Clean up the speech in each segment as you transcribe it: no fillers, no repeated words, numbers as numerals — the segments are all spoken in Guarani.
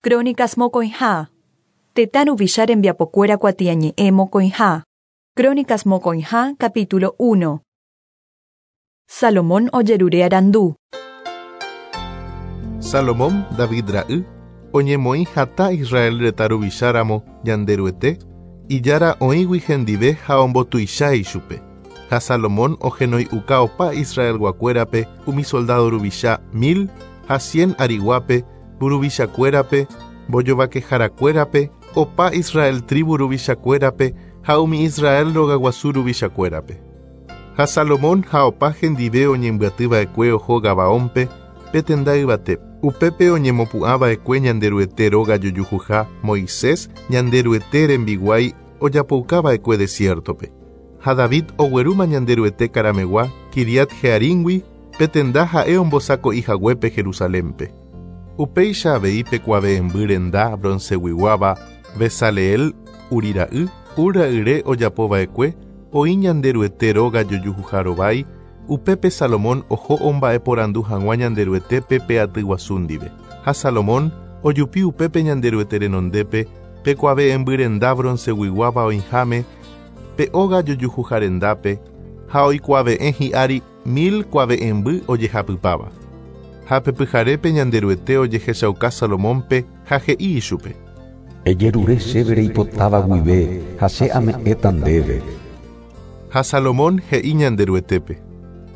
Crónicas mokõiha. Tetã ruvicha rembiapokuéra kuatiañe'ẽ mokõiha. Crónicas mokõiha, capítulo 1. Salomón ojerure arandu. Salomón, David ra'y, oñemoĩ hatã Israel retã ruvicha ramo Ñanderuete, Ijára oĩgui hendive ha ombotuicha ichupe. Ha Salomón ohenoi'uka opa Israelguakuérape umi soldádo ruvicha mil ha cien ariguápe, mburuvichakuérape, mbojovakeharakuérape, opa Israel trívu ruvichakuérape ha umi Israel rogaguasu ruvichakuérape. Ha Salomón ha opa hendive oñembyaty va'ekue oho Gabaónpe, pe tenda yvate. Upépe oñemopu'ã va'ekue Ñanderuete róga jojuhuha Moisés, Ñanderuete rembiguái ojapouka va'ekue desiértope. Ha David oguerúma Ñanderuete karamegua Quiriat-Jearímgui, pe tenda ha'e ombosako'i haguépe Jerusalénpe. Upéicha avei pe kuave'ẽmby renda bronceguiguáva Bezaleel, Uri ra'y, Hur ra'yre ojapo va'ekue, oĩ Ñanderuete róga jojuhuha rovái, upépe Salomón oho omba'eporandu hag̃ua Ñanderuetépe pe aty guasu ndive. Ha Salomón ojupi upépe Ñanderuete renondépe pe kuave'ẽmby renda bronceguiguáva oĩháme pe óga jojuhuha rendápe, ha oikuave'ẽ hi'ári mil kuave'ẽmby ojehapypáva. Ha pe pyharépe Ñanderuete ojehechauka Salomónpe ha he'i ichupe. Ejerure chéve reipotáva guive ha che ame'ẽta ndéve. Ha Salomón he'i Ñanderuetépe.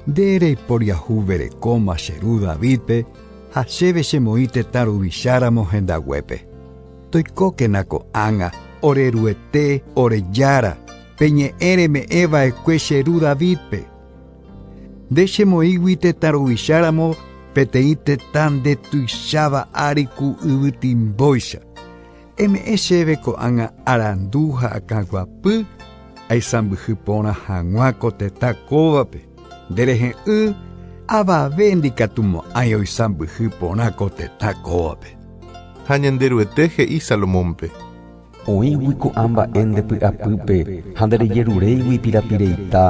Nde reiporiahuverekóma che ru Davídpe ha chéve chemoĩ tetã ruvicháramo hendaguépe. Toikókena ko'ág̃a, ore Ruete, ore Jára, pe ñe'ẽ reme'ẽ va'ekue che ru Davídpe. Nde chemoĩgui tetã ruvicháramo peteĩ tetã nde tuicháva ári ku yvytimbóicha. Eme'ẽ chéve ko'ág̃a arandu ha akãguapy aisãmbyhy porã hag̃ua ko tetã kóvape. Nde rehe'ỹ avave ndikatumo'ãi oisãmbyhy porã ko tetã kóvape. Ha Ñanderuete he'i Salomónpe. Oĩgui ko'ã mba'e nde py'apýpe ha nderejeruréigui pirapireita,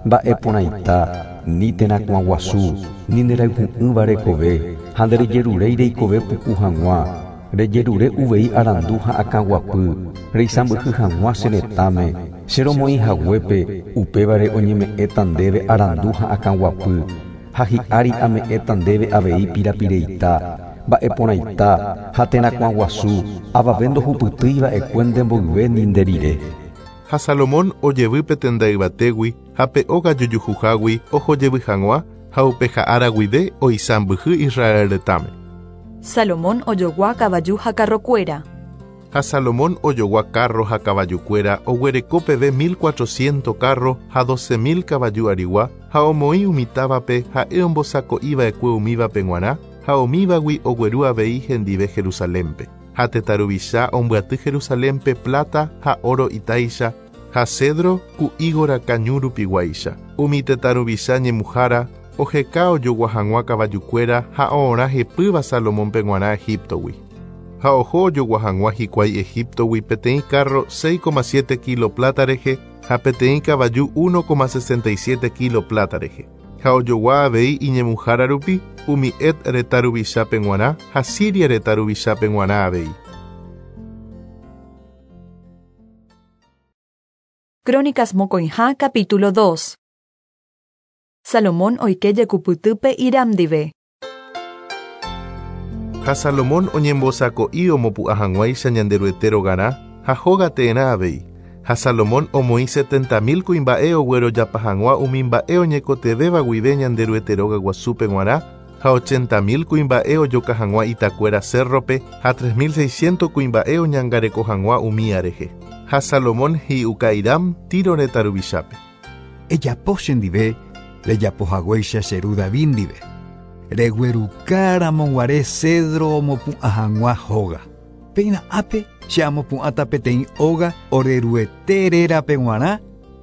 mba'e porãita, ni terakuã guasu, ni nderayhu'ỹva rekove, ha nderejeruréi reikove puku hag̃ua, rejerure uvei arandu ha akãguapy, reisãmbyhy hag̃ua che retãme, che romoĩ haguépe, upévare oñeme'ẽta ndéve arandu ha akãguapy, Ha hi'ári ame'ẽta ndéve avei pirapireita, mba'e porãita ha terakuã guasu, avave ndohupytýi va'ekue nde mboyve ni nde rire. Ha Salomón ojevy pe tenda yvatégui ha pe óga jojuhuhágui oho jevy hag̃ua, ha upe ha'ára guive oisãmbyhy Israel retãme. Salomón ojogua kavaju ha karrokuéra. Ha Salomón ojogua kárro ha kavajukuéra oguereko peve mil cuatrociénto kárro ha doce mil kavaju arigua, ha omoĩ umi távape ha'e ombosako'i va'ekue umívape g̃uarã, ha umívagui ogueru avei hendive Jerusalénpe. Ha tetã ruvicha ombyaty Jerusalénpe pláta ha óro itáicha, ha cédro ku ígo rakã ñu rupiguáicha. Umi tetã ruvicha ñemuhára oheka ojogua hag̃ua kavajukuéra ha oorã hepýva Salomónpe g̃uarã Egíptogui. Ha oho ojogua hag̃ua hikuái Egíptogui peteĩ kárro 6,7 kílo pláta rehe ha peteĩ kavaju 1,67 kílo pláta rehe. Ha ojogua avei iñemuhára rupi umi Het retã ruvichápe g̃uarã ha Siria retã ruvichápe g̃uarã avei. Crónicas mokõiha capítulo dos. Salomón oike jekupytýpe Hiram ndive. Ha Salomón oñembosako'i omopu'ã hag̃uáicha Ñanderuete rogarã ha hóga teerã avei. Ha Salomón omoĩ setenta mil kuimba'e oguerojapa hag̃ua umi mba'e oñekotevẽva guive Ñanderuete róga guasúpe g̃uarã, ha ochenta mil kuimba'e ojoka hag̃ua itakuéra cérrope ha tres mil seiscientos kuimba'e oñangareko hag̃ua umía rehe. Ha Salomón he'iuka Hiram, Tiro retã ruvichápe. Ejapo chendive rejapo haguéicha che ru David ndive, regueruka ramo guare cédro omopu'ã hag̃ua hóga. Péina ápe che amopu'ãta peteĩ óga ore Ruete rérape g̃uarã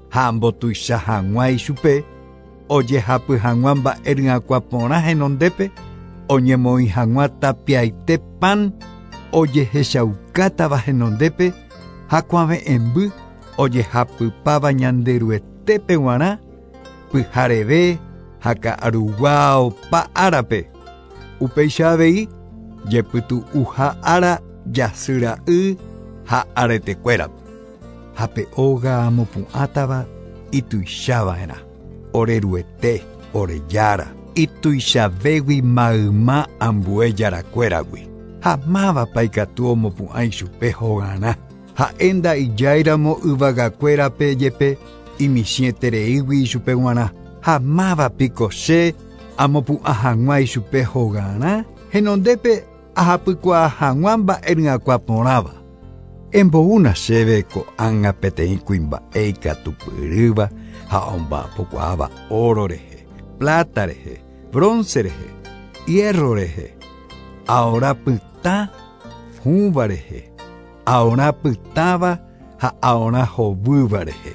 ha ambotuicha hag̃ua ichupe, ojehapy hag̃ua mba'e ryakuã porã henondépe, oñemoĩ hag̃ua tapiaite pan ojehechaukátava henondépe ha kuave'ẽmby ojehapypáva Ñanderuetépe g̃uarã pyhareve ha ka'arugua opa árape. Upéicha avei, jepytu'uha ára jasy ra'y ha aretekuérape. Ha pe óga amopu'ãtava ituichava'erã. Ore Ruete, ore Jára, ituichavégui mayma ambue jarakuéragui. Ha mávapa ikatu omopu'ã ichupe hogarã. Ha'e nda'ijáiramo yvagakuérape jepe imichĩetereígui ichupe g̃uarã. Ha mávapiko che amopu'ã hag̃ua ichupe hogarã, henondépe ahapykuaa hag̃ua mba'e porãva. Emboúna chéve ko'ág̃a peteĩ kuimba'e ikatupyrýva ha omba'apokuaáva oro rehe, plata rehe, bronce rehe, hierro rehe, aorã pytã hũva rehe, aorã pytãva ha aorã hovýva rehe,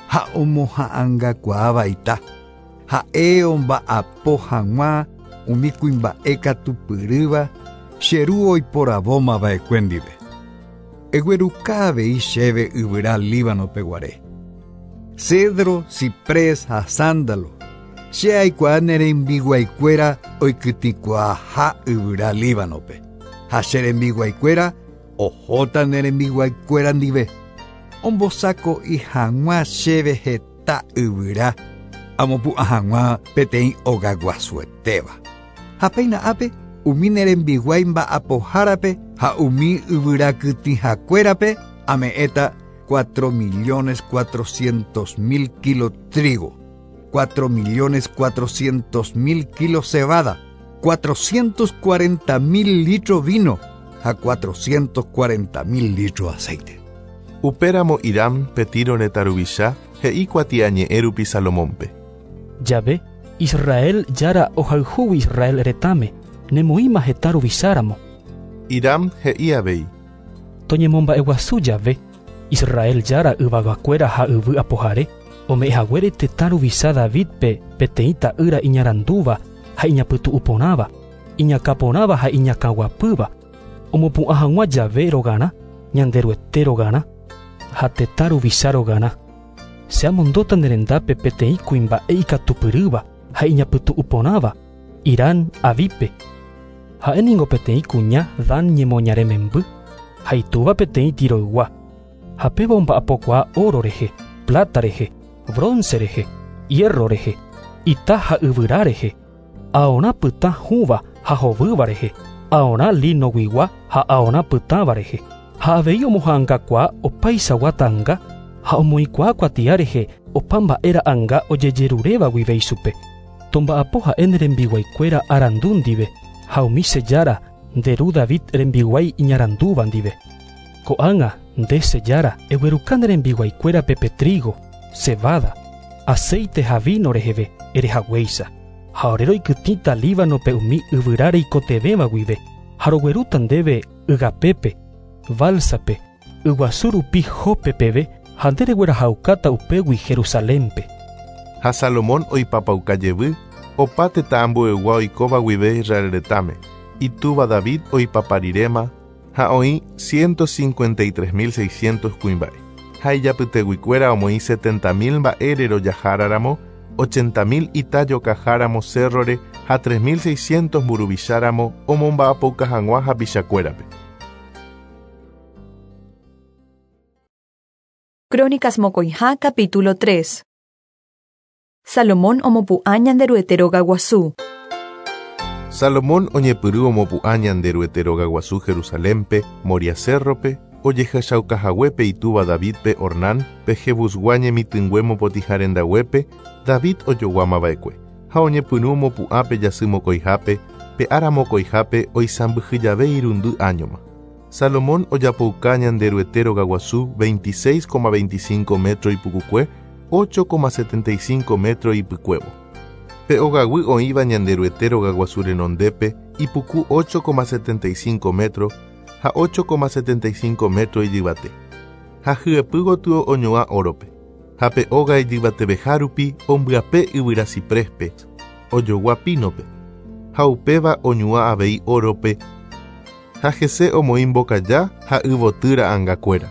ha omoha'ãngakuaáva ita, ha'e omba'apo hag̃ua umi kuimba'e katupyrýva che ru oiporavómava'ekue ndive. Egueruka avei chéve yvyra Líbanope guare. Cedro, ciprés ha sándalo. Che aikuaa ne rembiguaikuéra oikytĩkuaaha yvyra Líbanope. Ha che rembiguaikuéra ohóta ne rembiguaikuéra ndive. Ombosako'i hag̃ua chéve heta yvyra amopu'ã hag̃ua peteĩ ogaguasuetéva. Ha péina ápe umi ne rembiguái mba'apohárape ha umi yvyrakytĩhakuérape ame'ẽta 4.400.000 kilos trigo, 4.400.000 kilos cebada, 440.000 litros vino ha 440.000 litros aceite. Upéramo Hiram pe Tiro retã ruvicha he'i kuatiañe'ẽ rupi Salomónpe. Jave, Israel Jára ohayhúgui Israel retãme, nemoĩma heta ruvicháramo. Hiram he'i avei. Toñemomba'eguasu jave, Israel Jára yvagakuéra ha yvy apohare, ome'ẽhaguére tetã ruvicha Davidpe peteĩ ta'ýra iñarandúva ha iñapytu'ũporãva, iñakãporãva ha iñakãguapýva, omopu'ã hag̃ua jave rogarã, Ñanderuete rogarã, ha tetã ruvicha rogarã. Che amondóta ne rendápe peteĩ kuimba'e ikatupyrýva ha iñapytu'ũporãva, Hiram Abipe. Ha'e ningo peteĩ kuña Dan ñemoñare memby, ha itúva peteĩ Tiroygua. Ha péva omba'apokuaa oro rehe, plata rehe, bronce rehe, hierro rehe, ita ha yvyra rehe, aorã pytã hũva ha hovýva rehe, aorã linoguigua ha aorã pytãva rehe. Ha avei omoha'ãngakuaa opaichagua ta'ãnga ha omoĩkuaa kuatia rehe opa mba'e ra'ãnga ojejeruréva guive ichupe. Tomba'apo ha'e ne rembiguaikuéra arandu ndive ha umi che Jára nde ru David rembiguái iñarandúva ndive. Ko'ág̃a nde che Jára egueruka ne rembiguaikuérape pe trigo, cebada, aceite ha vino reheve erehaguéicha. Ha ore roikytĩta Líbanope umi yvyra reikotevẽva guive ha roguerúta ndéve ygapépe, balsape, yguasu rupi Jope peve ha nde reguerahaukáta upégui Jerusalénpe. Ha Salomón oipapauka jevy opa tetã ambuegua oikóva guive Israel retãme, itúva David oipapariréma ha oĩ 153.600 kuimba'e. Ha ijapyteguikuéra omoĩ 70.000 mba'e rerojaháraramo, 80.000 ita jokaháramo cérrore ha 3.600 mburuvicháramo omomba'apouka hag̃ua hapichakuérape. Crónicas Mokõiha capítulo 3. Salomón omopu'ã Ñanderuete rogaguasu. Salomón oñepyrũ omopu'ã Ñanderuete rogaguasu Jerusalénpe, Moria cérrope, ojehechaukahaguépe itúva Davidpe Ornán, pe Jebusgua ñemitỹngue mopotĩha rendaguépe, David ojoguamava'ekue. Ha oñepyrũ omopu'ã pe jasy mokõihápe, pe ára mokõihápe oisãmbyhy jave irundy áñoma. Salomón ojapouka Ñanderuete rogaguasu 26,25 metro ipukukue, 8,75 metro ipykuévo. Pe ogaguy oĩva Ñanderuete rogaguasu renondépe ipuku 8,75 metro ha 8,75 metro ijyvate. Ha hyepy gotyo oñuã órope. Ha pe óga ijyvateveha rupi ombyape yvyra cipréspe, ojogua pínope. Ha upéva oñuã avei órope ha hese omoĩ mbokaja ha yvoty ra'ãngakuéra.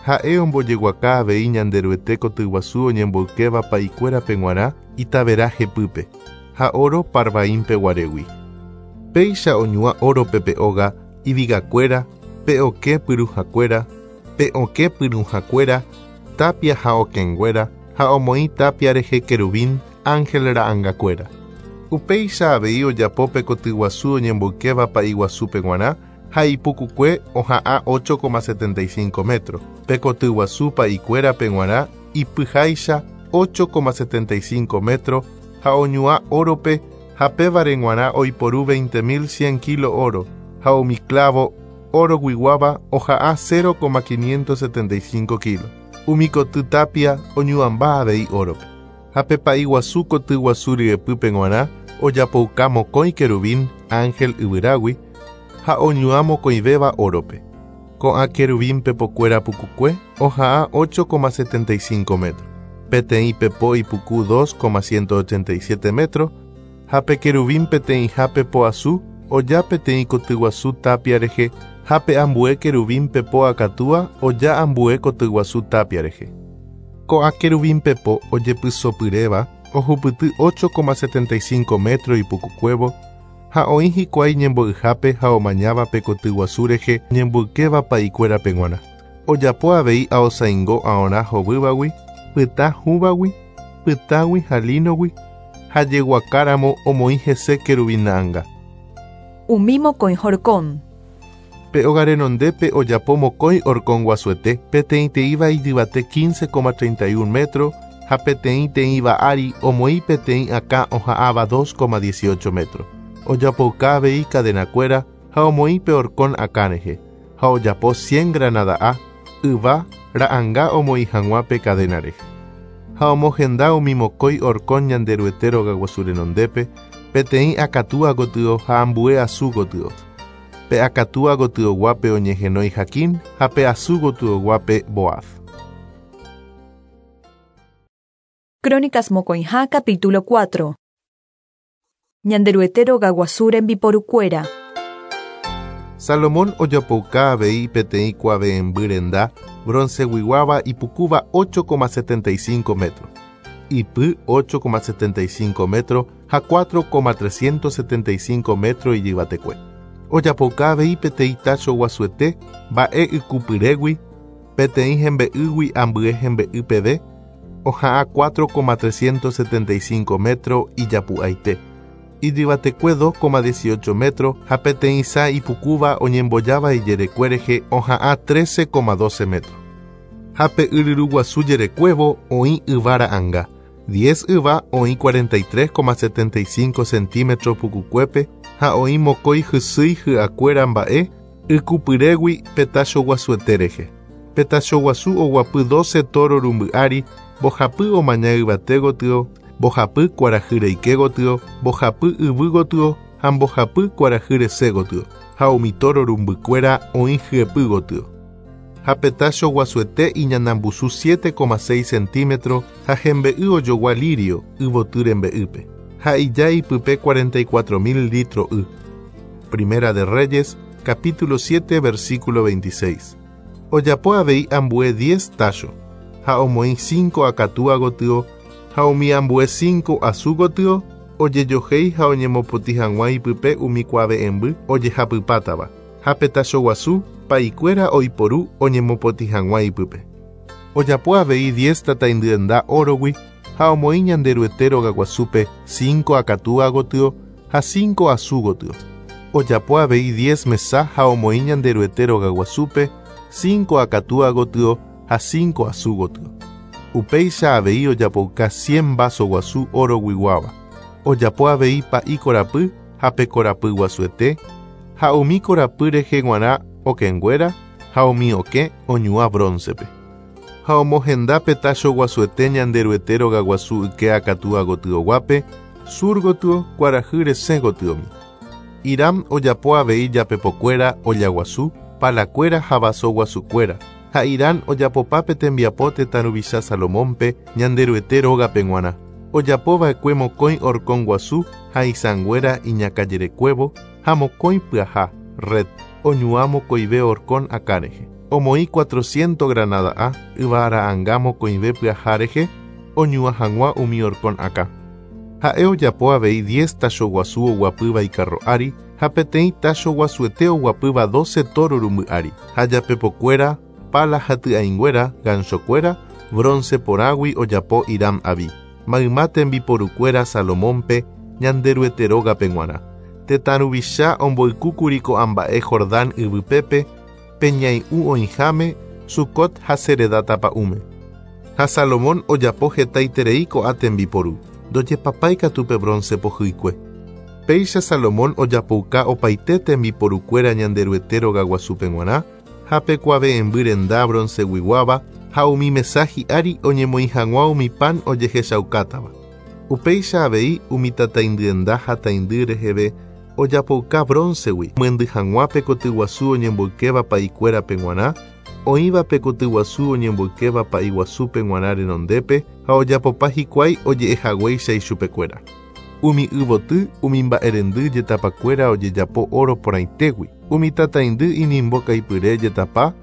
Ha'e ombojeguaka avei Ñanderuete kotyguasu oñemboykéva pa'ikuérape g̃uarã itavera hepýpe, ha oro Parvaínpe guarégui. Péicha oñuã órope pe óga, ivigakuéra, Pe okẽ pyruhakuéra, pe okẽ pyrũhakuéra, tapia ha okẽnguéra, ha omoĩ tapia rehe querubín, ángel ra'angakuéra. Upéicha avei ojapo pe kotyguasu oñemboykéva pa'i guasúpe g̃uarã ha ipukukue oha'ã 8,75 metro. Pe kotyguasu pa'ikuérape g̃uarã ipyháicha 8,75 metro ha oñuã órope ha pévare g̃uarã oiporu 20.100 kilo oro ha umi clavo oroguiguáva oha'ã 0,575 kilo. Umi koty tapia oñuãmba avei órope. Ha pe pa'i guasu koty guasu ryepýpe g̃uarã ojapouka mokõi querubín ángel yvyrágui ha oñuã mokõivéva órope. Ko'ã querubín pepokuéra pukukue oha'ã 8,75 metro. Peteĩ pepo ipuku 2,187 metro ha pe querubín peteĩha pepo asu oja peteĩ kotyguasu tapia rehe ha pe ambue querubín pepo akatúa oja ambue kotyguasu tapia rehe. Ko'ã querubín pepo ojepysopyréva ohupyty 8,75 metro ipukukuévo ha oĩ hikuái ñembo'yhápe ha omañáva pe kotyguasu rehe ñemboykéva pa'ikuérape g̃uarã. Ojapo avei aosaingo aorã hovývagui, pytã hũvagui, pytãgui ha línogui ha jeguakáramo omoĩ hese querubín ra'ãnga. Umi mokõi horkon. Pe óga renondépe ojapo mokõi horkon guasuete, peteĩteĩva ijyvate 15,31 metro ha peteĩteĩva ári omoĩ peteĩ akã oha'ãva 2,18 metro. Ojapouka avei cadenakuéra ha omoĩ pe horkon akã rehe, ha ojapo 100 granada'a, yva, ra'ãnga omoĩ hag̃ua pe cadena rehe. Ha omohenda umi mokõi horkon Ñanderuete rogaguasu renondépe, peteĩ akatúa gotyo ha ambue asu gotyo. Pe akatúa gotyoguápe oñehenói Jaquín ha pe asu gotyoguápe Boaz. Crónicas mokõiha capítulo 4. Ñanderuete rogaguasu rembiporukuéra. Salomón ojapouka avei peteĩ kuave'ẽmby renda bronceguiguáva ipukúva 8,75 metro, ipy 8,75 metro ha 4,375 metro ijyvatekue. Ojapouka avei peteĩ tacho guasuete mba'e ykupyrégui, peteĩ hembe'ýgui ambue hembe'y peve, oha'ã 4,375 metro ijapu'aite. Ijyvatekue 2,18 metro ha peteĩ sã ipukúva oñembojáva ijerekue rehe oha'ã 13,12 metro. Ha pe yryruguasu jerekuévo oĩ yva ra'ãnga. 10 yva oĩ 43,75 centímetro pukukuépe ha oĩ mokõi hysýi hy'akuéra mba'e ykupyrégui pe tacho guasuete rehe. Pe tacho guasu oguapy 12 toro rumby ári, mbohapy omaña yvate gotyo, mbohapy kuarahy reike gotyo, mbohapy yvy gotyo ha mbohapy kuarahy rese gotyo, ha umi toro rumbykuéra oĩ hyepy gotyo. Ha pe tacho guasuete iñanambusu 7,6 centímetro ha hembe'y ojogua lirio yvoty rembe'ýpe. Ha ija ipype 44.000 litro y. Primera de Reyes, capítulo 7, versículo 26. Ojapo avei ambue 10 tacho, ha omoĩ 5 akatúa gotyo, ha umi ambue 5 asu gotyo, ojejohéi ha oñemopotĩ hag̃ua ipype umi kuave'ẽmby ojehapypátava. Ha pe tacho guasu pa'ikuéra oiporu oñemopotĩ hag̃ua ipype. Ojapo avei 10 tataindyenda órogui ha omoĩ Ñanderuete rogaguasúpe 5 akatúa gotyo ha 5 asu gotyo. Ojapo avei 10 mesa ha omoĩ Ñanderuete rogaguasúpe 5 akatúa gotyo ha 5 asu gotyo. Upéicha avei ojapouka 100 vaso guasu oroguiguáva. Ojapo avei pa'i korapy ha pe korapy guasuete ha umi korapy rehe g̃uarã okẽnguéra ha umi okẽ oñuã broncepe. Ha omohenda pe tacho guasuete Ñanderuete rogaguasu yke akatúa gotyoguápe, sur gotyo kuarahy resẽ gotyomi. Hiram ojapo avei japepokuéra ollaguasu, palakuéra ha vaso guasukuéra. Ha Hiram ojapopa pe tembiapo tetã ruvicha Salomónpe Ñanderuete rógape g̃uarã. Ojapova'ekue mokõi horkon guasu ha isãnguéra iñakãjerekuévo ha mokõi pyaha, red, oñuã mokõive horkon akã rehe. Omoĩ 400 granada'a yva ra'ãnga mokõive pyaha rehe oñuã hag̃ua umi horkon akã. Ha'e ojapo avei 10 tacho guasu oguapýva ikarro ári Ha peteĩ tácho guasuete oguapýva 12 tóro rumby ári. Ha japepokuéra, pala ha ty'ãinguéra, ganchokuéra, bronce porãgui ojapo Hiram Abi. Mayma tembiporukuéra Salomónpe Ñanderuete rógape g̃uarã. Tetã ruvicha omboykúkuri ko'ã mba'e Jordán yvypépe, pe ñai'ũ oĩháme, Sucot ha Seredá tapa'ũme. Ha Salomón ojapo hetaiterei ko'ã tembiporu, ndojepapái katu pe bronce pohýikue. Péicha Salomón ojapouka opaite tembiporukuéra Ñanderuete rogaguasúpe g̃uarã, ha pe kuave'ẽmby renda bronceguiguáva ha umi mesa hi'ári oñemoĩ hag̃ua umi pan ojehechaukátava. Upéicha avei umi tataindyenda ha taindy reheve ojapouka bronce-gui, myendy hag̃ua pe kotyguasu oñemboykéva pa'ikuérape g̃uarã, oĩva pe kotyguasu oñemboykéva pa'iguasúpe g̃uarã renondépe ha ojapopa hikuái oje'ehaguéicha ichupekuéra. Umi yvoty, umi mba'erendy jetapakuéra ojejapo oro porãitégui, umi tataindy inimbokaipyre jetapa,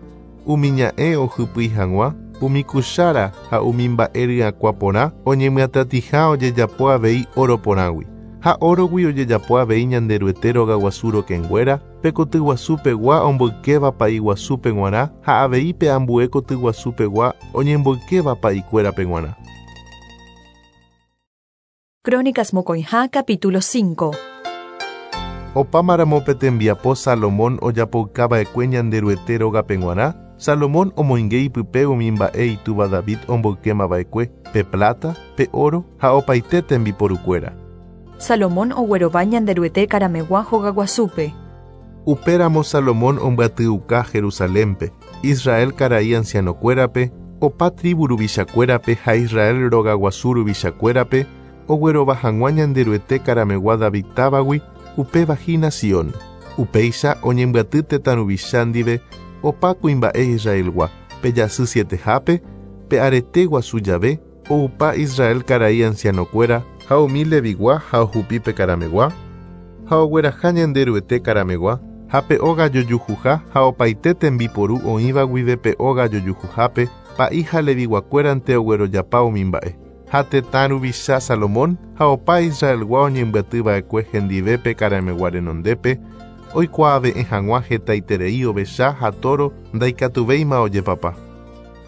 umi ña'ẽ ohypýi hag̃ua, umi kuchára ha umi mba'e ryakuã porã oñemyatatĩha ojejapo avei oro porãgui. Ha órogui ojejapo avei Ñanderuete rogaguasu rokẽnguéra, pe kotyguasupegua omboykéva pa'iguasúpe g̃uarã ha avei pe ambue kotyguasupegua oñemboykéva pa'ikuérape g̃uarã. Crónicas Mokõiha capítulo 5. Opámaramo pe tembiapo Salomón ojapoukava'ekue Ñanderuete rógape g̃uarã, Salomón omoinge ipype umi mba'e itúva David omboykémava'ekue, pe plata, pe oro ha opaite tembiporukuéra. Salomón oguerova Ñanderuete karameg̃ua hogaguasúpe. Upéramo Salomón ombyatyuka Jerusalénpe, Israel karai ancianokuérape, opa tribu ruvichakuérape ha Israel rogaguasu ruvichakuérape, oguerova hag̃ua Ñanderuete karameg̃ua David távagui, upéva hína Sion. Upéicha oñembyaty tetã ruvicha ndive opa kuimba'e Israelgua, pe jasy sietehápe, pe arete guasu jave, oupa Israel karai ancianokuéra ha umi Levigua ha ohupi pe karameg̃ua, ha ogueraha Ñanderuete karameg̃ua, ha pe óga jojuhuha ha opaite tembiporu oĩva guive pe óga jojuhuhápe, pa'i ha leviguakuérante oguerojapa umi mba'e. Ha tetã ruvicha Salomón ha opa Israelgua oñembyatyva'ekue hendive pe karameg̃ua renondépe, oikuaave'ẽ hag̃ua hetaiterei ovecha ha tóro ndaikatuvéima ojepapa.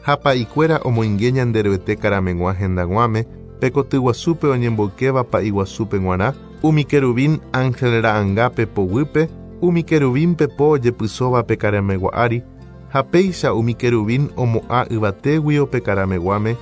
Ha pa'ikuéra omoinge Ñanderuete karameg̃ua hendag̃uáme, pe kotyguasúpe oñemboykéva pa'iguasúpe g̃uarã, umi querubín ángel ra'ãnga pepo guýpe, umi querubín pepo ojepysóva pe karameg̃ua ári, ha péicha umi querubín omo'ã yvatéguio pe karameg̃uáme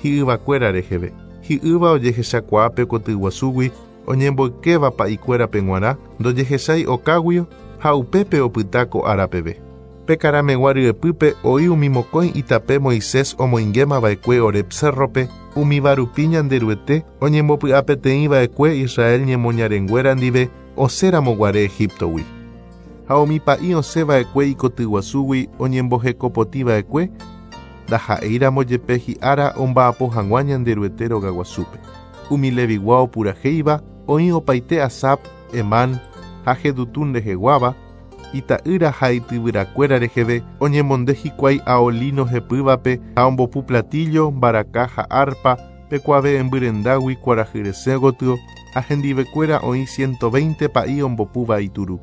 hi'yvakuéra reheve. Hi'ýva ojehechakuaa pe kotyguasúgui oñemboykéva pa'ikuérape g̃uarã, ndojehechái okáguio ha upépe opyta ko ára peve. Pe karameg̃ua ryepýpe oĩ umi mokõi itape Moisés omoingémava'ekue Horeb cérrope, umíva rupi Ñanderuete oñembopy'apeteĩva'ekue Israel ñemoñarenguéra ndive osẽramoguare Egiptogui. Ha umi pa'i osẽva'ekue ikotyguasúgui oñembohekopotĩva'ekue, ndaha'éiramo jepe hi'ára omba'apo hag̃ua Ñanderuete rogaguasúpe. Umi Levigua opurahéiva oĩ opaite Asap, Emán ha Jedutún reheguáva, ita'ýra ha ityvyrakuéra reheve oñemonde hikuái ao lino hepývape ha ombopu platillo, mbaraka ha arpa pe kuave'ẽmby rendágui kuarahy resẽ gotyo ha hendivekuéra oĩ 120 pa'i ombopúva ituru.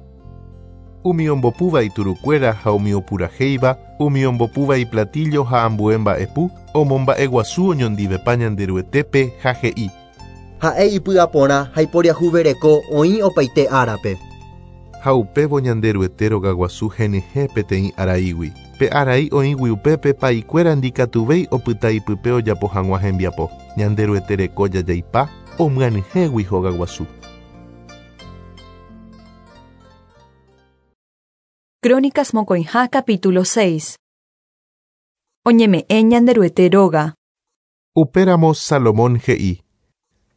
Umi ombopúva iturukuéra ha umi opurahéiva, umi ombopúva iplatillo ha ambue mba'epu, omomba'eguasu oñondivepa Ñanderuetépe ha he'i. Ha'e ipy'aporã ha iporiahuvereko oĩ opaite árape. Ha upévo Ñanderuete rogaguasu henyhẽ peteĩ araígui. Pe arai oĩgui upépe pa'ikuéra ndikatuvéi opyta ipype ojapo hag̃ua hembiapo. Ñanderuete reko jajaipa omyanyhẽgui hogaguasu. Crónicas Mokõiha capítulo 6. Oñeme'ẽ Ñanderuete róga. Upéramo Salomón he'i.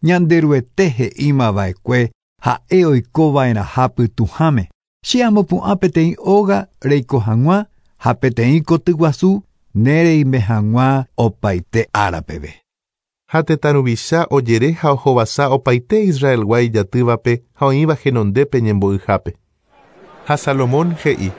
Ñanderuete he'ímava'ekue ha'e oikova'erãha pytũháme. Che amopu'ã peteĩ óga reiko hag̃ua ha peteĩ kotyguasu nereime hag̃ua opaite ára peve. Ha tetã ruvicha ojere ha ohovasa opaite Israelgua ijatývape ha oĩva henondépe ñembo'yhápe. Ha Salomón he'i.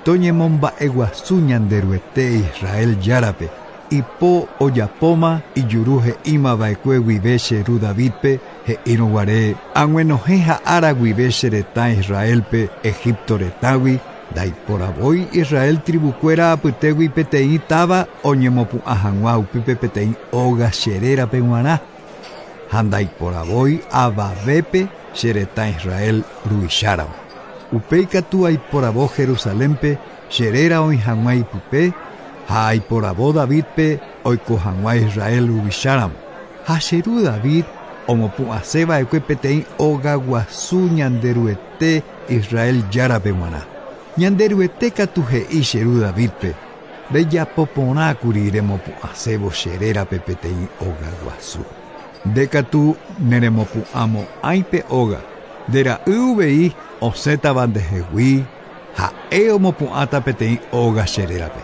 Toñemomba'eguasu Ñanderuete Israel járape, Ipo ojapóma ijuru he'imava'ekue guive che ru Davidpe he'írõ guare ag̃uenohẽ ha'ára guive che retã Israelpe Egipto retãgui ndaiporavói Israel tribukuéra apytégui peteĩ táva oñemopu'ã hag̃ua upépe peteĩ óga che rérape g̃uarã ha ndaiporavói avavépe che retã Israel ruvicháramo. Upéi katu aiporavo Jerusalénpe che réra oĩ hag̃ua ipype ha aiporavo Davidpe oiko hag̃ua Israel ruvicháramo. Ha che ru David omopu'ãseva'ekue peteĩ óga guasu Ñanderuete Israel járape g̃uarã. Ñanderuete katu he'i che ru Davidpe rejapoporãkuri remopu'ãsévo che rérape peteĩ óga guasu. Nde katu neremopu'ãmo'ãi pe óga, nde ra'y uvei osẽtava ndehegui ha'e omopu'ãta peteĩ óga che rérape.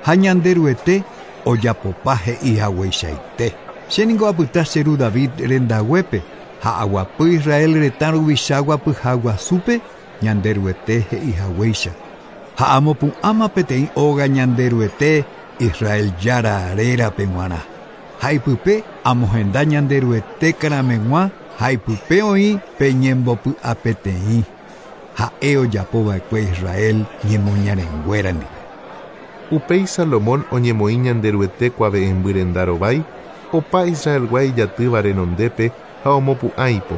Ha Ñanderuete ojapopa he'i hagueichaite. Chéniko apyta che ru David rendaguépe ha aguapy Israel retã ruvicha guapyha guasúpe Ñanderuete he'i haguéicha. Ha amopu'ãma peteĩ óga Ñanderuete Israel jára rérape g̃uarã. Ha ipype amohenda Ñanderuete karameg̃ua ha ipype oĩ pe ñembopy'apeteĩ. Ha'e ojapova'ekue Israel ñemoñarenguéra ndive. Upéi Salomón oñemoĩ Ñanderuete kuave'ẽmby renda rovái opa Israelgua ijatýva renondépe ha omopu'ã ipo.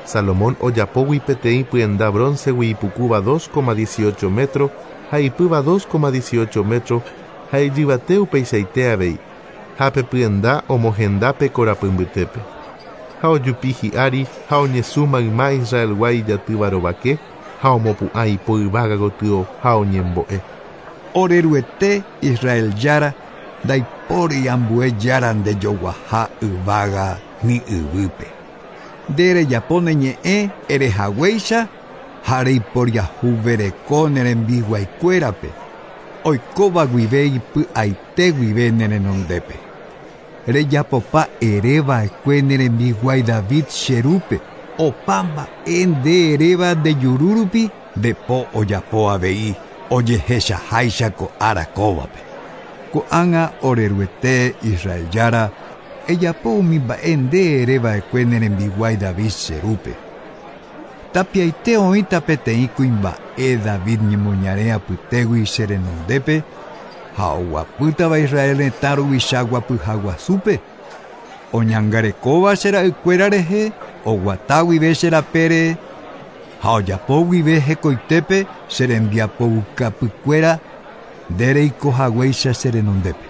Salomón ojapógui peteĩ pyenda broncegui ipukúva 2,18 metro ha ipýva 2,18 metro ha ijyvate upeichaite avei. Ha pe pyenda omohenda pe korapy mbytépe. Ha ojupi hi'ári ha oñesũ mayma Israelgua ijatýva rovake ha omopu'ã ipo yvága gotyo ha oñembo'e. Oreruete Israel jára ndaipóri ambue jára ndejoguaha yvága ni yvýpe. Nde rejapo ne ñe'ẽ erehaguéicha ha reiporiahuvereko ne rembiguaikuérape oikóva guive ipy'aite guive ne renondépe. Rejapopa ereva'ekue ne rembiguái David che rúpe opa mba'e nde eréva ndejuru rupi ndepo ojapo avei ojehechaháicha ko ára kóvape. Ko'ág̃a Oreruete Israel jára ejapo umi mba'e nde ereva'ekue ne rembiguái David che rúpe. Tapiaite oĩta peteĩ kuimba'e David ñemoñare apytégui che renondépe ha oguapýtava Israel retã ruvicha guapyha guasúpe. Oñangarekóva che ra'ykuéra rehe oguata guive che rapére ha ojapo guive hekoitépe che rembiapoukapykuéra nde reikohaguéicha che renondépe.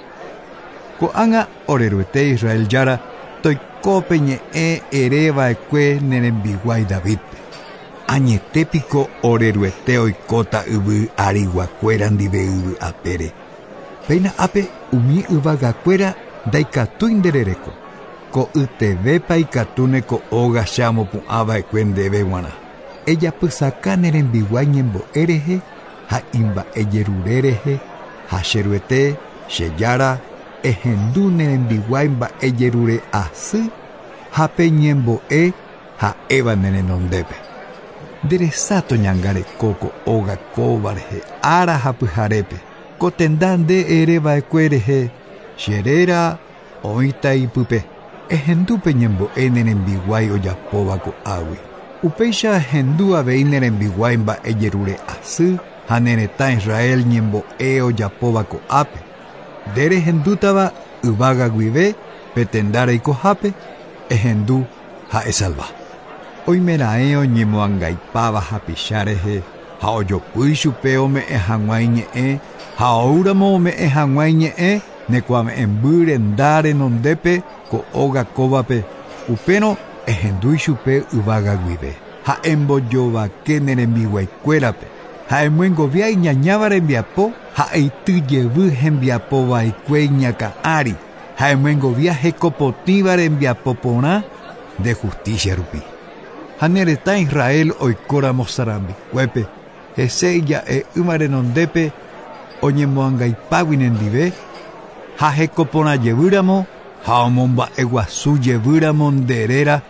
Ko'ág̃a Oreruete Israel jára toikópe ñe'ẽ ereva'ekue ne rembiguái Davidpe. Añetépiko Oreruete oikóta yvy ariguakuéra ndive yvy apére. Péina ápe umi yvagakuéra ndaikatúi nderereko. Ko'ytevépa ikatúne ko óga che amopu'ãva'ekue ndéve g̃uarã. Ejapysaka ne rembiguái ñembo'e rehe ha imba'ejerure rehe ha che Ruete che jára ehendu ne rembiguái mba'ejerure asy ha pe ñembo'e ha'éva ne renondépe. Nderesáto ñangareko ko óga kóva rehe ára ha pyharépe. Ko tenda nde ereva'ekue rehe che réra oĩta ipype. Ehendu pe ñembo'e ne rembiguái ojapóva ko'águi. Upéicha ehendu avei ne rembiguái mba'ejerure asy ha ne retã Israel ñembo'e ojapóva ko'ápe. Nde rehendútava yvága guive pe tenda reikohápe ehendu ha esalva. Oimeraẽ oñemoangaipáva hapicha rehe ha ojopy chupe ome'ẽ hag̃ua iñe'ẽ ha oúramo ome'ẽ hag̃ua iñe'ẽ nekuave'ẽmby renda renondépe ko óga kóvape upérõ ehendu ichupe yvága guive ha embojovake ne rembiguaikuérape ha emyengovia iñañáva rembiapo ha eity jevy hembiapova'ekue iñakã ári ha emyengovia hekopotĩva rembiapo porã nde justicia rupi. Ha ne retã Israel oikóramo sarambikuépe hese ija'e'ỹva renondépe oñemoangaipágui nendive ha hekoporãjevýramo ha omomba'eguasu jevýramo nde réra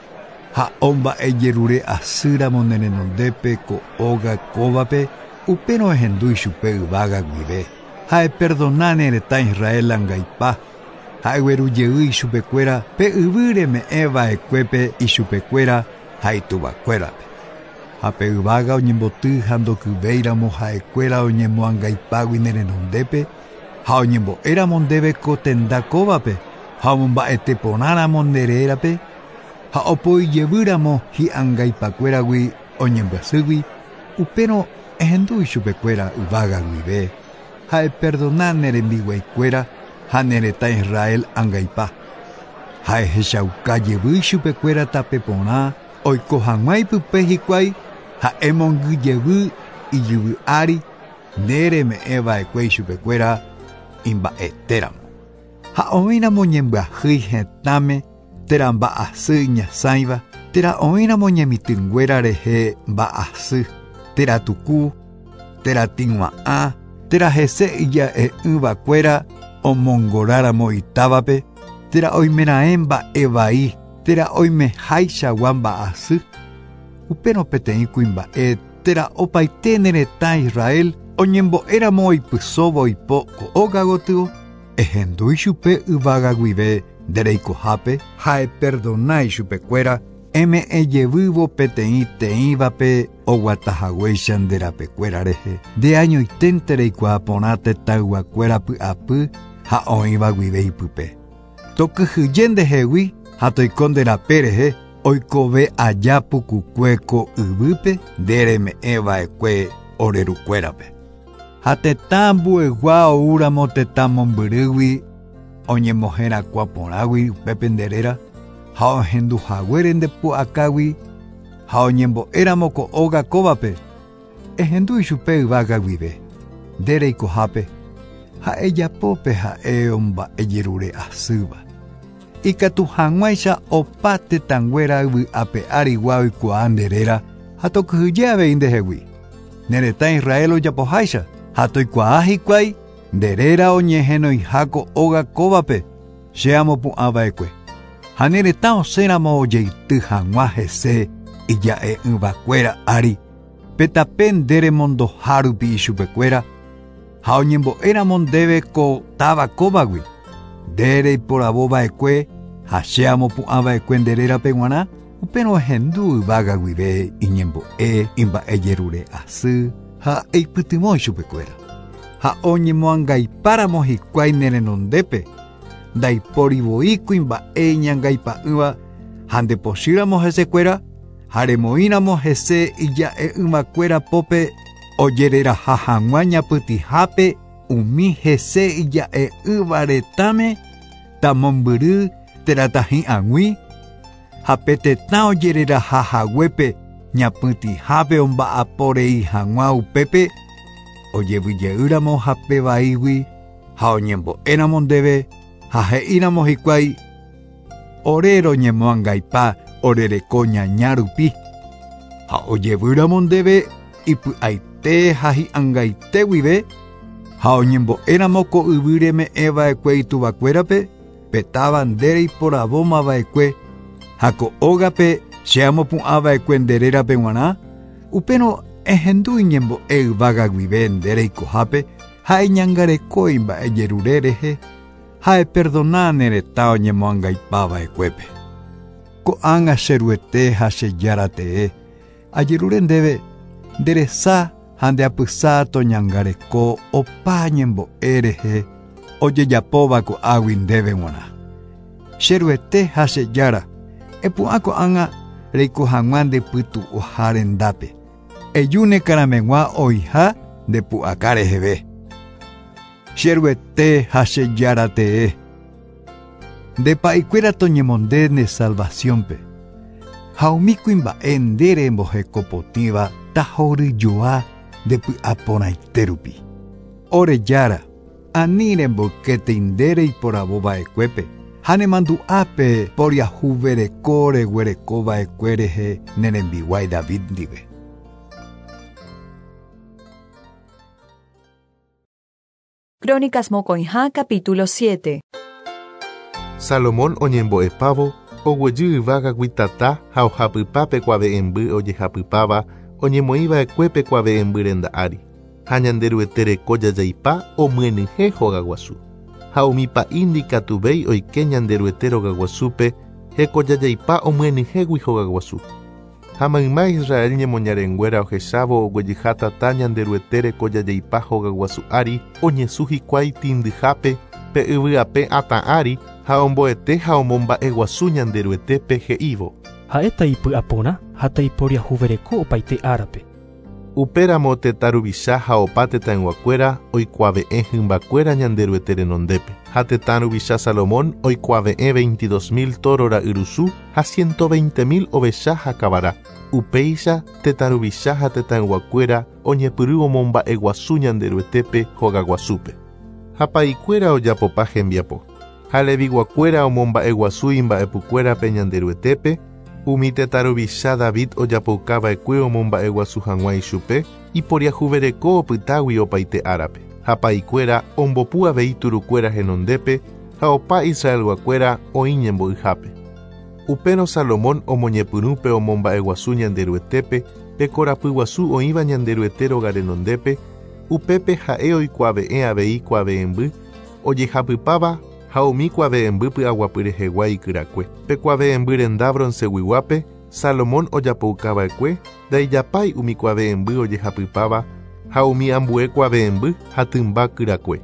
ha omba'ejerure asýramo ne renondépe ko óga kóvape upérõ ehendu ichupe yvága guive. Ha eperdona ne retã Israel angaipa, ha eguerujey ichupekuéra pe yvy reme'ẽva'ekuépe ichupekuéra ha ituvakuérape. Ha pe yvága oñemboty ha ndokyvéiramo ha'ekuéra oñemoangaipágui ne renondépe ha oñembo'éramo ndéve ko tenda kóvape ha omomba'eteporãramo nde rérape ha opoijevýramo hi'angaipakuéragui oñembyasýgui upérõ ehendu ichupekuéra yvága guive ha eperdona ne rembiguaikuéra ha ne retã Israel angaipa. Ha ehechauka jevy ichupekuéra tape porã oiko hag̃ua ipype hikuái ha emongyjevy ijyvy ári nde reme'ẽva'ekue ichupekuéra imba'etéramo. Ha oĩramo ñembyahýi hetãme térã mba'asy iñasãiva térã oĩramo ñemitỹnguéra rehe mba'asy térã tuku térã tĩgua'ã térã hese ija'e'ỹvakuéra omongoráramo itávape térã oimeraẽ mba'evai térã oimehaichagua mba'asy upérõ peteĩ kuimba'e térã opaite ne retã Israel oñembo'éramo oipysóvo ipo ko óga gotyo ehendu ichupe yvága guive ndereikohápe ha eperdona ichupekuéra eme'ẽjevývo peteĩ teĩvape oguatahaguéicha nde rapekuéra rehe nde añoiténte reikuaa porã tetãyguakuéra py'apy ha oĩva guive ipype. Tokyhyje ndehegui ha toiko nde rape rehe oikove aja pukukue ko yvýpe nde reme'ẽva'ekue orerukuérape. Ha tetã ambuegua oúramo tetã mombyrýgui oñemoherakuã porãgui upépe nde réra ha ohenduhaguére nde pu'akágui ha oñembo'éramo ko óga kóvape ehendu ichupe yvága guive nde reikohápe ha ejapópe ha'e omba'ejerure asýva. Ikatu hag̃uáicha opa tetãnguéra yvy'ape árigua oikuaa nde réra ha tokyhyje avei ndehegui. Ne retã Israel ojapoháicha ha toikuaa hikuái nde réra oñehenoiha ko óga kóvape che amopu'ãva'ekue. Ha ne retã osẽramo ojeity hag̃ua hese ija'e'ỹvakuéra ári pe tape nde remondoha rupi ichupekuéra ha oñembo'éramo ndéve ko táva kóvagui nde reiporavova'ekue ha che amopu'ãva'ekue nde rérape g̃uarã upérõ ehendu yvága guive iñembo'e imba'ejerure asy ha eipytyvõ ichupekuéra. Ha oñemoangaipáramo hikuái ne renondépe ndaipórivoi kuimba'e iñangaipa'ỹva ha ndepochýramo hesekuéra ha remoĩramo hese ija'e'ỹvakuéra pópe ojereraha hag̃ua ñapytĩhápe umi hese ija'e'ỹva retãme tamombyry térã tahi'ag̃ui ha pe tetã ojereraha haguépe ñapytĩhápe omba'aporei hag̃ua upépe ojevyjeýramo hapevaígui ha oñembo'éramo ndéve ha he'íramo hikuái ore roñemoangaipa orereko ñaña rupi ha ojevýramo ndéve ipy'aite ha hi'angaite guive ha oñembo'éramo ko yvy reme'ẽva'ekue ituvakuérape pe táva nde reiporavómava'ekue ha ko ógape che amopu'ãva'ekue nde rérape g̃uarã upérõ ehendu iñembo'e yvága guive nde reikohápe ha eñangareko imba'ejerure rehe ha eperdona ne retã oñemoangaipava'ekuépe. Ko'ág̃a che Ruete ha che Jára tee ajerure ndéve nde resa ha nde apysa toñangareko opa ñembo'e rehe ojejapóva ko'águi ndéve g̃uarã. Che Ruete ha che Jára epu'ã ko'ág̃a reiko hag̃ua nde pytu'uha rendápe. Eju ne karameg̃ua oiha nde pu'aka reheve. Che Ruete ha che Jára tee nde pa'ikuéra toñemonde ne salvaciónpe ha umi kuimba'e nde rembohekopotĩva tahoryjoa nde py'aporãite rupi. Ore Jára ani remboykétei nde reiporavova'ekuépe ha nemandu'ápe poriahuvereko reguerekova'ekue rehe ne rembiguái David ndive. Crónicas Mocoijá, capítulo 7. Salomón oñembo'epávo oguejy yvágagui tata ha ohapypa pe kuave'ẽmby ojehapypáva oñemoĩva'ekue pe kuave'ẽmby renda ári. Ha Ñanderuete reko jajaipa omyenyhẽ hogaguasu. Ha umi pa'i ndikatuvéi oike Ñanderuete rogaguasúpe hekojajaipa omyenyhẽgui hogaguasu. Ha mayma Israel ñemoñarenguéra ohechávo oguejyha tata Ñanderuete rekojajaipa hogaguasu ári oñesũ hikuái tĩndyhápe pe yvy ape atã ári ha omboete ha omomba'eguasu Ñanderuetépe he'ívo. Ha'éta ipy'aporã ha taiporiahuvereko opaite árape. Upéramo tetã ruvicha ha opa tetãyguakuéra oikuave'ẽ hymbakuéra Ñanderuete renondépe. Ha tetã ruvicha Salomón oikuave'ẽ 22.000 tóro ra'yrusu ha 120.000 ovecha ha kavara. Upéicha tetã ruvicha ha tetãyguakuéra oñepyrũ omomba'eguasu Ñanderuetépe hogaguasúpe. Ha pa'ikuéra ojapopa hembiapo. Ha leviguakuéra omomba'eguasu imba'epukuérape Ñanderuetépe, umi tetã ruvicha David ojapoukava'ekue omomba'eguasu hag̃ua ichupe, iporiahuvereko opytágui opaite árape. Ha pa'ikuéra ombopu avei turukuéra henondépe ha opa Israelguakuéra oĩ ñembo'yhápe. Upérõ Salomón omoñepyrũ pe omomba'eguasu Ñanderuetépe pe korapyguasu oĩva Ñanderuete róga renondépe, upépe ha'e oikuave'ẽ avei kuave'ẽmby ojehapypáva ha umi kuave'ẽmby py'aguapy rehegua ikyrakue. Pe kuave'ẽmby renda bronceguiguápe Salomón ojapoukava'ekue ndaijapái umi kuave'ẽmby ojehapypáva ha umi ambue kuave'ẽmby ha tymba kyrakue.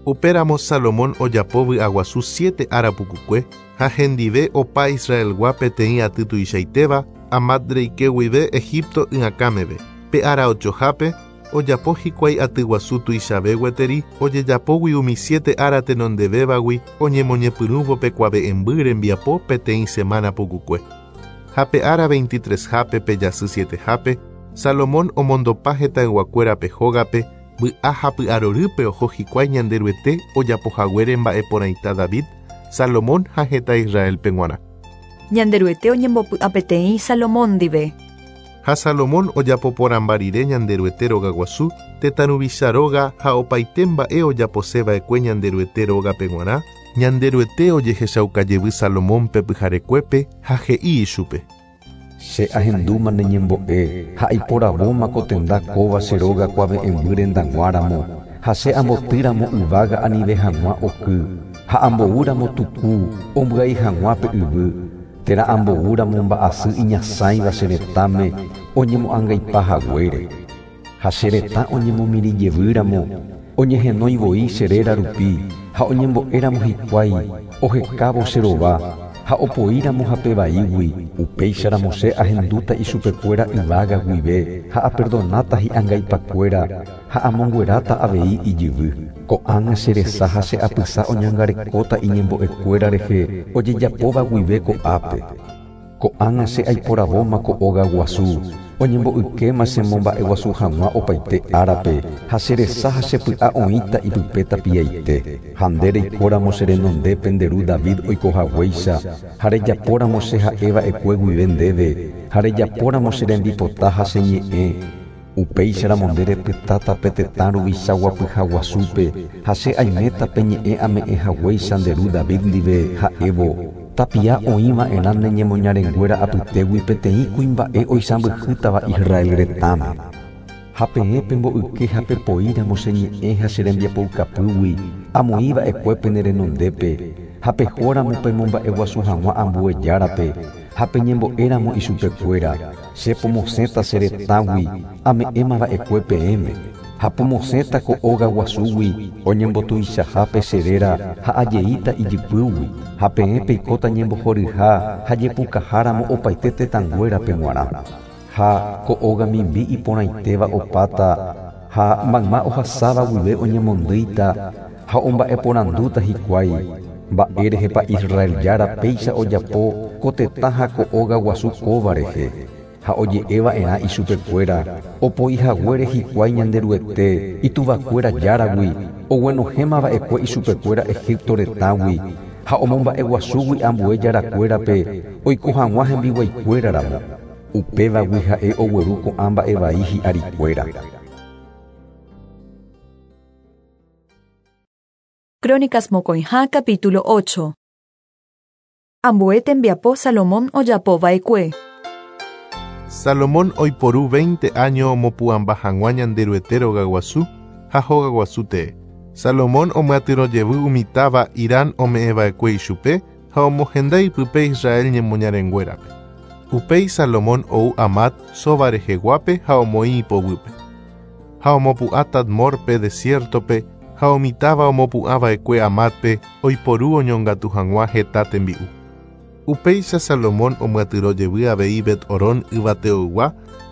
Upéramo Salomón ojapo vy'aguasu siete ára pukukue ha hendive opa Israelgua peteĩ aty tuichaitéva Amat reike guive Egipto y'akãmeve. Pe ára ochohápe ojapo hikuái atyguasu tuichave gueteri ojejapógui umi siete ára tenondevévagui oñemoñepyrũvo pe kuave'ẽmby rembiapo peteĩ semana pukukue. Ha pe ára 23-hápe pe jasy 7-hápe Salomón omondopa hetãyguakuérape hógape vy'a ha py'arorýpe oho hikuái Ñanderuete ojapohaguére mba'eporãita David, Salomón ha heta Israelpe g̃uarã. Ñanderuete oñembopy'apeteĩ Salomón ndive. Ha Salomón ojapoporãmba rire Ñanderuete rogaguasu, tetã ruvicha róga ha opaite mba'e ojaposeva'ekue Ñanderuete rógape g̃uarã, Ñanderuete ojehechaukajevy Salomónpe pyharekuépe ha he'i ichupe. Che ahendúma ne ñembo'e ha aiporavóma ko tenda kóva che róga kuave'ẽmby rendag̃uáramo ha che ambotýramo yvága anive hag̃ua oky ha amboúramo tuku ombyai hag̃ua pe yvy térã amboúramo mba'asy iñasãiva che retãme oñemo'angaipahaguére. Ha che retã oñemomirĩjevýramo oñehenói voi che réra rupi ha oñembo'éramo hikuái ohekávo che rova ha opoíramo hapevaígui upéicharamo che ahendúta ichupekuéra yvága guive ha aperdonáta hi'angaipakuéra ha amongueráta avei ijyvy. Ko'ág̃a che resa ha che apysa oñangarekóta iñembo'ekuéra rehe ojejapóva guive ko'ápe. Ko'ág̃a che aiporavóma ko óga guasu oñembo'ykéma chemomba'eguasu hag̃ua opaite árape ha che resa ha che py'a oĩta ipype tapiaite. Ha nde reikóramo che renondépe nde ru David oikohaguéicha ha rejapóramo che ha'eva'ekue guive ndéve ha rejapóramo che rembipota ha che ñe'ẽ upéicharamo nde repytáta pe tetã ruvicha guapyha guasúpe ha che aiméta pe ñe'ẽ ame'ẽhaguéicha nde ru David ndive ha'évo tapia oĩva'erã ne ñemoñarenguéra apytégui peteĩ kuimba'e oisãmbyhýtava Israel retãme. Ha peẽ pemboyke ha pepoíramo che ñe'ẽ ha che rembiapoukapýgui amoĩva'ekue pene renondépe ha pehóramo pemomba'eguasu hag̃ua ambue járape ha peñembo'éramo ichupekuéra che pomosẽta che retãgui ame'ẽmava'ekue peẽme ha pomosẽta ko óga guasúgui oñembotuichahápe che réra ha ajeíta ijypýgui ha peẽ peikóta ñembohoryha ha jepukaháramo opaite tetãnguérape g̃uarã. Ha ko óga mimbi iporãitéva opáta ha mayma ohasáva guive oñemondýita ha omba'eporandúta hikuái mba'érehepa Israel jára péicha ojapo ko tetã ha ko óga guasu kóva rehe. Ha oje'eva'erã ichupekuéra opoihaguére hikuái Ñanderuete ituvakuéra járagui oguenohẽmava'ekue ichupekuéra Egipto retãgui ha omomba'eguasúgui ambue jarakuérape oiko hag̃ua hembiguaikuéraramo. Upévagui ha'e ogueru ko'ã mba'evai hi'arikuéra. Crónicas mokõiha capítulo 8. Ambue tembiapo Salomón ojapova'ekue. Salomón oiporu 20 áño omopu'ãmba hag̃ua Ñanderuete rogaguasu ha hogaguasu tee. Salomón omyatyrõjevy umi táva Hiram ome'ẽva'ekue ichupe ha omohenda ipype Israel ñemoñarenguérape. Upéi Salomón ou Amat Soba reheguápe ha omoĩ ipoguýpe. Ha omopu'ã Tadmorpe desiértope ha umi táva omopu'ãva'ekue Amatpe oiporu oñongatu hag̃ua heta tembi'u. Upéicha Salomón omyatyrõjevy avei Bet-Horón yvateoygua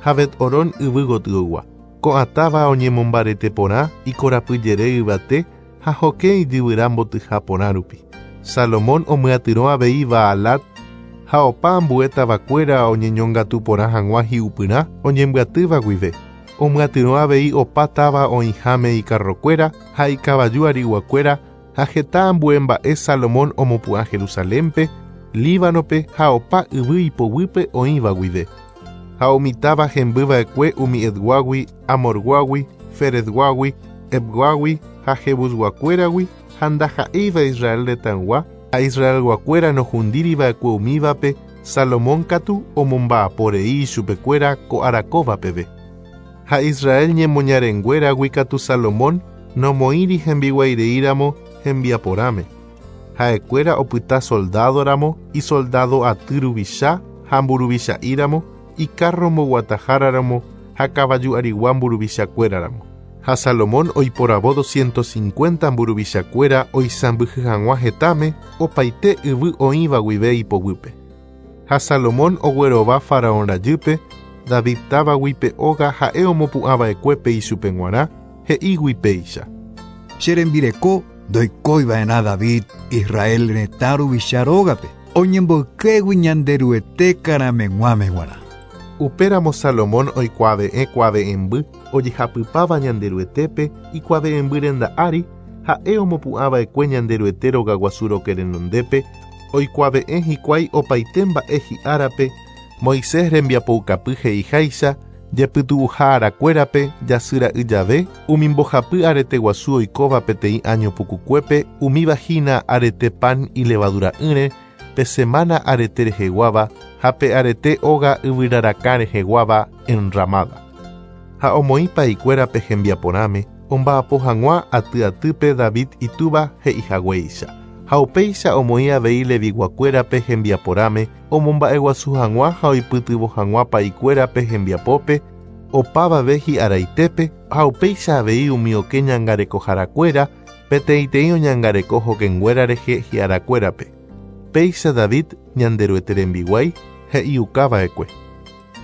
ha Bet-Horón yvy gotyoygua. Ko'ã táva oñemombarete porã ikorapyjere yvate ha hokẽ ijyvyra mbotyha porã rupi. Salomón omyatyrõ avei Baalat ha opa ambue tavakuéra oñeñongatu porã hag̃ua hi'upyrã oñembyatýva guive. Omyatyrõ avei opa táva oĩháme ikarrokuéra ha ikavaju ariguakuéra ha heta ambue mba'e Salomón omopu'ã Jerusalénpe, Líbanope ha opa yvy ipoguýpe oĩva guive. Ha umi táva hembyva'ekue umi Etguágui, Amorguágui, Feretguágui, Ebguágui ha Jebusguakuéragui ha ndaha'éiva Israel retãygua ha Israelguakuéra nohundíriva'ekue umívape, Salomón katu omomba'aporei ichupekuéra ko arakóva peve. Ha Israel ñemoñarenguéragui katu Salomón nomoĩri hembiguaireíramo hembiaporãme. Ha'ekuéra opyta soldádoramo, isoldádo aty ruvicha ha mburuvicha'íramo, ikarro mboguataháraramo ha kavaju arigua mburuvichakuéraramo. Ha Salomón oiporavo 250 mburuvichakuéra oisãmbyhy hag̃ua hetãme opaite yvy oĩva guive ipoguýpe. Ha Salomón oguerova Faraón rajýpe, David távagui pe óga ha'e omopu'ãva'ekuépe ichupe g̃uarã, he'ígui péicha. Che rembireko ndoikóiva'erã David Israel retã ruvicha rógape, oñemboykégui Ñanderuete karameg̃uáme g̃uarã. Upéramo Salomón oikuave'ẽ kuave'ẽmby ojehapypáva Ñanderuetépe ikuave'ẽmby renda ári, ha'e omopu'ãva'ekue Ñanderuete rogaguasu roke renondépe, oikuave'ẽ hikuái opaite mba'e hi'árape, Moisés rembiapoukapy he'iháicha, jepytu'uha arakuérape jasyra'y jave, umi mbohapy arete guasu oikóva peteĩ áño pukukuépe, umíva hína arete pan ilevadura'ỹre, pe semana arete reheguáva ha pe arete óga yvyrarakã reheguáva enramada. Ha omoĩ pa'ikuérape hembiaporãme, omba'apo hag̃ua aty atýpe David itúva he'ihaguéicha. Ha upéicha omoĩ avei leviguakuérape hembiaporãme, omomba'eguasu hag̃ua ha oipytyvõ hag̃ua pa'ikuérape hembiapópe, opavave hi'araitépe ha upéicha avei umi okẽ ñangarekoharakuéra, peteĩteĩ oñangareko hokẽnguéra rehe hi'arakuérape. Péicha David Ñanderuete rembiguái he'iukava'ekue.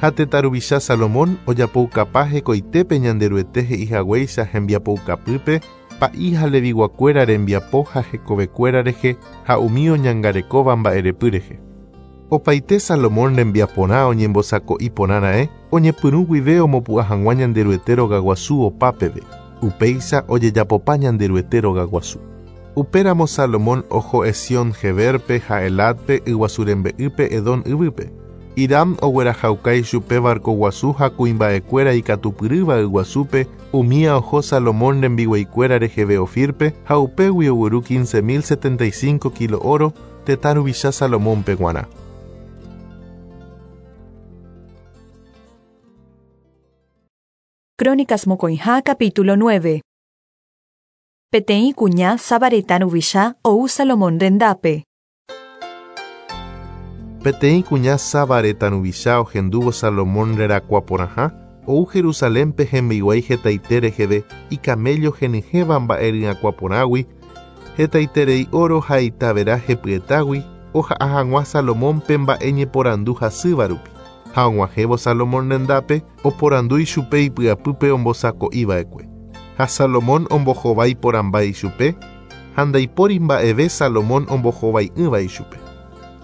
Ha tetã ruvicha Salomón ojapoukapa hekoitépe Ñanderuete he'ihaguéicha hembiapoukapýpe, pa'i ha leviguakuéra rembiapo ha hekovekuéra rehe ha umi oñangarekóva mba'erepy rehe. Opaite Salomón rembiaporã oñembosako'i porãra'e oñepyrũ guive omopu'ã hag̃ua Ñanderuete rogaguasu opa peve. Upéicha ojejapopa Ñanderuete rogaguasu. Upéramo Salomón oho Esión-Geberpe ha Elatpe yguasu rembe'ýpe Edom yvýpe. Hiram oguerahauka ichupe barcoguasu ha kuimba'ekuéra ikatupyrýva yguasúpe, umía oho Salomón rembiguaikuéra reheve Ofirpe ha upégui ogueru 15.075 kilo oro tetã ruvicha Salomónpe g̃uarã. Crónicas mokõiha capítulo 9. Peteĩ kuña Saba retã ruvicha ou Salomón rendápe. Peteĩ kuña Saba retã ruvicha ohendúvo Salomón rerakuã porãha, ou Jerusalénpe hembiguái hetaite reheve ikaméllo henyhẽva mba'e ryakuã porãgui, hetaiterei oro ha itavera hepyetágui oha'a hag̃ua Salomónpe mba'e ñeporandu hasýva rupi. Ha og̃uahẽvo Salomón rendápe oporandu ichupe ipy'apýpe ombosako'iva'ekue. Ha Salomón ombohovái porãmba ichupe, ha ndaipóri mba'eve Salomón ombohovai'ỹva ichupe.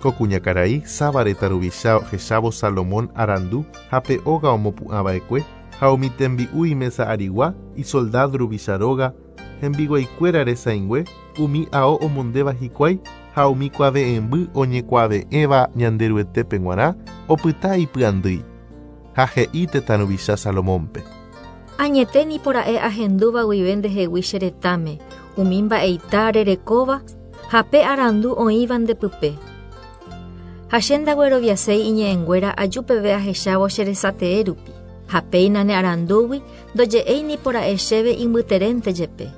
Ko kuñakarai Saba retã ruvicha ohechávo Salomón arandu ha pe óga omopu'ãva'ekue ha umi tembi'u imesa arigua isoldado ruvicha róga, hembiguaikuéra resãingue, umi ao omondéva hikuái ha umi kuave'ẽmby oñekuave'ẽva Ñanderuetépe g̃uarã opyta ipy'andýi. Ha he'i tetã ruvicha Salomónpe. Añete nipora'e ahendúva guive ndehegui che retãme, umi mba'eita rerekóva ha pe arandu oĩva ndepype. Ha che ndagueroviaséi iñe'ẽnguéra aju peve ahechávo che resatee rupi. Ha péina ne arandúgui ndoje'éi nipora'e chéve imbyterénte jepe.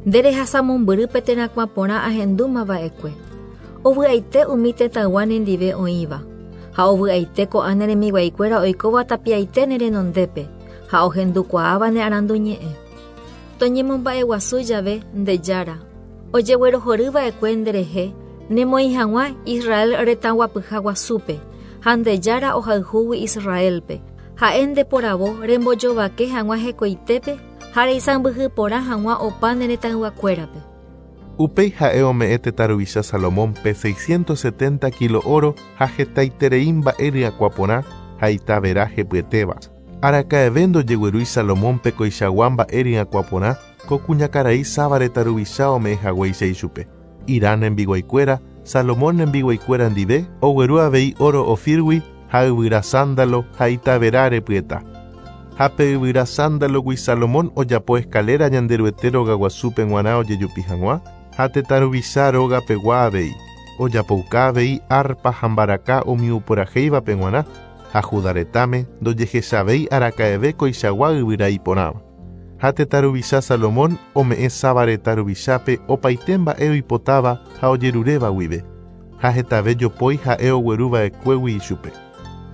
Nde rehasa mombyry pe terakuã porã ahendúma va'ekue. Ovy'aite umi tetãygua nendive oĩva. Ha ovy'aite ko'ã ne rembiguaikuéra oikóva tapiaite ne renondépe ha ohendukuaáva ne arandu ñe'ẽ. Toñemomba'eguasu jave nde Jára, ojeguerohory va'ekue nderehe nemoĩ hag̃ua Israel retãguapyha guasúpe, ha nde Jára ohayhúgui Israélpe, ha'e ndeporavo rembojovake hag̃ua hekoitépe ha reisãmbyhy porã hag̃ua opa ne retãyguakuérape. Upéi ha'e ome'ẽ tetã ruvicha Salomónpe 670 kilo óro ha hetaiterei mba'e ryakuã porã ha ita vera hepyetéva. Araka'eve ndojeguerúi Salomónpe koichagua mba'e ryakuã porã ko kuñakarai Saba retã ruvicha ome'ẽ haguéicha ichupe. Hirán rembiguaikuéra, Salomón rembiguaikuéra ndive ogueru avei óro Ofírgui ha yvyra sándalo ha ita vera repyeta. Ha pe yvyra sándalogui Salomón ojapo escalera Ñanderuete rogaguasúpe g̃uarã ojejupi hag̃ua ha tetã ruvicha rógapegua avei. Ojapouka avei arpa ha mbaraka umi uporahéivape g̃uarã ha Judá retãme ndojehechavéi araka'eve koichagua yvyra iporãva. Ha tetã ruvicha Salomón ome'ẽ Saba retã ruvichápe opaite mba'e oipotáva ha ojeruréva guive, ha hetave jopói ha'e ogueru va'ekuégui ichupe.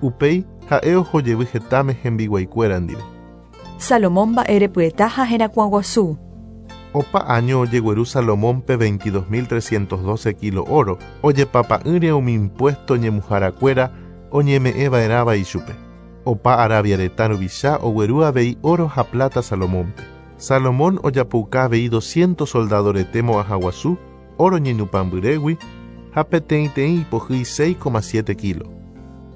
Upéi ha'e oho jevy hetãme hembiguaikuéra ndive. Salomón mba'erepyeta ha herakuã guasu. Opa áño ojegueru Salomónpe 22.312 kilo óro, ojepapa'ỹre umi impuesto ñemuharakuéra oñeme'ẽva'erãva ichupe. Opa Arabia retã ruvicha ogueru avei óro ha plata Salomónpe. Salomón ojapouka avei 200 soldado rete mo'ãha guasu, óro ñenupãmbyrégui ha peteĩteĩ ipohýi 6,7 kilo.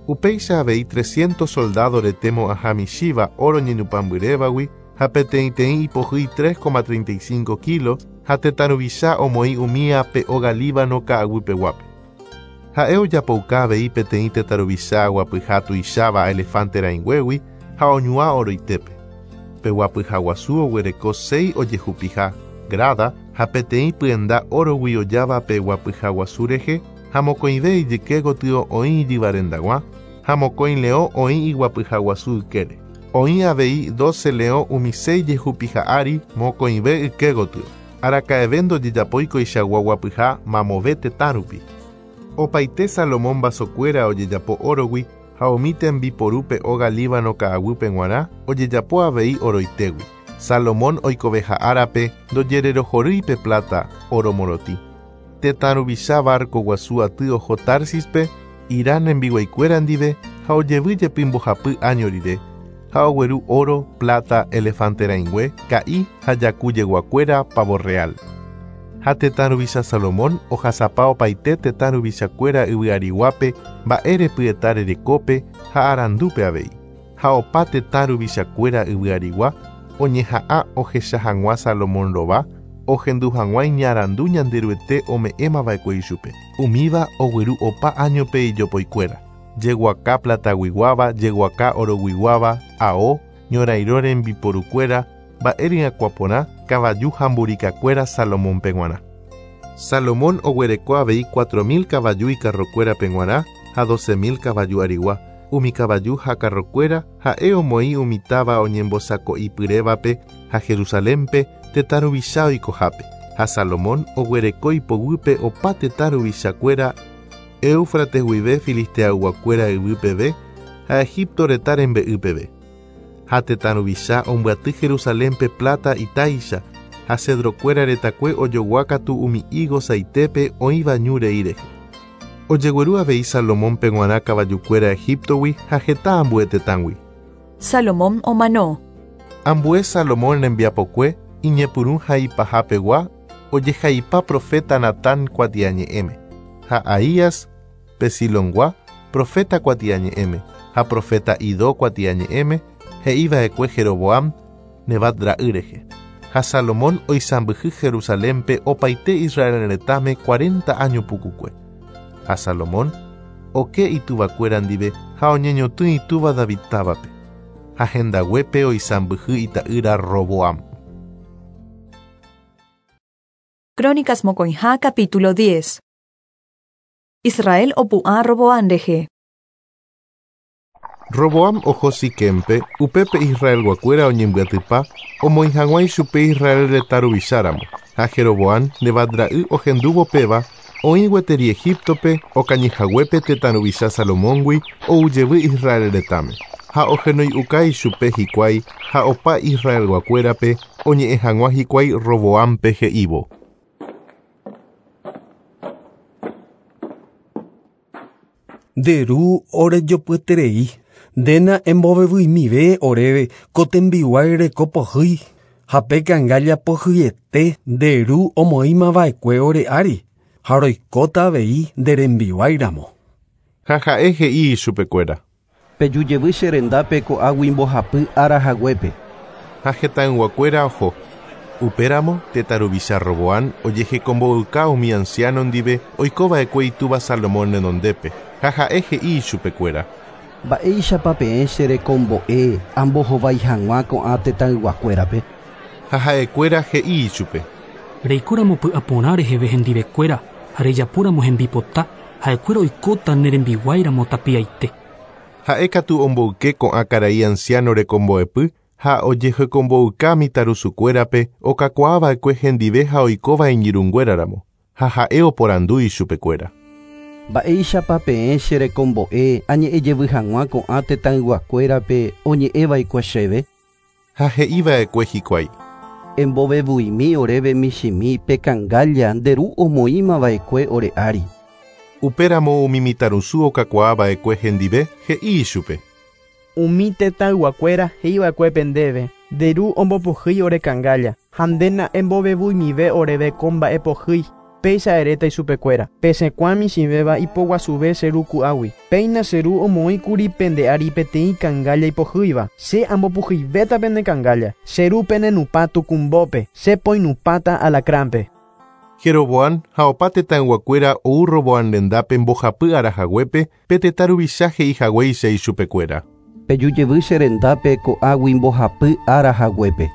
Upéicha avei 300 soldado rete mo'ãha michĩva óro ñenupãmbyrévagui ha peteĩteĩ ipohýi 3,35 kilo ha tetã ruvicha omoĩ umía pe óga Líbano ka'aguypeguápe. Ha'e ojapouka avei peteĩ tetã ruvicha guapyha tuicháva elefante rãinguégui ha oñuã oroitépe. Pe guapyha guasu oguereko 6 ojehupiha grada ha peteĩ pyenda órogui ojáva pe guapyha guasu rehe ha mokõive ijyke gotyo oĩ ijyvarendag̃ua ha mokõi leõ oĩ iguapyha guasu ykére. Oĩ avei 12 leõ umi 6 jehupiha ári mokõive yke gotyo. Araka'eve ndojejapói koichagua guapyha mamove tetã rupi. Opaite Salomón vasokuéra ojejapo órogui ha umi tembiporúpe óga Líbano ka'aguýpe g̃uarã ojejapo avei oroitégui. Salomón oikoveha árape ndojererohorýi pe plata óro morotĩ. Tetã ruvicha barco guasu aty oho Társispe, Hirán rembiguaikuéra ndive ha ojevy jepi mbohapy áño rire, ha ogueru óro, plata, elefante rãingue, ka'i ha jaku jeguakuéra pavo real. Ha tetã ruvicha Salomón ohasapa opaite tetã ruvichakuéra yvyariguápe mba'erepyeta rerekópe ha arandúpe avei. Ha opa tetã ruvichakuéra yvyarigua oñeha'ã ohecha hag̃ua Salomón rova, ohendu hag̃ua iñarandu Ñanderuete ome'ẽmava'ekue ichupe. Umíva ogueru opa áñope ijopoikuéra. Jeguaka plataguiguáva, jeguaka oroguiguáva, ao, ñorairõ rembiporukuéra, mba'e ryakuã porã, kavaju ha mburikakuéra Salomónpe g̃uarã. Salomón oguereko avei 4.000 kavaju ikarrokuérape g̃uarã ha 12.000 kavaju arigua. Umi kavaju ha karrokuéra ha'e omoĩ umi táva oñembosako'ipyrévape ha Jerusalénpe tetã ruvicha oikohápe. Ha Salomón oguereko ipoguýpe opa tetã ruvichakuéra Éufrates guive Filisteayguakuéra yvy peve ha Egipto retã rembe'y peve. Ha tetã ruvicha ombyaty Jerusalénpe plata itáicha ha cedrokuéra retakue ojoguákatu umi higo saitépe oĩva ñu rei rehe. Ojegueru avei Salomónpe g̃uarã kavajukuéra Egiptogui ha heta ambue tetãgui. Salomón omano. Ambue Salomón rembiapokue iñepyrũ ha ipahapegua ojehaipa profeta Natán kuatiañe'ẽme, ha Ahías pe Silongua profeta kuatiañe'ẽme, ha profeta Idó kuatiañe'ẽme he'iva'ekue Jeroboam Nebat ra'y rehe. Ha Salomón oisãmbyhy Jerusalénpe opaite Israel retãme 40 áño pukukue. Ha Salomón oke ituvakuéra ndive ha oñeñotỹ itúva David távape. Ha hendaguépe oisãmbyhy ita'ýra Roboam. Crónicas mokõiha capítulo 10. Israel opu'ã Roboam rehe. Roboam oho Siquempe, upépe Israelguakuéra oñembyatypa, omoĩ hag̃ua ichupe Israel retã ruvicháramo, ha Jeroboam Nebat ra'y ohendúvo péva, oĩ gueteri Egiptope okañyhaguépe tetã ruvicha Salomóngui oujevy Israel retãme, ha ohenoi'uka ichupe hikuái ha opa Israelguakuérape oñe'ẽ hag̃ua hikuái Roboampe he'ívo. Nde ru orejopyeterei, ndéna embovevyimive oréve ko tembiguái reko pohýi ha pe kangálla pohyiete nde ru omoĩmava'ekue ore ári ha roikóta avei nde rembiguáiramo. Ha ha'e he'i ichupekuéra. Pejujevy che rendápe ko'águi mbohapy ára haguépe. Ha hetãyguakuéra oho. Upéramo tetã ruvicha Roboam ojehekombo'yka umi anciano ndive oikova'ekue itúva Salomón renondépe ha ha'e he'i ichupekuéra. Mba'éichapa peẽ che rekombo'e ambohovái hag̃ua ko'ã tetãyguakuérape. Ha ha'ekuéra he'i ichupe. Reikóramo py'aporã reheve hendivekuéra ha rejapóramo hembipota ha'ekuéra oikóta ne rembiguáiramo tapiaite. Ha'e katu omboyke ko'ã karai anciano rekombo'epy ha ojehekombo'yka mitãrusukuérape okakuaava'ekue hendive ha oikóva iñirũnguéraramo ha ha'e oporandu ichupekuéra. Mba'éichapa peẽ che rekombo'e añe'ẽjevy hag̃ua ko'ã tetãyguakuérape oñe'ẽva'ekue chéve. Ha he'iva'ekue hikuái. Embovevuimi oréve michĩmi pe kangálla nde ru omoĩmava'ekue ore ári. Upéramo umi mitãrusu okakuaava'ekue hendive he'i ichupe. Umi tetãyguakuéra he'iva'ekue ndéve nde ru ombopohýi ore kangálla ha ndéna embovevuimive oréve ko mba'epohýi péicha eréta ichupekuéra pesẽkuaa michĩvéva ipoguasuve che ru ku'águi péina che ru omoĩkuri pende ári peteĩ kangálla ipohýiva che ambopohyivéta pende kangálla che ru penenupã tukumbópe che poinupãta alacránpe. Jeroboam ha opa tetãyguakuéra ou Roboam rendápe mbohapy ára haguépe pe tetã ruvicha he'ihaguéicha ichupekuéra. Pejujevy che rendápe ko'águi mbohapy ára haguépe.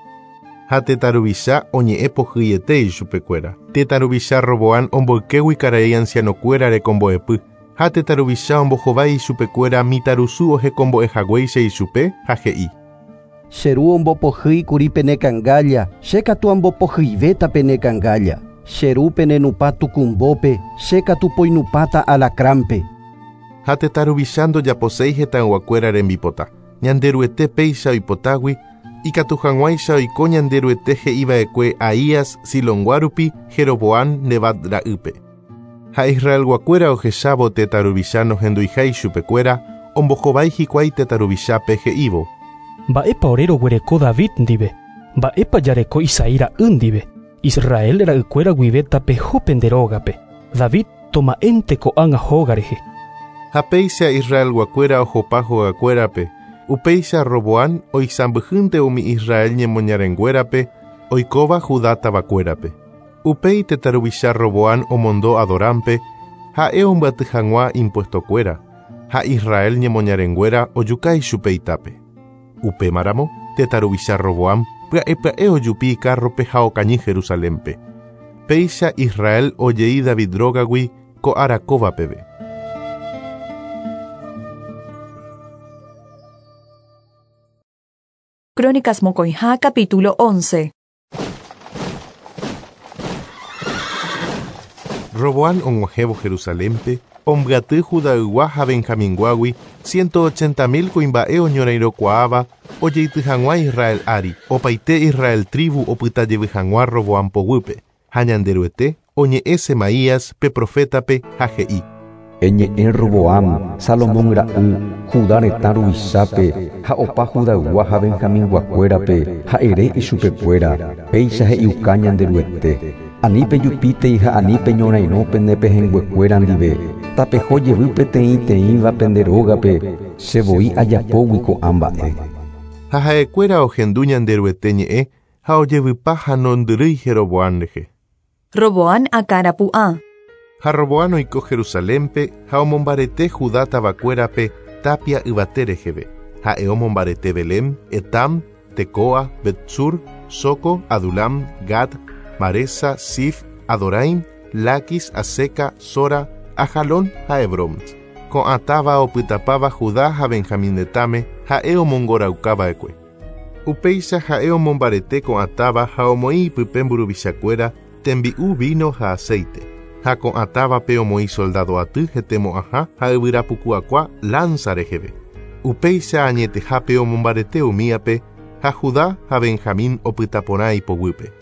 Ha tetã ruvicha oñe'ẽ pohyiete ichupekuéra. Tetã ruvicha Roboam omboykégui karai ancianokuéra rekombo'epy ha tetã ruvicha ombohovái ichupekuéra mitãrusu ohekombo'ehaguéicha ichupe ha he'i. Che ru ombopohýikuri pene kangálla, che katu ambopohyivéta pene kangálla. Che ru penenupã tukumbópe, che katu poinupãta alacránpe. Ha tetã ruvicha ndojaposéi hetãyguakuéra rembipota. Ñanderuete péicha oipotágui ikatu hag̃uáicha oiko Ñanderuete he'iva'ekue Ahías Silongua rupi Jeroboam Nebat ra'ýpe. Ha Israelguakuéra ohechávo tetã ruvicha nohenduiha ichupekuéra ombohovái hikuái tetã ruvichápe he'ívo. Mba'épa ore roguereko David ndive, mba'épa jareko Isaí ra'y ndive, Israel ra'ykuéra guive tapeho pende rógape, David toma'énte ko'ág̃a hóga rehe. Ha péicha Israelguakuéra ohopa hogakuérape, upéicha Roboam oisãmbyhýnte umi Israel ñemoñarenguérape oikóva Judá tavakuérape. Upéi tetã ruvicha Roboam omondo Adorámpe ha'e ombyaty hag̃ua impuestokuéra ha Israel ñemoñarenguéra ojuka ichupe itápe. Upémaramo tetã ruvicha Roboam pya'e pya'e ojupi ikárrope ha okañy Jerusalénpe. Péicha Israel ojei David rógagui ko ára kóva peve. Crónicas Mokõiha capítulo 11. Roboam og̃uahẽvo Jerusalénpe, ombyaty Judaygua ha Benjaminguágui 180.000 kuimba'e oñorairõkuaáva ojeity hag̃ua Israel ári, opaite Israel tribu opytajevy hag̃ua Roboam poguýpe. Ha Ñanderuete oñe'ẽ Semaías pe profétape ha he'i. Eñe'ẽ Roboam, Salomón ra'y, Judá retã ruvichápe ha opa Judaygua ha Benjaminguakuérape ha ere ichupekuéra, péicha he'iuka Ñanderuete. Ani pejupítei ha ani peñorairõ pende pehẽnguekuéra ndive, tapeho jevy peteĩteĩva pende rógape, che voi ajapógui ko'ã mba'e. Ha ha'ekuéra ohendu Ñanderuete ñe'ẽ ha ojevypa ha nondyrýi Jeroboam rehe. Roboam akãrapu'ã. Ha Roboam oiko Jerusalénpe ha omombarete Judá tavakuérape tapia yvate reheve. Ha'e omombarete Belém, Etam, Tecoa, Betsur, Soco, Adulam, Gad, Maresa, Sif, Adoraim, Laquis, Aseca, Sora, Ajalón ha Hebrón. Ko'ã táva opytapáva Judá ha Benjamín retãme ha'e omongoraukava'ekue. Upéicha ha'e omombarete ko'ã táva ha omoĩ ipype mburuvichakuéra tembi'u, vino ha aceite. Ha ko'ã távape omoĩ soldado aty hetemo'ãha ha yvyrapukuakua lanza reheve. Upéicha añetehápe omombarete umíape ha Judá ha Benjamín opytaporã ipoguýpe.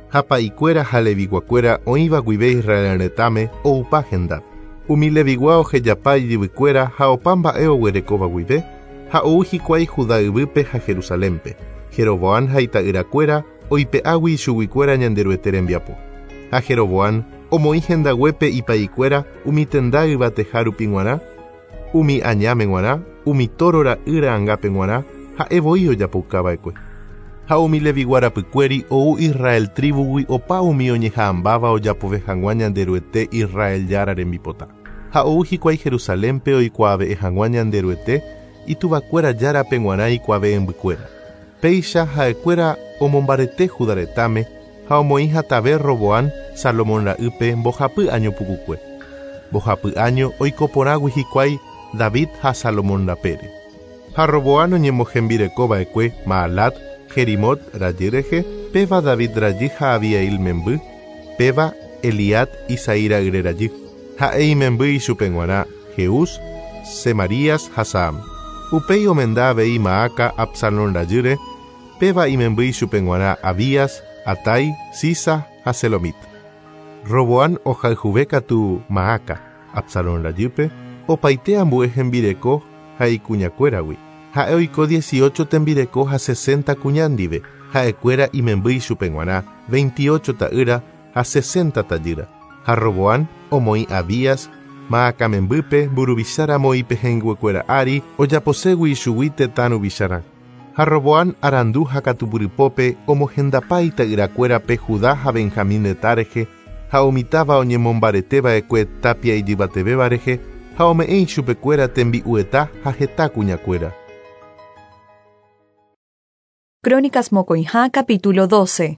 Ha pa'ikuéra ha leviguakuéra oĩva guive Israel retãme oupa hendápe. Umi levigua ohejapa ijyvykuéra ha opa mba'e oguerekóva guive ha ou hikuái Judá yvýpe ha Jerusalénpe. Jeroboán ha ita'yrakuéra oipe'águi ichuguikuéra Ñanderuete rembiapo. Ha Jeroboán omoĩ hendaguépe ipa'ikuéra umi tenda yvateha rupi g̃uarã, umi añáme g̃uarã, umi tóro ra'y ra'angápe g̃uarã ha'e voi ojapoukava'ekue. Ha umi levigua rapykuéri ou Israel tribugui opa umi oñeha'ãmbáva ojapove hag̃ua Ñanderuete Israel Jára rembipota. Ha ou hikuái Jerusalénpe oikuaave'ẽ hag̃ua Ñanderuete ituvakuéra Járape g̃uarã ikuave'ẽmbykuéra. Péicha ha'ekuéra omombarete Judá retãme ha omoĩ hatave Roboán Salomón ra'ýpe mbohapy año pukukue. Mbohapy año oiko porãgui hikuái David ha Salomón rapére. Ha Roboán oñemohembirekova'ekue Maalat, Jerimot rajy rehe, péva David rajy ha Abiail memby, péva Eliad Isaí ra'yre rajy. Ha'e imemby ichupe g̃uarã Jeús, Semarías ha Saam. Upéi omenda avei Maaca Absalón rajýre, péva imemby ichupe g̃uarã Abías, Atai, Sisa ha Selomit. Roboán ohayhuve katu Maaca, Absalón rajýpe, opaite ambue hembireko ha ikuñakuéragui. Ha'e oiko 18 tembireko ha 60 kuña ndive, ha'ekuéra imemby ichupe g̃uarã 28 ta'ýra ha 60 tajýra. Ha Roboán omoĩ Abías, Maaca membýpe mburuvicháramo ipehẽnguekuéra ári ojaposégui ichugui tetã ruvicharã. Ha Roboán arandu ha katupyrypópe omohendapa ita'yrakuérape Judá ha Benjamín retã rehe ha umi táva oñemombareteva'ekue tapia ijyvatevéva rehe ha ome'ẽ ichupekuéra tembi'ueta ha heta kuñakuéra. Crónicas mokõiha capítulo 12.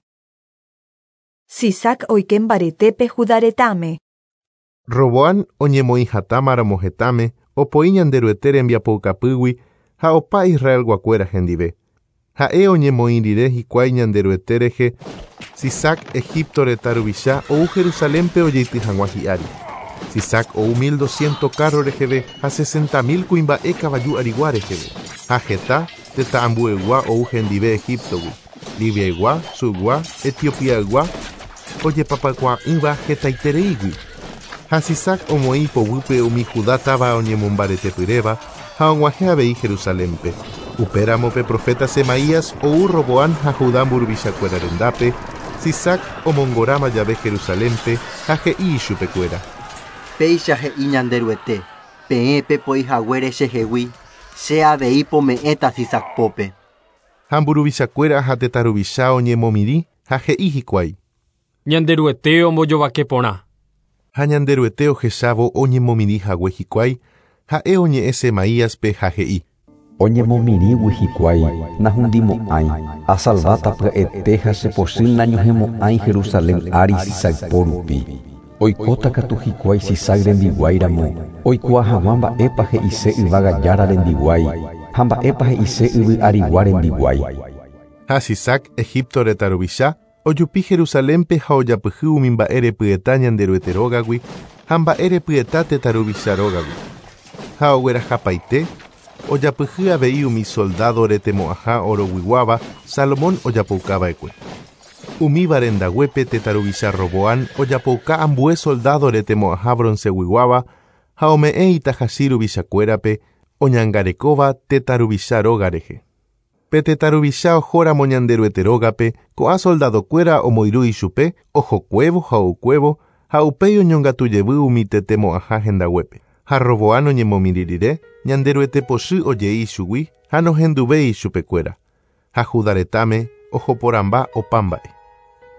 Sisac oike mbaretépe Judá retãme. Roboán oñemoĩ hatãmaramo hetãme opoi Ñanderuete rembiapoukapýgui ha opa Israelguakuéra hendive. Ha'e oñemoĩ rire hikuái Ñanderuete rehe, Sisac Egipto retã ruvicha ou Jerusalénpe ojeity hag̃ua hi'ári. Sisac ou 1200 carro reheve ha 60.000 kuimba'e kavaju arigua reheve. Ha heta tetã ambuegua ou hendive Egiptogui. Libiaygua, Sugua, Etiopiaygua, ojepapakuaa'ỹva hetaitereígui. Ha Sisac omoĩ ipoguýpe umi Judá táva oñemombaretepyréva ha og̃uahẽ avei Jerusalénpe. Upéramo pe profeta Semaías ou Roboán ha Judá mburuvichakuéra rendápe, Sisac omongoráma jave Jerusalénpe ha he'i ichupekuéra. Péicha he'i Ñanderuete, peẽ pepoi haguére chehegui, che avei pome'ẽta Sisacpópe. Ha mburuvichakuéra ha tetã ruvicha oñemomirĩ ha he'i hikuái. Ñanderuete ombojovake porã. Ha Ñanderuete ohechávo oñemomirĩ hague hikuái, ha'e oñe'ẽ Semaíaspe ha he'i. Oñemomirĩgui hikuái nahundimo'ãi, asalváta pya'ete ha chepochy nañohẽmo'ãi Jerusalén ári Sisacpo rupi. Oikóta katu hikuái Sisac rembiguáiramo, oikuaa hag̃ua mba'épa he'ise yvága Jára rembiguái ha mba'épa he'ise yvy arigua rembiguái. Ha Sisac Egipto retã ruvicha ojupi Jerusalénpe ha ojapyhy umi mba'e repyeta Ñanderuete rógagui ha mba'e repyeta tetã ruvicha rógagui. Ha oguerahapaite ojapyhy avei umi soldado retemo'ãha oroguiguáva Salomón ojapoukava'ekue. Umíva rendaguépe tetã ruvicha Roboán ojapouka ambue soldado retemo'ãha bronceguiguáva ha ome'ẽ itahachi ruvichakuérape oñangarekóva tetã ruvicha róga rehe. Pe tetã ruvicha ohóramo Ñanderuete rógape ko'ã soldadokuéra omoirũ ichupe ohokuévo ha oukuévo ha upéi oñongatujevy umi tetemo'ãha hendaguépe. Ha Roboán oñemomirĩ rire Ñanderuete pochy ojei ichugui ha nohenduvéi ichupekuéra. Ha Judá retãme ohoporãmba opa mba'e.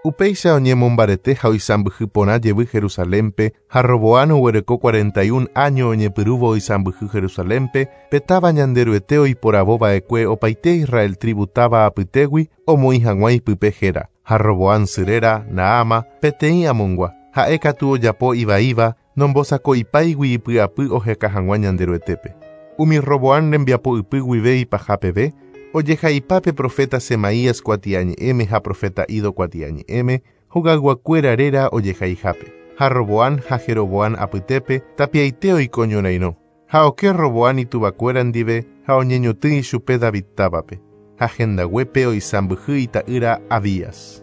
Upéicha oñemombarete ha oisãmbyhy porã jevy Jerusalénpe ha Roboán oguereko 41 año oñepyrũvo oisãmbyhy Jerusalénpe pe táva Ñanderuete oiporavova'ekue opaite Israel tribu táva apytégui omoĩ hag̃ua ipype héra. Ha Roboán sy réra Naama peteĩ Amongua. Ha'e katu ojapo ivaíva Nombosako'ipáigui ipy'apy oheka hag̃ua Ñanderuetépe. Umi Roboam rembiapo ypy guive ipaha peve, ojehaipa pe profeta Semaías kuatiañe'ẽme ha profeta Ido kuatiañe'ẽme, hogayguakuéra réra ojehaihápe. Ha Roboam ha Jeroboam apytépe tapiaite oiko ñorairõ. Ha oke Roboam ituvakuéra ndive ha oñeñotỹ ichupe David távape. Ha hendaguépe oisãmbyhy ita'ýra Abías.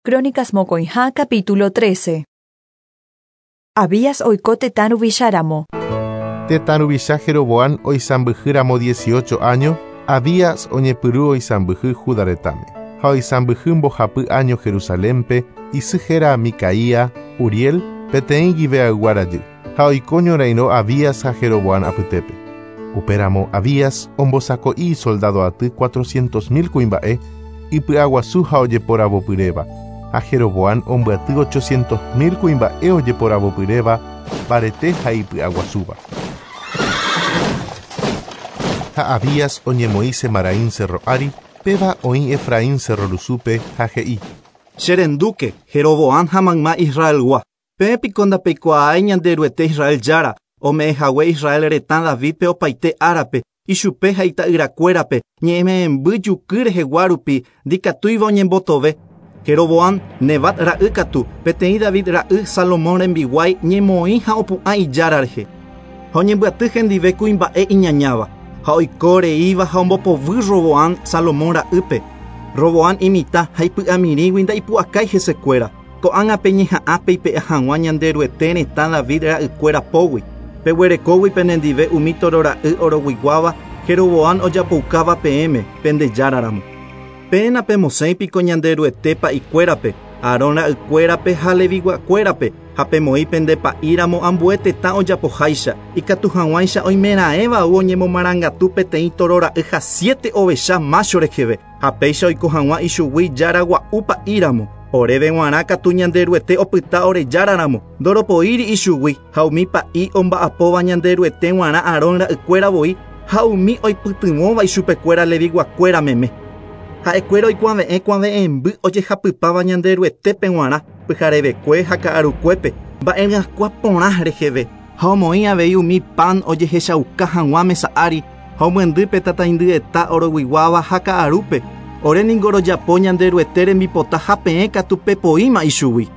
Crónicas mokõiha capítulo 13. Abías oiko tetã ruvicháramo. Tetã ruvicha Jeroboam oisãmbyhýramo 18 áño, Abías oñepyrũ oisãmbyhy Judá retãme. Ha oisãmbyhy mbohapy áño Jerusalénpe, isy héra Micaía, Uriel, peteĩ Gibeaygua rajy. Ha oiko ñorairõ Abías ha Jeroboam apytépe. Upéramo Abías ombosako'i isoldado aty 400.000 kuimba'e, ipy'aguasu ha ojeporavopyréva. Ha Jeroboam ombyaty 800.000 kuimba'e ojeporavopyréva, mbarete ha ipy'aguasúva. Ha Abías oñemoĩ Semaraim cerro ári, péva oĩ Efraín cerro rusúpe ha he'i. Cherendúke, Jeroboam ha mayma Israelgua. Peẽ piko ndapeikuaái Ñanderuete Israel Jára, ome'ẽhague Israel retã Davidpe opaite árape, ichupe ha ita'yrakuérape, ñe'ẽme'ẽmby juky rehegua rupi, ndikatúiva oñembotove. Jeroboam, Nebat ra'y katu, peteĩ David ra'y Salomón rembiguái ñemoĩ ha opu'ã ijára rehe. Ha oñembyaty hendive kuimba'e iñañáva, ha oiko reíva ha ombopovy Roboam Salomón ra'ýpe. Roboam imitã ha ipy'amirĩgui ndaipu'akái hesekuéra. Ko'ág̃a peñeha'ã peipe'a hag̃ua Ñanderuete retã David ra'ykuéra pógui. Peguerekógui penendive umi toro ra'y oroguiguáva Jeroboam ojapoukáva peẽme pendejáraramo. Peẽ napemosẽi piko Ñanderuete pa'ikuérape, Aarón ra'ykuérape ha Leviguakuérape, ha pemoĩ pende pa'íramo ambue tetã ojapoháicha, ikatu hag̃uáicha oimeraẽva ou oñemomarangatu peteĩ toro ra'y ha siete ovecha mácho reheve, ha péicha oiko hag̃ua ichugui jára gua'u pa'íramo. Oréve g̃uarã katu Ñanderuete opyta orejáraramo, ndoropoíri ichugui, ha umi pa'i omba'apóva Ñanderuete g̃uarã Aarón ra'ykuéra voi, ha umi oipytyvõva ichupekuéra Leviguakuéra meme. Ha'ekuéra oikuave'ẽ kuave'ẽmby ojehapypáva Ñanderuetépe g̃uarã, pyharevekue ha ka'arukuépe, mba'eryakuã porã reheve, ha omoĩ avei umi pan ojehechauka hag̃ua mesa ári, ha omyendy pe tataindyeta oroguiguáva ha ka'arúpe. Ore ningo rojapo Ñanderuete rembipota ha peẽ katu pepoíma ichugui.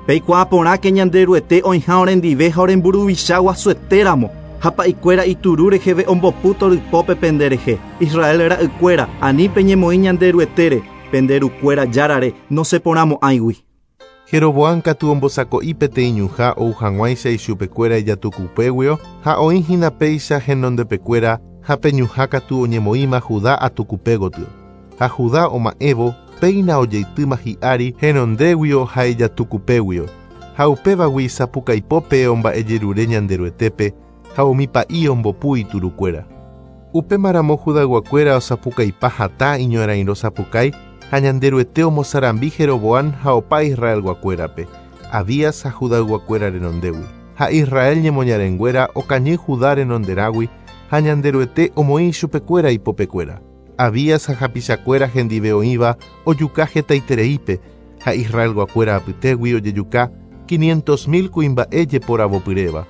Peikuaa porãke Ñanderuete oĩha orendive ha oremburuvicha guasuetéramo, ha pa'ikuéra ituru reheve ombopu torypópe penderehe. Israel ra'ykuéra, ani peñemoĩ Ñanderuetére, pende rukuéra járare nosẽporãmo'ãigui. Jeroboam katu ombosako'i peteĩ ñuhã ou hag̃uáicha ichupekuéra ijatukupéguio ha oĩ hína péicha henondepekuéra ha pe ñuhã katu oñemoĩma Judá atukupe gotyo. Ha Judá oma'ẽvo, péina ojeitýma hi'ári henondéguio ha ijatukupéguio. Ha upévagui sapukaipópe omba'ejerure Ñanderuetépe ha umi pa'i ombopu iturukuéra. Upémaramo Judayguakuéra osapukaipa hatã iñorairõ sapukái ha Ñanderuete omosarambi Jeroboam ha opa Israelguakuérape, Abías ha Judayguakuéra renondégui. Ha Israel ñemoñarenguéra okañy Judá renonderãgui ha Ñanderuete omoĩ ichupekuéra ipopekuéra. Abías ha hapichakuéra hendive oĩva ojuka hetaitereípe ha Israelguakuéra apytégui ojejuka 500.000 kuimba'e jeporavopyréva.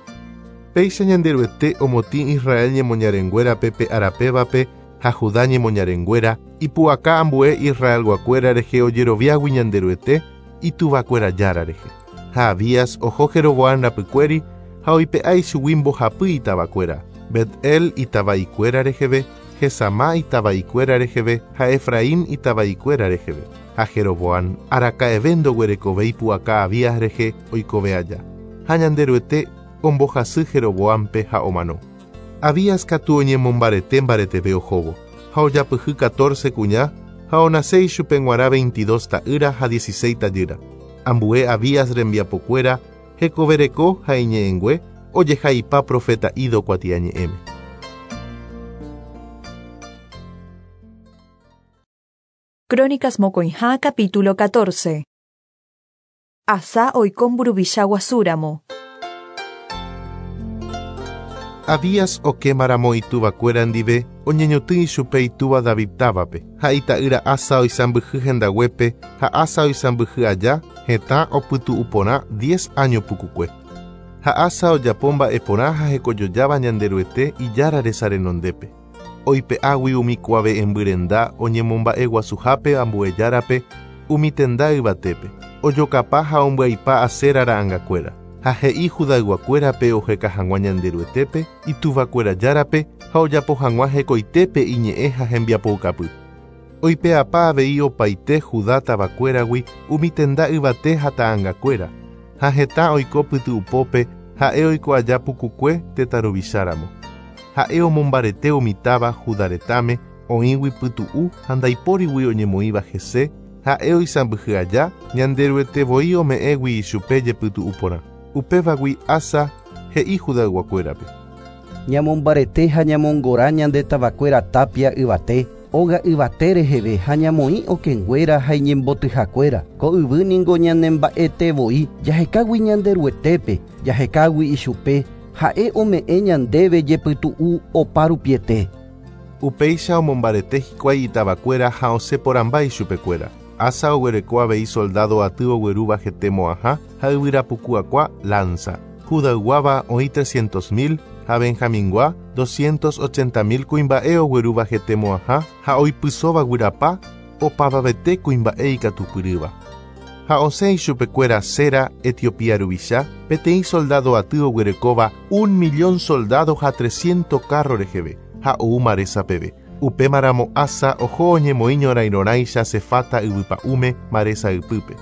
Péicha Ñanderuete omotĩ Israel ñemoñarenguérape pe arapévape ha Judá ñemoñarenguéra ipu'aka ambue Israelguakuéra rehe ojeroviágui Ñanderuete ituvakuéra Jára rehe. Ha Abías oho Jeroboam rapykuéri ha oipe'a ichugui mbohapy itavakuéra, Bet-El itava'ikuéra reheve, Jesamá itava'ikuéra reheve ha Efraín itava'ikuéra reheve. Ha Jeroboam araka'eve ndoguerekovéi pu'aka Abías rehe oikove aja. Ha Ñanderuete ombohasy Jeroboampe ha omano. Abías katu oñemombarete mbareteve ohóvo, ha ojapyhy 14 kuña ha onase ichupe g̃uarã 22 ta'ýra ha 16 tajýra. Ambue Abías rembiapokuéra hekovereko ha iñe'ẽngue ojehaipa profeta Ido kuatiañe'ẽme. Crónicas mokõiha capítulo 14. Asá oiko mburuvicha guasúramo. Abías okémaramo ituvakuéra ndive Oñeñotỹ ichupe itúva David távape, ha ita'ýra Asa oisãmbyhy hendaguépe, ha Asa oisãmbyhy aja, hetã opytu'u porã diez áño pukukue. Ha Asa ojapo mba'e porã ha hekojojáva Ñanderuete Ijára resa renondépe. Oipe'águi umi kuave'ẽmby renda oñemomba'eguasuhápe ambue járape umi tenda yvatépe, ojokapa ha ombyaipa Asera ra'angakuéra. Ha he'i Judayguakuérape oheka hag̃ua Ñanderuetépe, ituvakuéra Járape, ha ojapo hag̃ua hekoitépe iñe'ẽ ha hembiapoukapy. Oipe'apa avei opaite Judá tavakuéragui umi tenda yvate ha ta'angakuéra, ha hetã oiko pyty'upópe ha'e oiko aja pukukue tetã ruvicháramo. Ha'e omombarete umi táva Judá retãme oĩgui pytu'u ha ndaipórigui oñemoĩva hese, ha'e oisãmbyhy aja, Ñanderuete voi ome'ẽgui ichupe jepytu'u porã. Upévagui Asa he'i Judayguakuérape. Ñamombarete ha ñamongora ñande tavakuéra tapia yvate, óga yvate reheve ha ñamoĩ okẽnguéra ha iñembotyhakuéra. Ko yvy ningo ñanemba'ete voi, jahekágui Ñanderuetépe, jahekágui ichupe, ha'e ome'ẽ ñandéve jepytu'u opa rupiete. Upéicha omombarete hikuái itavakuéra ha osẽ porãmba ichupekuéra. Asa oguereko avei soldádo aty oguerúva hete mo'ãha ha yvyra puku akua, lánsa. Judayguáva oĩ trescientos mil ha Benjamingua doscientos ochenta mil kuimba'e oguerúva hete mo'ãha ha oipysóva guyrapa, opavavete kuimba'e ikatupyrýva. Ha osẽ ichupekuéra Zera, Etiopía ruvicha, peteĩ soldádo aty oguerekóva un millón soldádo ha tresciento kárro reheve, ha ou Maresa peve. Upémaramo Asa oho oñemoĩ ñorairõrãicha Sefata yvypa'ũme Maresa ypýpe.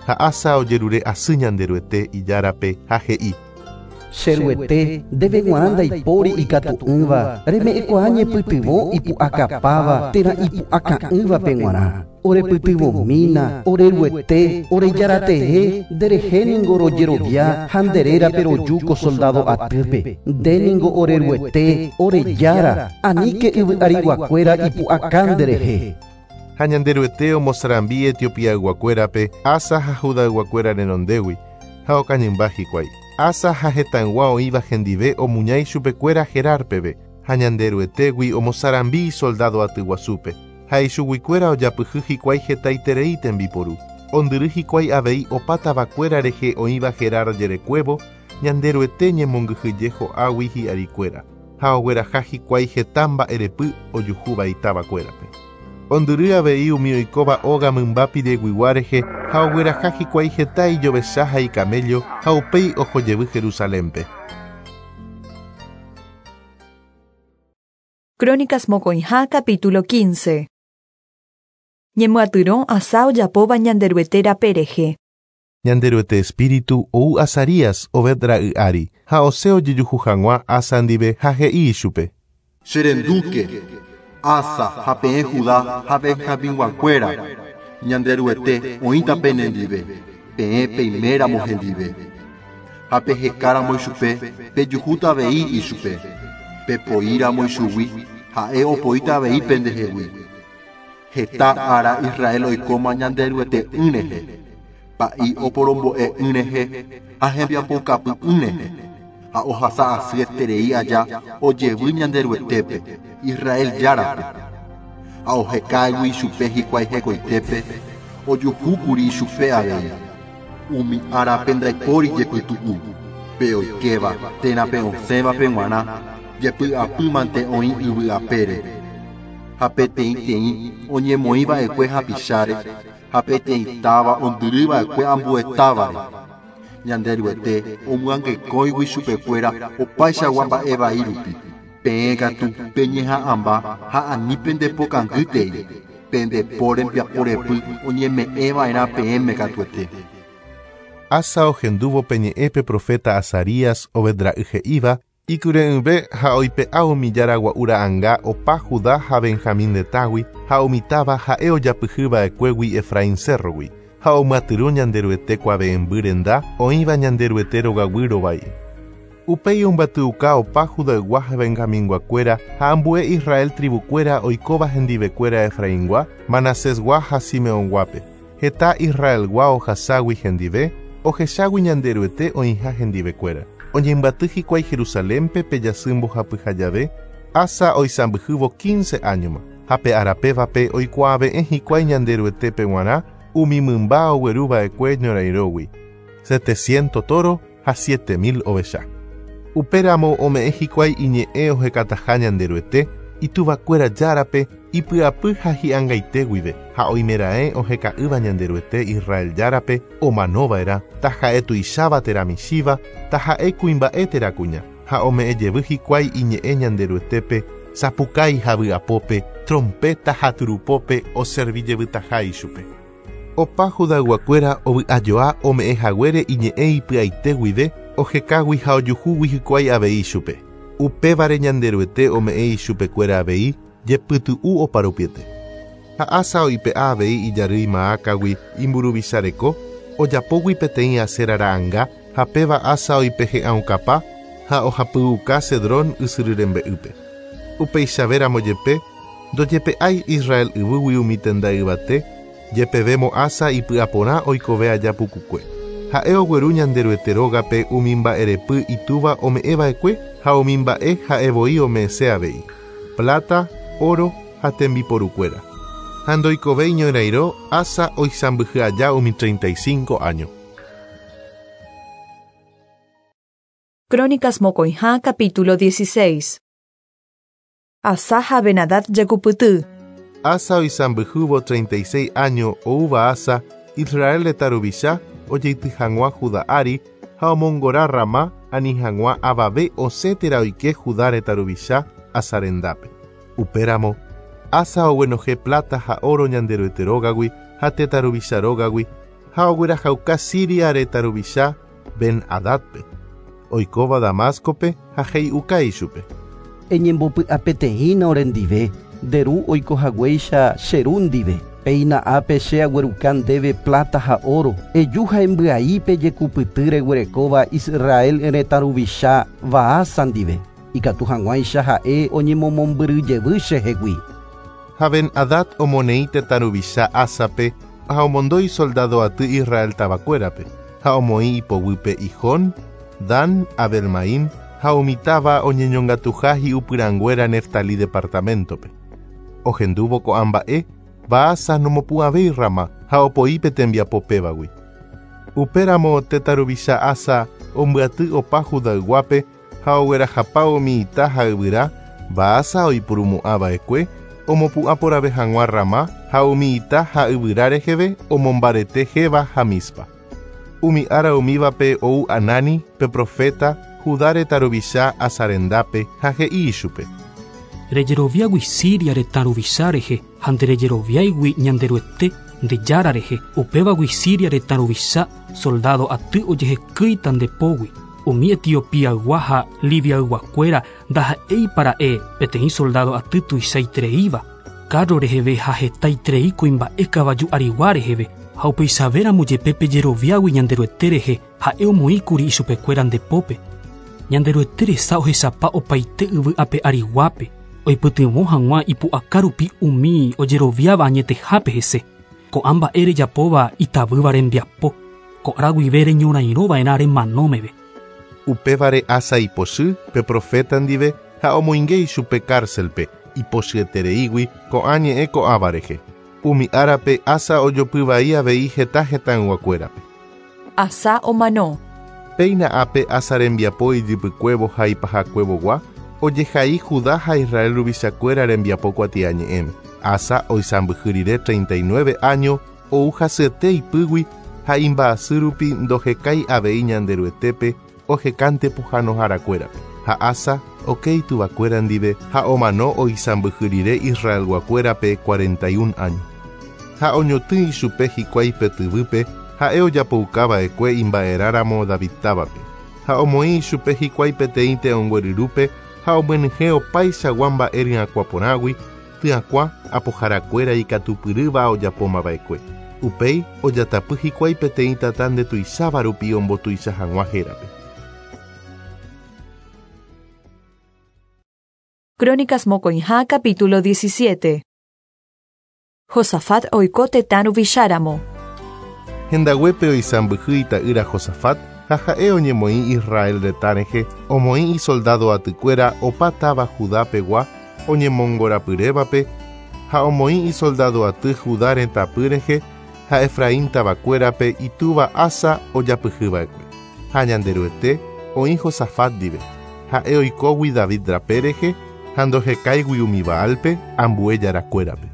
Ha Asa ojerure asy Ñanderuete, Ijárape, ha he'i. Che Ruete, ndéve g̃uarã ndaipóri ikatu'ỹva, reme'ẽkuaa ñepytyvõ ipu'akapáva térã ipu'aka'ỹvape g̃uarã. Orepytyvõmína, ore Ruete, ore Járatee, nderehe ningo rojerovia ha nde rérape roju ko soldádo atýpe. Nde ningo ore Ruete, ore Jára, aníke yvy ariguakuéra ipu'aka nderehe. Ha Ñanderuete omosarambi Etiopiayguakuérape Asa ha Judayguakuéra renondégui, ha okañymba hikuái. Asa ha hetãygua oĩva hendive omuña ichupekuéra Gerar peve, ha Ñanderuetégui omosarambi isoldádo atyguasúpe, ha ichuguikuéra ojapyhy hikuái hetaiterei tembiporu. Ondyry hikuái avei opa tavakuéra rehe oĩva Gerar jerekuévo, Ñanderuete ñemongyhyje ho'águi hi'arikuéra, ha ogueraha hikuái heta mba'erepy ojuhúva itavakuérape. Ondyry avei umi oikóva óga mymba pireguigua rehe ha ogueraha hikuái heta ijovecha ha ikaméllo ha upéi oho jevy Jerusalénpe. Crónicas mokõiha capítulo 15. Ñemyatyrõ Asá ojapóva Ñanderuete rape rehe. Ñanderuete espíritu ou Azarías, Obed ra'y ári, ha osẽ ojejuhu hag̃ua Asa ndive ha he'i ichupe. Che rendúke, Asa ha peẽ Judá ha Benjaminguakuéra, Ñanderuete oĩta penendive, peẽ peiméramo hendive. Ha pehekáramo ichupe, pejuhúta avei ichupe. Pepoíramo ichugui, ha'e opoíta avei pendehegui. Heta ára Israel oikóma Ñanderuete'ỹ rehe, pa'i oporombo'e'ỹ rehe ha hembiapoukapy'ỹ rehe, ha ohasa asy eterei aja ojevy Ñanderuetépe, Israel Járape. Ha ohekágui ichupe hikuái hekoitépe, ojuhúkuri ichupe avei. Umi árape ndaipóri jepytu'u, pe oikéva térã pe osẽvape g̃uarã jepy'apy mante oĩ yvy apére. Ha peteĩteĩ oñemoĩ va'ekue hapicháre, ha peteĩ táva ondyry va'ekue ambue távare. Ñanderuete omyangekóigui chupekuéra opaichagua mba'e vai rupi. Peẽ katu peñeha'ãmba ha ani pende pokangýtei, pende po rembiapo repy oñeme'ẽ va'erã peẽme katuete. Asa ohendúvo pe ñe'ẽ pe proféta Azarías, Obed ra'y he'íva, Ikyre'ỹve ha oipe'a umi jára gua'u ra'anga opa Judá ha Benjamín retãgui ha umi táva ha'e ojapyhy va'ekuégui Efraín cérrogui, ha omyatyrõ Ñanderuete kuave'ẽmby renda oĩva Ñanderuete rogaguy rovái. Upéi ombyatyuka opa Judaygua ha Benjaminguakuéra ha ambue Israel tribukuéra oikóva hendivekuéra Efraingua, Manasesgua ha Simeonguápe. Heta Israelgua ohaságui hendive, ohechágui Ñanderuete oĩha hendivekuéra. Oñembyaty hikuái Jerusalénpe pe jasy mbohapyha jave, Asa oisãmbyhývo quince áñoma, ha pe ára pévape oikuaave'ẽ hikuái Ñanderuetépe g̃uarã umi mymba ogueru va'ekue ñorairõgui, seteciento tóro ha siete mil ovecha. Upéramo ome'ẽ hikuái iñe'ẽ ohekataha Ñanderuete, ituvakuéra Járape, ipy'apy ha hi'angaite guive, ha oimeraẽ oheka'ỹva Ñanderuete Israel Járape omanova'erã, taha'e tuicháva térã michĩva, taha'e kuimba'e térã kuña. Ha ome'ẽ jevy hikuái iñe'ẽ Ñanderuetépe, sapukái ha vy'apópe, trompéta ha turupópe oservi jevytaha ichupe. Opa Judayguakuéra ovy'ajoa ome'ẽ haguére iñe'ẽ ipy'aite guive, ohekágui ha ojuhúgui hikuái avei ichupe. Upévare Ñanderuete ome'ẽ ichupekuéra avei jepytu'u oparupiete. Ha Asa oipe'a avei ijarýi Maácagui imburuvicha reko, ojapógui peteĩ Asera ra'anga ha péva Asa oipehe'ãukapa ha ohapyuka Cedrón ysyry rembe'ýpe. Upeichavéramo jepe, ndojepe'ái Israel yvýgui umi tenda yvate, jepevémo Asa ipy'aporã oikove aja pukukue. Ha'e ogueru Ñanderuete rógape umi mba'erepy itúva ome'ẽva'ekue ha umi mba'e ha'e voi ome'ẽse avei, pláta, óro ha tembiporukuéra. Ha ndoikovéi ñorairõ Asa oisãmbyhy aja umi 35 áño. Crónicas mokõiha capítulo 16. Asá ha Ben-Hadad jekupyty. Asa oisãmbyhývo 36 áño oúva Asa, Israel retã ruvicha, ojeity hag̃ua Judá ári ha omongora Ramá ani hag̃ua avave osẽ térã oike Judá retã ruvicha Asa rendápe. Upéramo, Asa oguenohẽ pláta ha óro Ñanderuete rógagui ha tetã ruvicha rógagui ha oguerahauka Siria retã ruvicha Ben-Hadádpe, oikóva Damáscope ha he'iuka ichupe. Eñembopy'apeteĩna orendive, nde ru oiko haguéicha che ru ndive. Péina ápe che agueruka ndéve pláta ha óro, eju ha embyai pe jekupyty reguerekóva Israel retã ruvicha Baasa ndive, ikatu hag̃uáicha ha'e oñemomombyry jevy chehegui. Ha Ben-Hadad omoneĩ tetã ruvicha Ásape ha omondo isoldádo aty Israel tavakuérape, ha omoĩ ipoguýpe Ijón, Dan, Abel-Maim ha umi táva oñeñongatuha hi'upyrãnguéra Neftalí departaméntope. Ohendúvo ko'ã mba'e, Baasa nomopu'ãvéi Ramá ha opoi pe tembiapo pévagui. Upéramo tetã ruvicha Asa ombyaty opa Judayguápe ha oguerahapa umi ita ha yvyra Baasa oipurumo'ã va'ekue omopu'ã porãve hag̃ua Ramá ha umi ita ha yvyra reheve omombarete Geba ha Mizpa. Umi ára umívape ou Anani, pe proféta, Judá retã ruvicha Asa rendápe, ha he'i ichupe. Rejeroviágui Siria retã ruvicha rehe ha nderejeroviáigui Ñanderuete, nde Jára rehe, upévagui Siria retã ruvicha soldádo aty ojehekýita nde pógui. Umi Etiopiaygua ha Libiayguakuéra ndaha'éipa ra'e peteĩ soldádo aty tuichaitereíva, kárro reheve ha hetaiterei kuimba'e kavaju arigua reheve, ha upeichavéramo jepe pejeroviágui Ñanderuete rehe ha'e omoĩkuri ichupekuéra nde pópe. Ñanderuete resa ohechapa opaite yvy ape ariguápe, oipytyvõ hag̃ua ipu'aka rupi umi ojeroviáva añetehápe hese. Ko'ã mba'e rejapóva itavýva rembiapo, ko ára guive reñorairõva'erã remano meve. Upévare Asa ipochy pe proféta ndive ha omoinge ichupe kárselpe, ipochyetereígui ko'ã ñe'ẽ ko'ãva rehe. Umi árape Asa ojopy vai avei heta hetãyguakuérape. Asa omano. Péina ápe Asa rembiapo ijypykuévo ha ipahakuevogua, ojehai Judá ha Israel ruvichakuéra rembiapo kuatiañe'ẽme. Asa oisãmbyhy rire 39 áño ou hasyete ipýgui ha imba'asy rupi ndohekái avei Ñanderuetépe ohekánte pohãnoharakuérape. Ha Asa oke ituvakuéra ndive ha omano oisãmbyhy rire Israelguakuérape 41 áño. Ha oñotỹ ichupe hikuái pe tyvýpe ha'e ojapouka va'ekue imba'erãramo David távape. Ha omoĩ ichupe hikuái peteĩ te'õngue ryrúpe ha omyenyhẽ opaichagua mba'e ryakuã porãgui, tyakuã apoharakuéra ikatupyrýva ojapóma va'ekue. Upéi ojatapy hikuái peteĩ tata ndetuicháva rupi ombotuicha hag̃ua hérape. Crónicas mokõiha capítulo 17. Josafat oiko tetã ruvicháramo. Hendaguépe oisãmbyhy ita'ýra Josafat, Ha ha'e oñemoĩ Israel retã rehe, omoĩ isoldádo atykuéra opa táva Judá pegua oñemongorapyrévape ha omoĩ isoldádo aty Judá retãpy rehe ha Efraín tavakuérape itúva Asa ojapyhyva'ekue. Ha Ñanderuete oĩ Josafat ndive, ha'e oikógui David rape rehe ha ndohekáigui umi Baalpe ambue jarakuérape.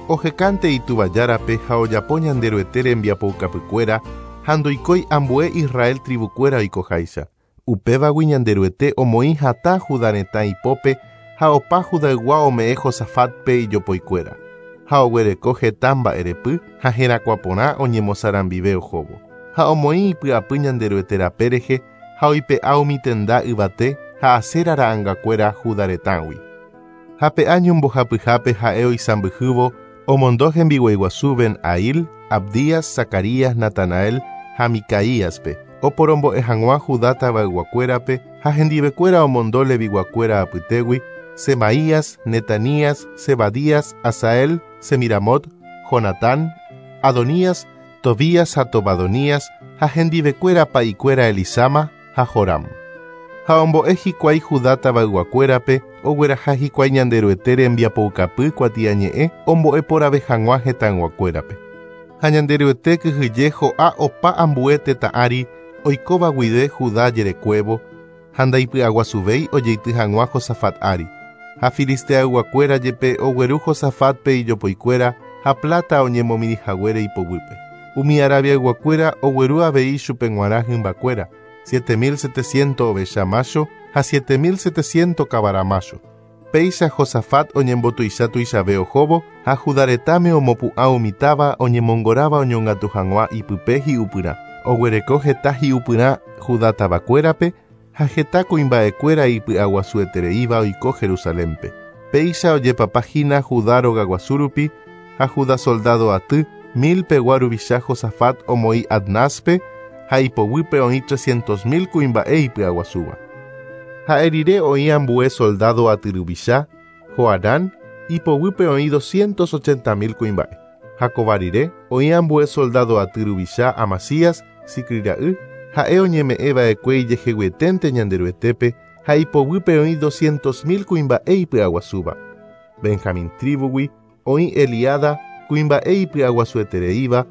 Ohekánte itúva Járape ha ojapo Ñanderuete rembiapoukapykuéra ha ndoikói ambue Israel tribukuéra oikoháicha. Upévagui Ñanderuete omoĩ hatã Judá retã ipópe ha opa Judaygua ome'ẽ Josafátpe ijopoikuéra. Ha oguereko heta mba'erepy ha herakuã porã oñemosarambive ohóvo. Ha omoĩ ipy'apy Ñanderuete rape rehe ha oipe'a umi tenda yvate ha Asera ra'angakuéra Judá retãgui. Ha pe áño mbohapyhápe ha'e oisãmbyhývo omondo hembiguaiguasu Ben-Ail, Abdías, Zacarías, Natanael ha Micaíaspe, oporombo'e hag̃ua Judá tavayguakuérape ha hendivekuéra omondo Leviguakuéra apytégui, Semaías, Netanías, Zebadías, Asael, Semiramot, Jonatán, Adonías, Tobías ha Tobadonías ha hendivekuéra pa'ikuéra Elisama ha Joram. Ha ombo'e hikuái Judá tavayguakuérape ogueraha hikuái Ñanderuete rembiapoukapy kuatiañe'ẽ ombo'e porãve hag̃ua hetãyguakuérape. Ha Ñanderuete kyhyje ho'a opa ambue tetã ári oikóva guive Judá jerekuévo ha ndaipy'aguasuvéi ojeity hag̃ua Josafat ári. Ha filisteayguakuéra jepe ogueru Josafátpe ijopoikuéra ha pláta oñemomirĩhaguére ipoguýpe. Umi Arabiayguakuéra ogueru avei chupe g̃uarã hymbakuéra, 7700 ovecha mácho ha 7700 kavara mácho. Péicha Josafat oñembotuicha tuichave ohóvo ha Judá retãme omopu'ã umi táva oñemongoráva oñongatu hag̃ua ipype hi'upyrã. Oguereko heta hi'upyrã Judá tavakuérape ha heta kuimba'ekuéra ipy'aguasuetereíva oiko Jerusalénpe. Péicha ojepapahína Judá rogaguasu rupi ha Judá soldado aty mil pegua ruvicha Josafat omoĩ Adnáspe ha ipoguýpe oĩ 300.000 kuimba'e ipy'aguasúva. Ha'e rire oĩ ambue soldado aty ruvicha, Johanán, ipoguýpe oĩ 280.000 kuimba'e. Ha kóva rire oĩ ambue soldado aty ruvicha Amasías, Zicri ra'y, ha'e oñeme'ẽva'ekue ijeheguieténte Ñanderuetépe ha ipoguýpe oĩ 200.000 kuimba'e ipy'aguasúva. Benjamín tribugui oĩ Eliada kuimba'e ipy'aguasuetereíva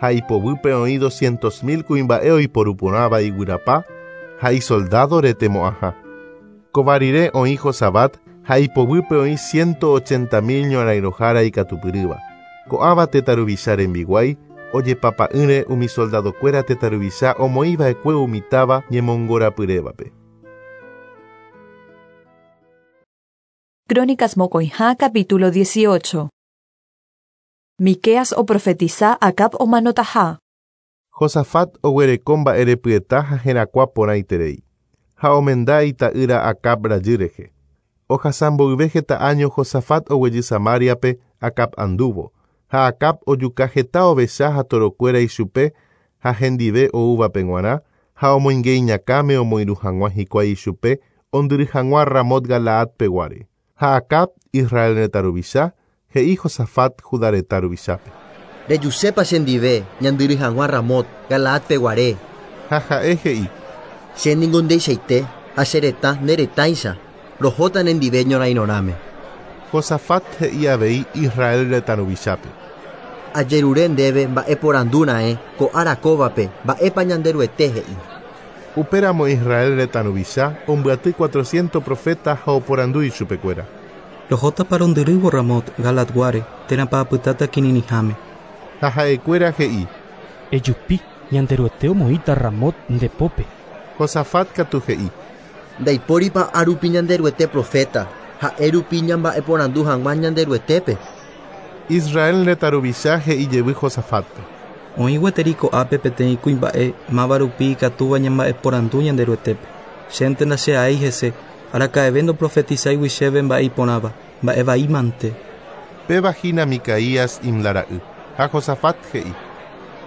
ha ipoguýpe oĩ 200.000 kuimba'e oiporuporãva iguyrapa ha isoldado retemo'ãha. Kóva rire oĩ Josabat ha ipoguýpe oĩ 180.000 ñorãirõhára ikatupyrýva. Ko'ãva tetã ruvicha rembiguái ojepapa'ỹre umi soldadokuéra tetã ruvicha omoĩva'ekue umi táva ñemongorapyrévape. Crónicas Mokõiha capítulo 18. Miqueas oprofetiza Acab omanotaha. Josafat oguereko mba'erepyeta ha herakuã porãiterei. Ha omenda ita'ýra Acab rajy rehe. Ohasa mboyve heta áño Josafat oguejy Samariape Acab andúvo. Ha Acab ojuka heta ovecha ha torokuéra ichupe ha hendive oúvape g̃uarã ha omoinge iñakãme omoirũ hag̃ua hikuái ichupe ondyry hag̃ua Ramot Galaad peguáre. Ha Acab Israel retã ruvicha he'i Josafat Judá retã ruvichápe. Rejusépa chendive ñandyry hag̃ua Ramot Galaad peguare. Ha ha'e he'i. Chéniko ndeichaite ha che retã ne retãicha rohóta nendive ñorairõrãme. Josafat he'i avei Israel retã ruvichápe. Ajerure ndéve mba'eporandúra'e ko ára kóvape mba'épa Ñanderuete he'i. Upéramo Israel retã ruvicha ombyaty 400 profeta ha oporandu ichupekuéra. Rohótapa rondyrývo Ramot Galaadguáre térãpa apytáta kirirĩháme. Ha ha'ekuéra he'i. Ejupi Ñanderuete omoĩta Ramot nde pópe. Josafat katu he'i. Ndaipóripa árupi Ñanderuete profeta ha'e rupi ñamba'eporandu hag̃ua Ñanderuetépe. Israel retã ruvicha he'i jevy Josafátpe. Oĩ gueteri ko'ápe peteĩ kuimba'e máva rupi ikatúva ñamba'eporandu Ñanderuetépe. Chénte ndache'aéi hese araka'eve ndoprofetizáigui chéve mba'e iporãva, mba'e vaímante. Péva hína Micaías Imla ra'y. Ha Josafat he'i.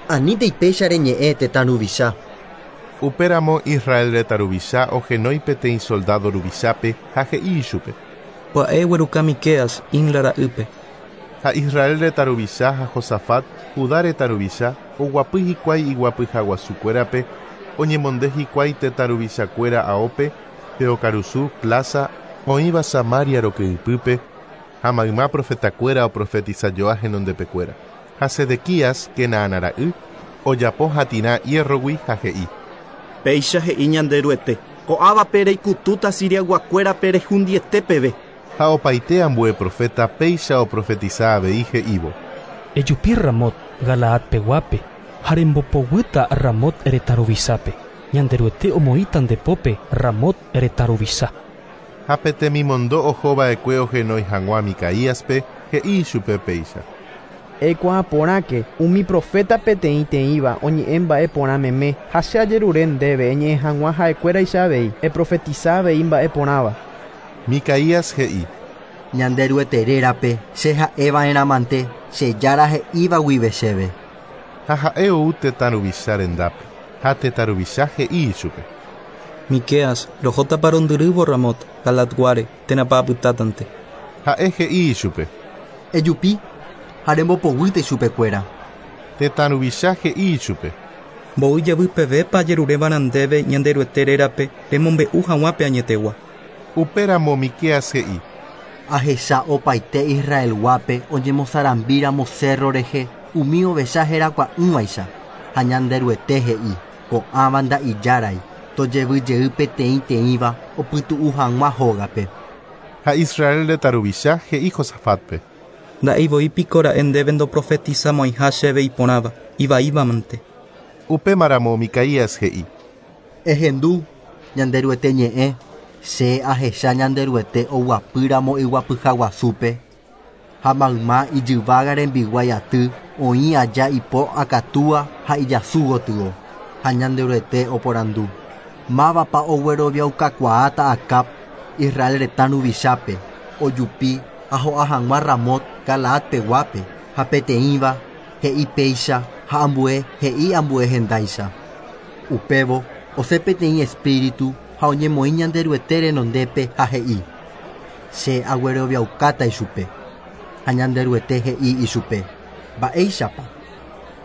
Anítei péicha reñe'ẽ tetã ruvicha. Upéramo Israel retã ruvicha ohenói peteĩ soldado ruvichápe ha he'i ichupe. Pya'e egueruka Miqueas Imla ra'ýpe. Ha Israel retã ruvicha ha Josafat Judá retã ruvicha oguapy hikuái iguapyhaguasukuérape Oñemonde hikuái tetã ruvichakuéra aópe, pe okarusu, plaza, oĩva Samaria rokẽypýpe, ha mayma profetakuéra oprofetisajoa henondepekuéra. Ha Sedequías, Kenaana ra'y, ojapo hatĩrã hierrogui ha he'i. Péicha he'i Ñanderuete, ko'ãvape reikutúta Siriayguakuérape rehundiete peve. Ha opaite ambue proféta péicha oprofetisa avei he'ívo. Ejupi Ramot, Galaad peguápe, ha rembopoguýta Ramot retã ruvichápe. Ñanderuete omoĩta nde pópe Ramot retã ruvicha. Ha pe temimondo oho va'ekue ohenói hag̃ua Micaíaspe, he'i ichupe péicha. Eikuaa porãke, umi proféta peteĩteĩva oñe'ẽ mba'e porã meme, ha che ajerure ndéve eñe'ẽ hag̃ua ha'ekuéraicha avei, eprofetisa avei mba'e porãva. Micaías he'i. Ñanderuete rérape che ha'eva'erãmante che Jára he'íva guive chéve. Ha ha'e ou tetã ruvicha rendápe, ha tetã ruvicha he'i ichupe. Miqueas, rohótapa rondyrývo Ramot, Galaadguáre, térãpa apytátante. Ha'e he'i ichupe. Ejupi ha rembopoguýta ichupekuéra. Tetã ruvicha he'i ichupe. Mboy jevy pevépa ajeruréva'erã ndéve Ñanderuete rérape remombe'u hag̃ua pe añetegua. Upéramo Miqueas he'i. Ahecha opaite Israelguápe oñemosarambíramo cérro rehe umi ovecha herakuã'ỹvaicha, ha Ñanderuete he'i, Ko'ãva nda'ijárai, tojevy jey peteĩteĩva opytu'u hag̃ua hógape. Ha Israel retã ruvicha he'i Josafátpe. Nda'éi voi piko ra'e ndéve ndoprofetisamo'ãiha chéve iporãva, ivaívamante. Upémaramo Micaías he'i. Ehendu, Ñanderuete ñe'ẽ, che ahecha Ñanderuete oguapýramo iguapyhaguasúpe, ha mayma ijyvága rembiguái aty oĩ aja ipo akatúa ha ijasu gotyo. Ha Ñanderuete oporandu, Mávapa ogueroviaukakuaáta Acab, Israel retã ruvichápe, ojupi ha ho'a hag̃ua Ramot Galaad peguápe, ha peteĩva he'i péicha ha ambue he'i ambue hendáicha. Upévo osẽ peteĩ espíritu ha oñemoĩ Ñanderuete renondépe ha he'i, Che agueroviaukáta ichupe. Ha Ñanderuete he'i ichupe, Mba'éichapa?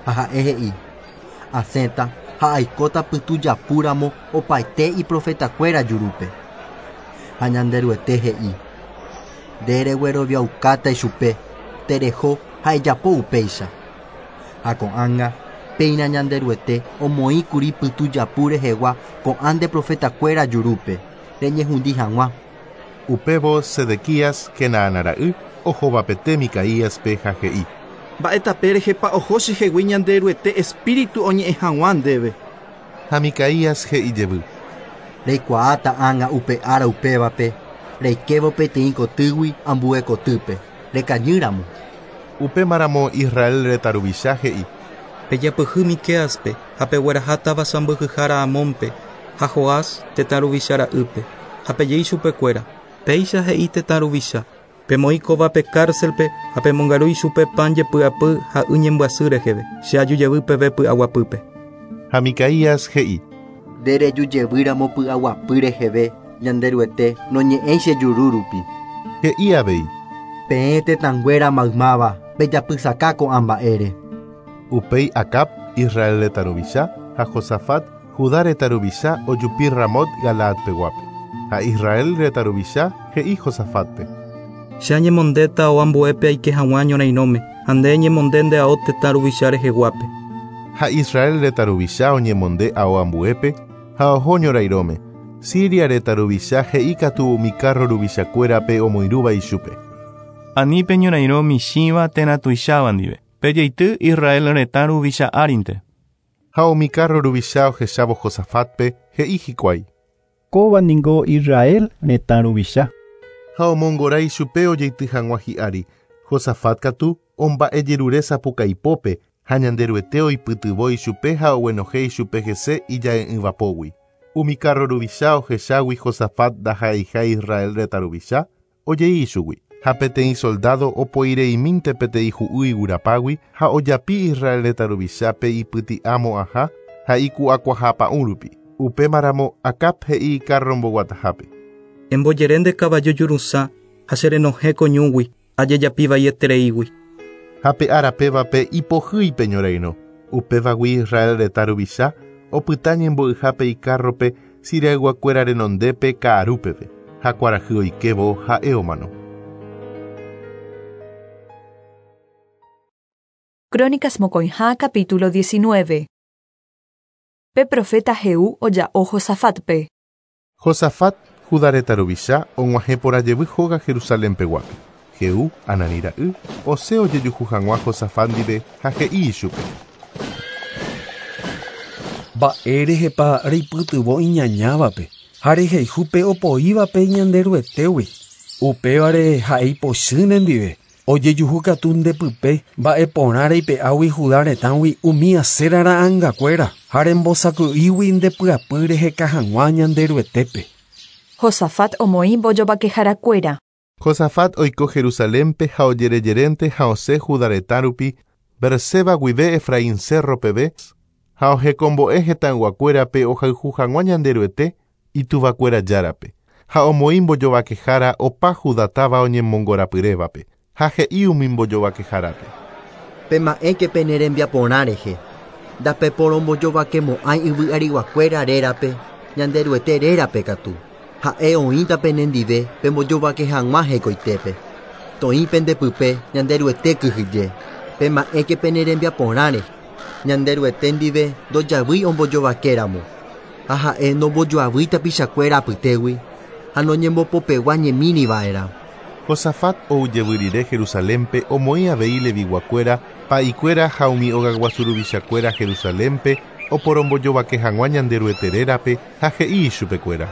Ha ha'e he'i, Asẽta ha aikóta pytujapúramo opaite iprofetakuéra jurúpe. Ha Ñanderuete he'i, Nde regueroviaukáta ichupe, tereho ha ejapo upéicha. Ha ko'ág̃a, péina Ñanderuete omoĩkuri pytujapu rehegua ko'ã nde profetakuéra jurúpe, reñehundi hag̃ua. Upévo Sedequías, Kenaana ra'y, ohovapete Micaíaspe ha he'i. Mba'e tape rehepa oho chehegui Ñanderuete espíritu oñe'ẽ hag̃ua ndéve. Ha Micaías he'i jevy. Reikuaáta ág̃a upe ára upévape, reikévo peteĩ kotýgui ambue kotýpe, rekañýramo. Upémaramo Israel retã ruvicha he'i. Pejapyhy Miquéaspe ha pegueraha táva sãmbyhyhára Amónpe, ha Joás, tetã ruvicha ra'ýpe, ha peje ichupekuéra, Péicha he'i tetã ruvicha, Pemoĩ kóvape cárcelpe ha pemongaru ichupe pan jepy'apy ha y ñembyasy reheve, che aju jevy peve py'aguapýpe. Ha Micaías he'i. Nde reju jevýramo py'aguapy reheve, Ñanderuete noñe'ẽi che juru rupi. He'i avei. Peẽ tetãnguéra maymáva, pejapysaka ko'ã mba'ére. Upéi Acab, Israel retã ruvicha, ha Josafat, Judá retã ruvicha, ojupi Ramot Galaad peguápe. Ha Israel retã ruvicha he'i Josafátpe. Che añemondéta ao ambuépe aike hag̃ua ñorairõme, ha nde eñemonde nde ao tetã ruvicha reheguápe. Ha Israel retã ruvicha oñemonde ao ambuépe ha oho ñorairõme. Siria retã ruvicha he'i katu umi kárro ruvichakuérape omoirũva ichupe. Ani peñorairõ michĩva térã tuicháva ndive, pejeity Israel retã ruvicha árinte. Ha umi kárro ruvicha ohechávo Josafátpe, he'i hikuái. Kóva ningo Israel retã ruvicha. Ha omongora ichupe ojeity hag̃ua hi'ári. Josafat katu omba'ejerure sapukaipópe ha Ñanderuete oipytyvõ ichupe ha oguenohẽ ichupe hese ija'e'ỹva pógui. Umi kárro ruvicha ohechágui Josafat ndaha'eiha Israel retã ruvicha, ojei ichugui. Ha peteĩ soldádo opoireimínte peteĩ hu'y iguyrapágui ha ojapi Israel retã ruvichápe ipyti'a mo'ãha ha iku'akuaha pa'ũ rupi. Upémaramo Acab he'i ikárro mboguatahápe. Embojere nde kavaju jurusã ha che renohẽ ko ñúgui, ajejapi vaietereígui. Ha pe ára pévape ipohýi pe ñorairõ. Upévagui Israel retã ruvicha opyta ñembo'yhápe ikárrope Siriayguakuéra renondépe ka'arúpeve, ha kuarahy oikévo ha'e omano. Crónicas mokõiha capítulo 19. Pe profeta Jehú oja'o Josafatpe. Josafat, Judá retã ruvicha, og̃uahẽporãjevy hóga Jerusalénpeguápe. Jehú, Ananí ra'y, osẽ ojejuhu hag̃ua Josafat ndive ha he'i ichupe. Mba'érehepa reipytyvõ iñañávape ha rehayhu opoívape Ñanderuetégui. Upévare ha'e ipochy nendive. Ojejuhu katu ndepype mba'eporã reipe'águi Judá retãgui umi Asera ra'ãngakuéra ha rembosako'ígui ndepy'apy reheka hag̃ua Ñanderuetépe. Josafat omoĩ mbojovakeharakuéra. Josafat oiko Jerusalénpe ha ojerejerénte ha osẽ Judá retã rupi Beerseba guive Efraín cerro peve ha ohekombo'e hetãyguakuérape ohayhu hag̃ua Ñanderuete ituvakuéra járape ha omoĩ mbojovakehára opa Judá táva oñemongorapyrévape ha he'i umi mbojovakehárape. Pema'ẽke pene rembiaporã rehe. Ndapeporombojovakemo'ãi yvy ariguakuéra rérape, Ñanderuete rérape katu. Ha'e oĩta penendive pembojovake hag̃ua hekoitépe. Toĩ pendepype Ñanderuete kyhyje. Pema'ẽke pene rembiaporã rehe. Ñanderuete ndive ndojavýi ombojovakéramo. Ha ha'e nombojoavýi tapichakuéra apytégui ha noñembopopegua ñemíriva'erã. Josafat oujevy rire Jerusalénpe omoĩ avei Leviguakuéra, pa'ikuéra ha umi ogaguasuruvichakuéra Jerusalénpe oporombojovake hag̃ua Ñanderuete rérape ha he'i ichupekuéra.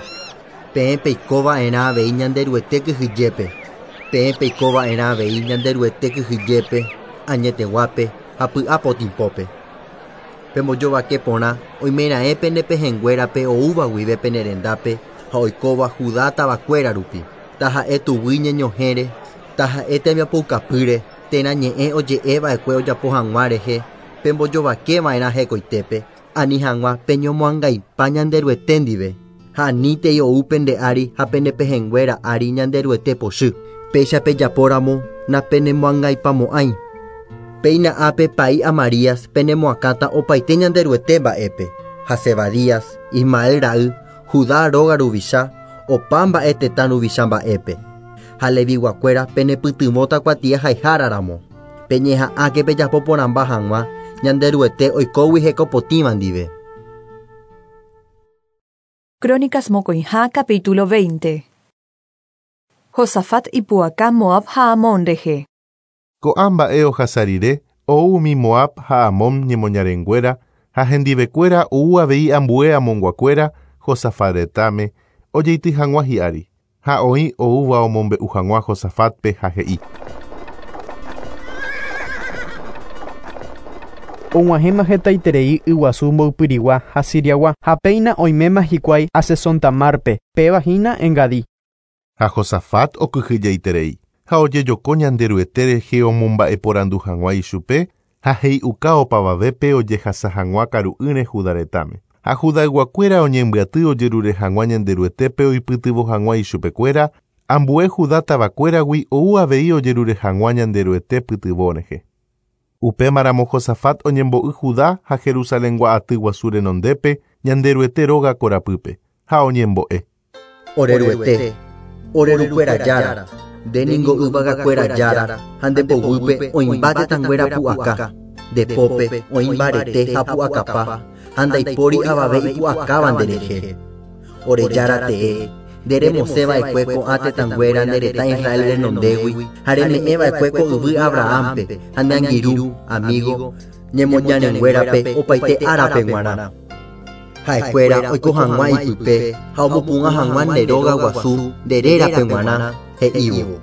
Peẽ peikova'erã avei Ñanderuete kyhyjépe. Peẽ peikova'erã avei Ñanderuete kyhyjépe, añeteguápe ha py'apotĩpópe. Pembojovake porã oimeraẽ pene pehẽnguérape oúva guive pene rendápe ha oikóva Judá tavakuéra rupi. Taha'e tuguy ñeñohẽre, taha'e tembiapoukapýre, térã ñe'ẽ oje'eva'ekue ojapo hag̃ua rehe, pembojovakeva'erã hekoitépe, ani hag̃ua peñomoangaipa Ñanderuete ndive, ha anítei ou pende ári ha pene pehẽnguéra ári Ñanderuete pochy. Péicha pejapóramo napenemoangaipamo'ãi. Péina ápe pa'i Amarías penemoakãta opaite Ñanderuete mba'épe, ha Zebadías, Ismael ra'y, Judá róga ruvicha, opa mba'e tetã ruvicha mba'épe. Ha Leviguakuéra penepytyvõta kuatia haiháraramo. Peñeha'ãke pejapo porãmba hag̃ua Ñanderuete oikógui hekopotĩva ndive. Crónicas mokõiha capítulo 20. Josafat ipu'aka Moab ha Amón rehe. Ko'ã mba'e ohasa rire ou umi Moab ha Amón ñemoñarenguéra ha hendivekuéra ou avei ambue Amonguakuéra Josafat retãme ojeity hag̃ua hi'ári ha oĩ oúva omombe'u hag̃ua Josafatpe ha he'i. Og̃uahẽma hetaiterei yguasu mboypyrigua ha Siriagua ha péina oiméma hikuái Asesontamarpe, péva hína Engadí. Ha Josafat okyhyjeiterei ha ojejoko Ñanderuete rehe omomba'eporandu hag̃ua ichupe ha he'iuka opavavépe ojehasa hag̃ua karu'ỹre Judá retãme. Ha Judayguakuéra oñembyaty ojerure hag̃ua Ñanderuetépe oipytyvõ hag̃ua ichupekuéra, ambue Judá tavakuéragui ou avei ojerure hag̃ua Ñanderuete pytyvõ rehe. Upémaramo Josafat oñembo'y Judá ha Jerusalengua aty guasu renondépe Ñanderuete róga korapýpe ha oñembo'e. Ore Ruete, ore rukuéra jára, nde ningo yvagakuéra jára ha nde poguýpe oĩmba tetãnguéra pu'aka, nde pópe oĩ mbarete ha pu'akapa ha ndaipóri avave ipu'akáva nderehe. Ore jára tee, nde remosẽva'ekue ko'ã tetãnguéra nde retã Israel renondégui ha reme'ẽva'ekue ko yvy Abrahampe ha nde angirũ, amigo, ñemoñarenguérape opaite árape g̃uarã. Ha'ekuéra oiko hag̃ua ipype ha omopu'ã hag̃ua nde róga guasu nde rérape g̃uarã he'ívo.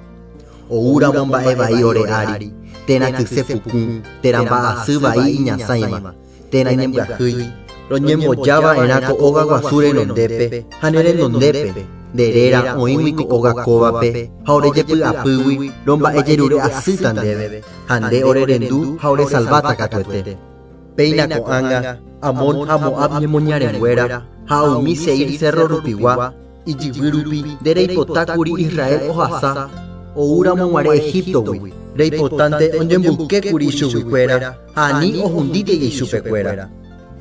Oúramo mba'e vai ore ári, térã kyse puku, térã mba'asy vai iñasãiva, térã ñembyahýi, roñembojava'erã ko óga guasu renondépe ha ne renondépe, nde réra oĩgui ko óga kóvape ha ore jepy'apýgui romba'ejerure asýta ndéve, ha nde ore rendu ha ore salváta katuete. Péina ko'ág̃a Amón ha Moab ñemoñarenguéra ha umi Seir cerro rupigua ijyvy rupi nde reipotákuri Israel ohasa oúramo g̃uarẽ Egiptogui. Reipotánte oñemboykékuri ichuguikuéra ha ani ohundítei ichupekuéra.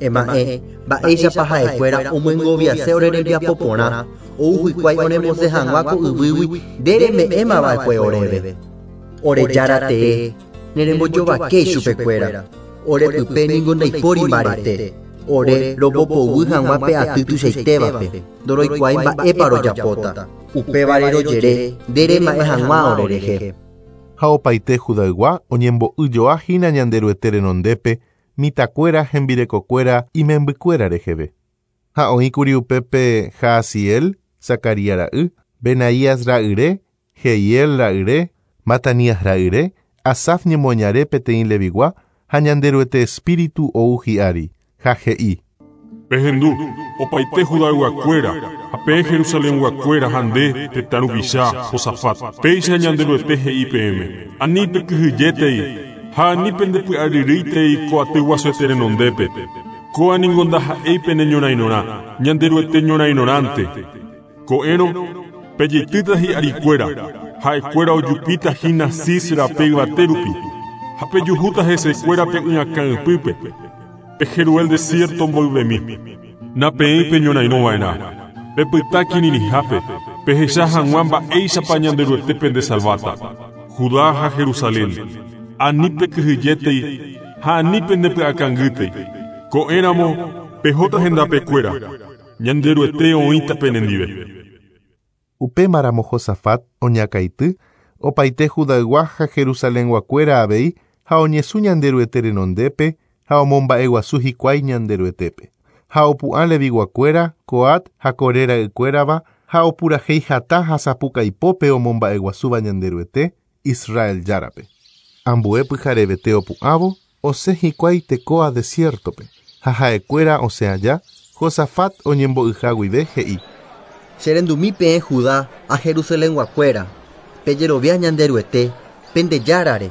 Ema'ẽ mba'éichapa ha'ekuéra omyengoviase ore rembiapo porã ou hikuái oremosẽ hag̃ua ko yvýgui nde reme'ẽmava'ekue oréve. Ore Jára tee, nerembojovakéi chupekuéra. Ore pype ningo ndaipóri mbarete. Ore rombopoguy hag̃ua pe aty tuichaitévape. Ndoroikuaái mba'épa rojapóta. Upévare rojere nde rema'ẽ hag̃ua orerehe. Ha opaite Judaygua oñembo'yjoa hína Ñanderuete renondépe mitãkuéra hembirekokuéra imembykuéra reheve. Ha oĩkuri upépe Jahaziel, Zacarías ra'y, Benaías ra'yre, Jehiel ra'yre, Matanías ra'yre, Asaf ñemoñare peteĩ Levigua ha Ñanderuete espíritu ou hi'ári, ha he'i. Pehendu, opaite Judayguakuéra, ha peẽ Jerusalenguakuéra ha nde tetã ruvicha Josafat. Péicha Ñanderuete he'i peẽme. Ani pekyhyjétei ha ani pendepy'aryrýitei ko aty guasuete renondépe. Kóa ningo ndaha'éi pene ñorairõrã, Ñanderuete ñorairõrãnte. Ko'ẽrõ, pejeitýta hi'arikuéra, ha'ekuéra ojupíta hína Sis rape yvate rupi, ha pejuhúta hesekuéra pe y'akã ypýpe, pe Jeruel desierto mboyvemi. Napeẽi peñorairõva'erã. Pepyta kirirĩhápe, pehecha hag̃ua mba'éichapa Ñanderuete pendesalváta. Judá ha Jerusalén, ani pekyhyjétei ha ani pendepy'akangýtei. Ko'ẽramo, pehóta hendapekuéra. Ñanderuete oĩta penendive. Upémaramo Josafat oñakãity, opaite Judaygua ha Jerusalenguakuéra avei ha oñesũ Ñanderuete renondépe ha omomba'eguasu hikuái Ñanderuetépe. Ha opu'ã Leviguakuéra, Coat ha Coré ra'ykuérava ha opurahéi hatã ha sapukaipópe omomba'eguasúva Ñanderuete, Israel Járape. Ambue pyharevete opu'ãvo, osẽ hikuái Tecoa desiertope, ha ha'ekuéra osẽ aja, Josafat oñembo'yha guive he'i. Cherendumi peẽ Judá ha Jerusalenguakuéra, pejerovia Ñanderuete, pende Járare,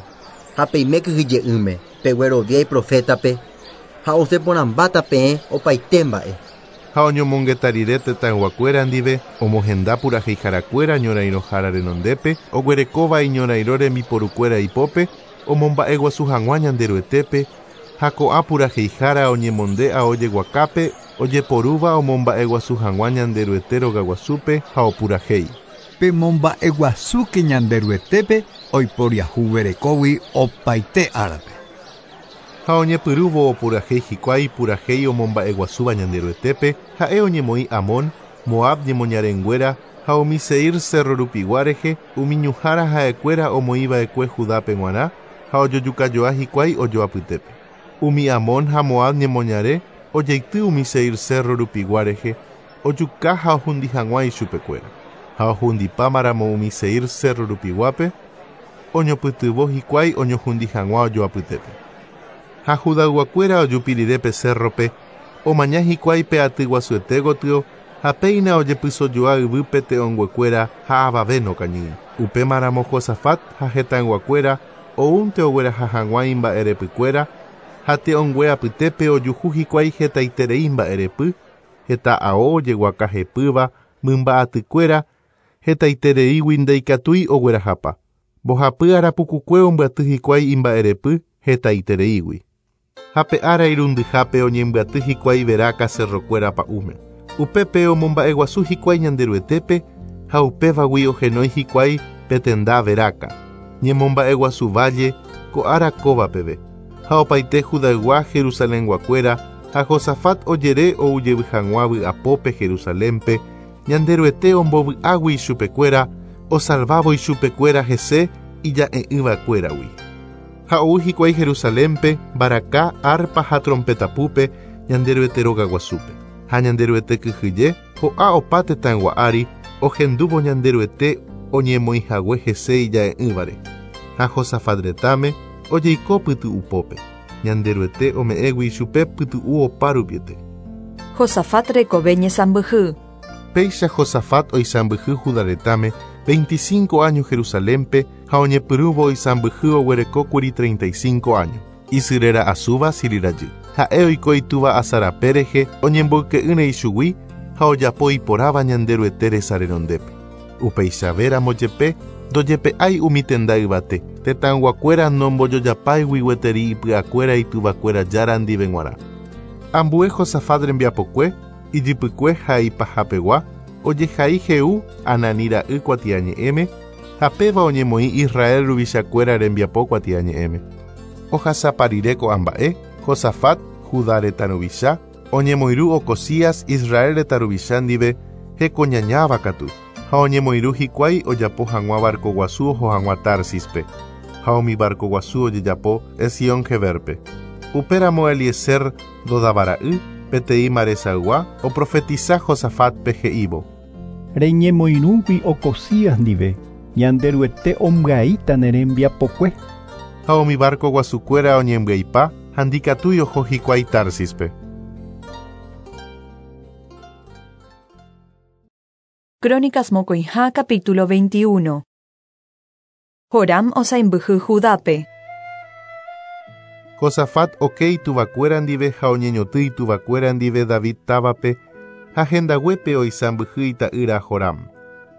ha peime kyhyje'ỹme, peguerovia iprofétape, ha osẽ porãmbáta peẽ opaite mba'e. Ha oñomongeta rire tetãyguakuéra ndive omohenda puraheiharakuéra ñorairõhára renondépe, oguerekóva iñorairõ rembiporukuéra ipópe, omomba'eguasu hag̃ua Ñanderuetépe, ha ko'ã puraheihára oñemonde ao jeguakápe ojeporúva omomba'eguasu hag̃ua Ñanderuete rogaguasúpe ha opurahéi. Pemomba'eguasúke Ñanderuetépe oiporiahuverekógui opaite árape. Ha oñepyrũvo opurahéi hikuái purahéi omomba'eguasúva Ñanderuetépe, ha'e oñemoĩ Amón, Moab ñemoñarenguéra ha umi Seir cerro rupigua rehe, umi ñuhãra ha'ekuéra omoĩva'ekue Judápe g̃uarã ha ojojukajoa hikuái ojoapytépe. Umi Amón ha Moab ñemoñare ojeity umi Seir cerro rupigua rehe, ojuka ha ohundi hag̃ua ichupekuéra. Ha ohundipámaramo umi Seir cerro rupiguápe, oñopytyvõ hikuái oñohundi hag̃ua ojoapytépe. Ha Judayguakuéra ojupi rire pe cerrope, omaña hikuái pe aty guasuete gotyo ha péina ojepysojoa yvýpe te'õnguekuéra ha avave nokañýi. Upémaramo Josafat ha hetãyguakuéra oúnte ogueraha hag̃ua imba'erepykuéra ha te'õngue apytépe ojuhu hikuái hetaiterei mba'erepy, heta ao ojeguaka hepýva, mymba atykuéra, hetaitereígui ndaikatúi oguerahapa. Mbohapy arapukukue ombyaty hikuái imba'erepy hetaitereígui. Ha pe ára irundyhápe oñembyaty hikuái Beraka cerrokuéra pa'ũme. Upépe omomba'eguasu hikuái Ñanderuetépe ha upévagui ohenói hikuái pe tenda Beraka. Ñemomba'eguasu valle ko ára kóva peve. Ha opaite Judaygua Jerusalenguakuéra ha Josafat ojere oujevy hag̃ua vy'apópe Jerusalénpe, Ñanderuete ombovy'águi ichupekuéra, osalvávo ichupekuéra hese ija'e'ỹvakuéragui. Ha ou hikuái Jerusalénpe, mbaraka, arpa ha trompetapúpe Ñanderuete rogaguasúpe. Ha Ñanderuete kyhyje ho'a opa tetãygua ári ohendúvo Ñanderuete oñemoĩhague hese ija'e'ỹvare. Ha Josafat retãme ojeiko pytu'upópe. Ñanderuete ome'ẽgui ichupe pytu'u opa rupiete. Josafat rekove ñesãmbyhy. Péicha Josafat oisãmbyhy Judá retãme 25 años Jerusalénpe ha oñepyrũvo oisãmbyhy oguerekókuri 35 años. Isy réra Azuba Silhi rajy. Ha'e oiko itúva Asa rape rehe oñemboyke'ỹre ichugui ha ojapo iporãva Ñanderuete resa renondépe. Upeichavéramo jepe ndojepe'ái umi tenda yvate, tetãyguakuéra nombojojapáigui gueteri ipy'akuéra ituvakuéra Jára ndive g̃uarã. Ambue Josafat rembiapokue, ijypykue ha ipahapegua, ojehai Jehú Anani ra'y kuatiañe'ẽme ha péva oñemoĩ Israel ruvichakuéra rembiapo kuatiañe'ẽme. Ohasapa rire ko'ã mba'e, Josafat, Judá retã ruvicha, oñemoirũ Ocozías Israel retã ruvicha ndive hekoñañáva katu, ha oñemoirũ hikuái ojapo hag̃ua barco guasu oho hag̃ua Tarsis-pe, ha umi barco guasu ojejapo Ezión-Geber-pe. Upéramo Eliezer Dodava ra'y, peteĩ Maresaygua, oprofetisa Josafat-pe he'ívo. Reñemoirũgui Ocozías ndive, Ñanderuete ombyaíta ne rembiapokue. Ha umi barco guasukuéra oñembyaipa ha ndikatúi oho hikuái Tarsis-pe. Crónicas mokõiha capítulo 21. Joram osaimbyhy Judápe. Josafat oke ituvakuéra ndive ha oñeñoty ituvakuéra ndive David távape ha hendaguépe oisãmbyhy ita'ýra Joram.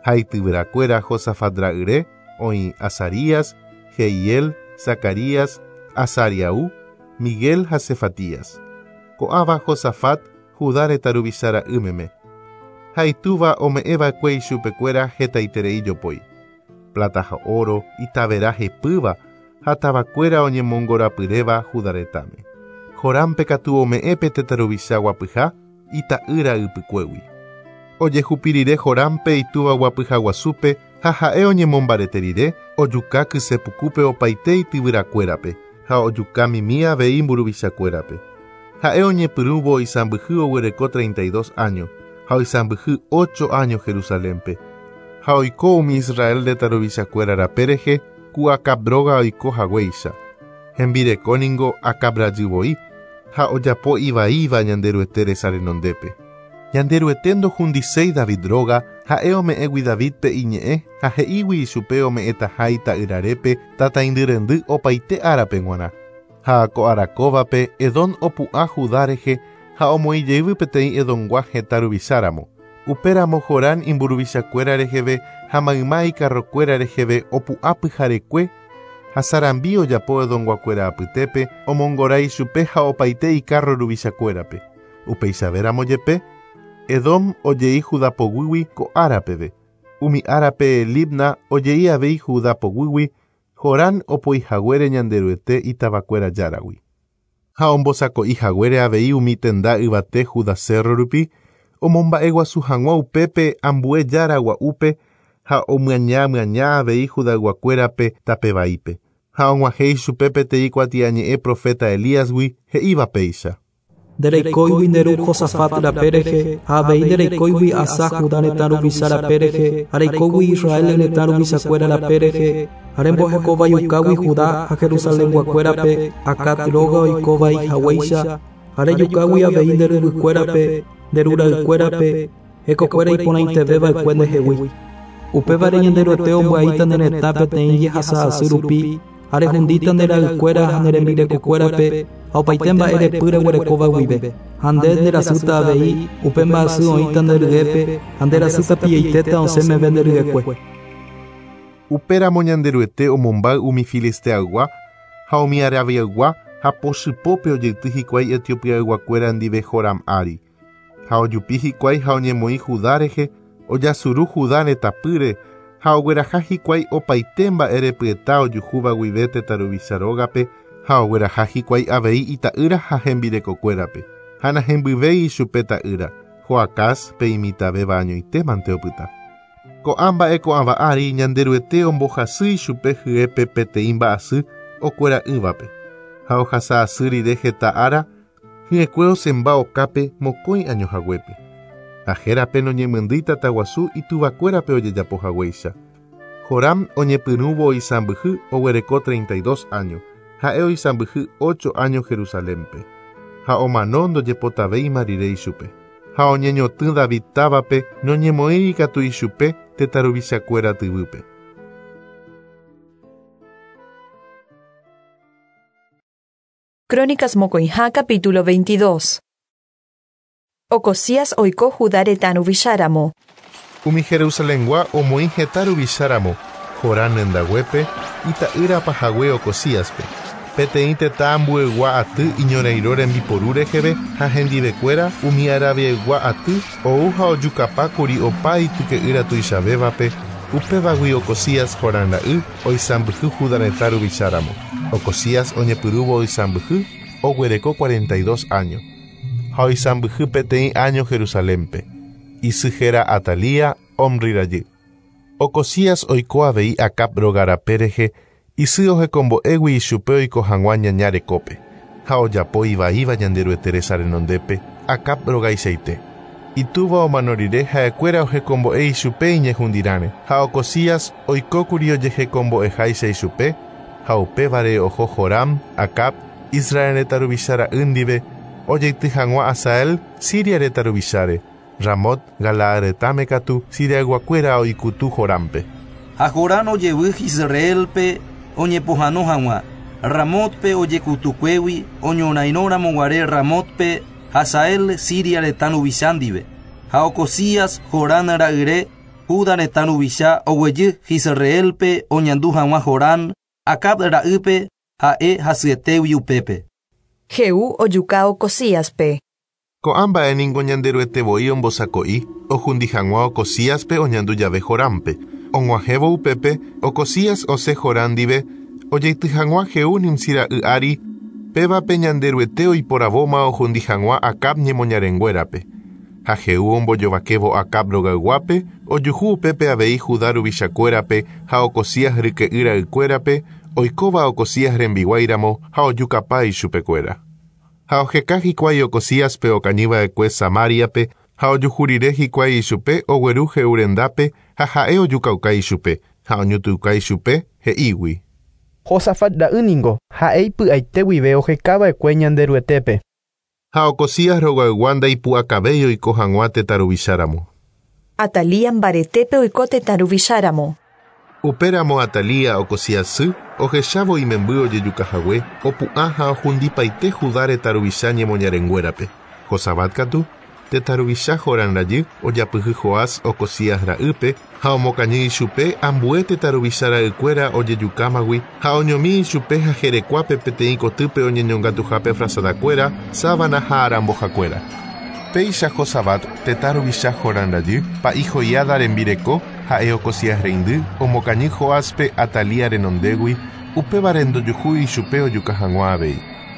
Ha ityvyrakuéra Josafat ra'yre oĩ Azarías, Jehiel, Zacarías, Azariaú, Miguel ha Sefatías. Ko'ãva Josafat, Judá retã ruvicha ra'y meme. Ha itúva ome'ẽva'ekue ichupekuéra hetaiterei jopói. Plata ha oro, itavera hepýva ha tavakuéra oñemongorapyréva Judá retãme. Jorámpe katu ome'ẽ pe tetã ruvicha guapyha ita'ýra ypykuégui. Ojehupi rire Jorámpe itúva guapyha guasúpe ha ha'e oñemombarete rire, ojuka kysepukúpe opaite ityvyrakuérape ha ojuka mimi avei mburuvichakuérape. Ha'e oñepyrũvo oisãmbyhy oguereko 32 áño ha oisãmbyhy 8 áño Jerusalénpe. Ha oiko umi Israel retã ruvichakuéra rape rehe ku Acab róga oiko haguéicha. Hembireko ningo Acab rajy voi ha ojapo ivaíva Ñanderuete resa renondépe. Ñanderuete ndohundiséi David róga, ha'e ome'ẽgui Davídpe iñe'ẽ ha he'ígui ichupe ome'ẽtaha ita'yrarépe tataindy rendy opaite árape g̃uarã. Ha ko ára kóvape Edom opu'ã Judá rehe ha omoĩjeyvy peteĩ Edomgua hetã ruvicháramo. Upéramo Jorán imburuvichakuéra reheve ha mayma ikarrokuéra reheve opu'ã pyharekue ha sarambi ojapo Edomguakuéra apytépe omongora ichupe ha opaite ikarro ruvichakuérape. Upeichavéramo jepe, Edom ojei Judá poguýgui ko ára peve. Umi árape Libna ojei avei Judá poguýgui, Jorán opoihaguére Ñanderuete itavakuéra járagui. Ha ombosako'ihaguére avei umi tenda yvate Judá cerro rupi, omomba'eguasu hag̃ua upépe ambue jára gua'úpe ha omyaña myaña avei Judayguakuérape tape vaípe. Ha og̃uahẽ ichupe peteĩ kuatiañe'ẽ profeta Elíasgui he'íva péicha. Ndereikóigui nde ru Josafat rape rehe, ha avei ndereikóigui Asá Judá retã ruvicha rape rehe, ha reikógui Israel retã ruvichakuéra rape rehe, ha rembohekovaiukágui Judá ha Jerusalenguakuérape, Acab róga oikovai haguéicha, ha rejukágui avei nde ryvykuérape, nde ru ra'ykuérape, hekokuéra iporãiteveva'ekue ndehegui. Upévare Ñanderuete ombyaíta ne retã peteĩ jehasa asy rupi, ha rehundíta nde ra'ykuéra ha ne rembirekokuérape ha opaite mba'e repy reguerekóva guive. Ha nde nderasýta avei, upe mba'asy oĩta nde ryépe ha nderasy tapiaitéta osẽ meve nde ryekue. Upéramo Ñanderuete omombáy umi Filisteaygua ha umi Arabiaygua ha pochypópe ojeity hikuái Etiopiayguakuéra ndive Joram ári. Ha ojupi hikuái ha oñemoĩ Judá rehe, ojasuru Judá retãpýre ha ogueraha hikuái opaite mba'e repyeta ojuhúva guive tetã ruvicha rógape ha ogueraha hikuái avei ita'ýra ha hembirekokuérape. Ha nahembyvéi ichupe ta'ýra, Joacaz pe imitãvéva añoitémante opyta. Ko'ã mba'e ko'ãva ári Ñanderuete ombohasy ichupe hyépe peteĩ mba'asy okuera'ỹvape. Ha ohasa asy rire heta ára, hyekue osẽmba okápe mokõi año haguépe. Ha hérape noñemyndýi tataguasu ituvakuérape ojejapohaguéicha. Joram oñepyrũvo oisãmbyhy oguereko 32 áño, ha'e oisãmbyhy 8 áño Jerusalénpe. Ha omano ndojepotavéima rire ichupe. Ha oñeñotỹ David távape noñemoĩri katu ichupe tetã ruvichakuéra tyvýpe. Crónicas mokõiha capítulo 22. Ocozías oiko Judá retã ruvicháramo. Umi Jerusalengua omoĩ heta ruvicháramo, Jorán rendaguépe, ita'ýra pahague Ocozíaspe. Peteĩ tetã ambuegua aty iñorairõ rembiporu reheve ha hendivekuéra umi Arabiaygua aty ou ha ojukapákuri opa ityke'ýra tuichavévape, upévagui Ocozías Jorán ra'y oisãmbyhy Judá retã ruvicháramo. Ocozías oñepyrũvo oisãmbyhy oguereko 42 áño, ha oisãmbyhy peteĩ áño Jerusalénpe. Isy héra Atalía, Omri rajy. Ocozías oiko avei Acab róga rape rehe isy ohekombo'égui ichupe oiko hag̃ua ñaña rekópe, ha ojapo ivaíva Ñanderuete resa renondépe Acab rogaichaite. Itúva omano rire ha'ekuéra ohekombo'e ichupe iñehundirãre, ha Ocozías oikókuri ojehekombo'eháicha ichupe, ha upévare oho Joram, Acab, Israel retã ruvicha ra'y ndive, ojeity hag̃ua Hazael, Siria retã ruvicháre. Ramot, Galaad retãme katu, Siriayguakuéra oikutu Jorámpe. Ha Jorán ojevy Jizreélpe oñepohãno hag̃ua, Ramótpe ojekutukuégui oñorairõramoguare Ramótpe Hazael, Siria retã ruvicha ndive. Ha Ocozías, Jorán ra'yre, Juda retã ruvicha oguejy Jizreélpe oñandu hag̃ua Jorán, Acab ra'ýpe, ha'e hasyetégui upépe. Jehú ojuka Ocozíaspe. Ko'ã mba'e ningo Ñanderuete voi ombosako'i, ohundi hag̃ua Ocozíaspe oñandu jave Jorámpe. Og̃uahẽvo upépe, Ocozías osẽ Jorán ndive, ojeity hag̃ua Jehú Nimsí ra'y ári, pévape Ñanderuete oiporavóma ohundi hag̃ua Acab ñemoñarenguérape. Ha Jehú ombojovakévo Acab rogayguápe, ojuhu upépe avei Judá ruvichakuérape ha Ocozías ryke'y ra'ykuérape, oikóva Ocozías rembiguáiramo ha ojukapa ichupekuéra. Ha oheka hikuái Ocozíaspe okañyva'ekue Samáriape ha ojuhu rire hikuái ichupe ogueru Jehú rendápe ha ha'e ojukauka ichupe ha oñutuuka ichupe, he'ígui. Josafat ra'y ningo ha'e ipy'aite guive ohekava'ekue Ñanderuetépe. Ha Ocozías rogaygua ndaipu'akavéi oiko hag̃ua tetã ruvicháramo. Atalía mbaretépe oiko tetã ruvicháramo. Upéramo Atalía Ocozías sy, ohechávo imemby ojejukahague, opu'ã ha ohundipaite Judá retã ruvicha ñemoñarenguérape. Josabat katu, tetã ruvicha Jorán rajy, ojapyhy Joás Ocozías ra'ýpe ha omokañy ichupe ambue tetã ruvicha ra'ykuéra ojejukámagui ha oñomi ichupe ha jerekuápe peteĩ kotýpe oñeñongatuhápe frazadakuéra, sábana ha arambohakuéra. Péicha Josabat, tetã ruvicha Jorán rajy, pa'i Joiada rembireko, ha'e Ocozías reindy, omokañy Joáspe Atalía renondégui, upévare ndojuhúi ichupe ojuka hag̃ua avei.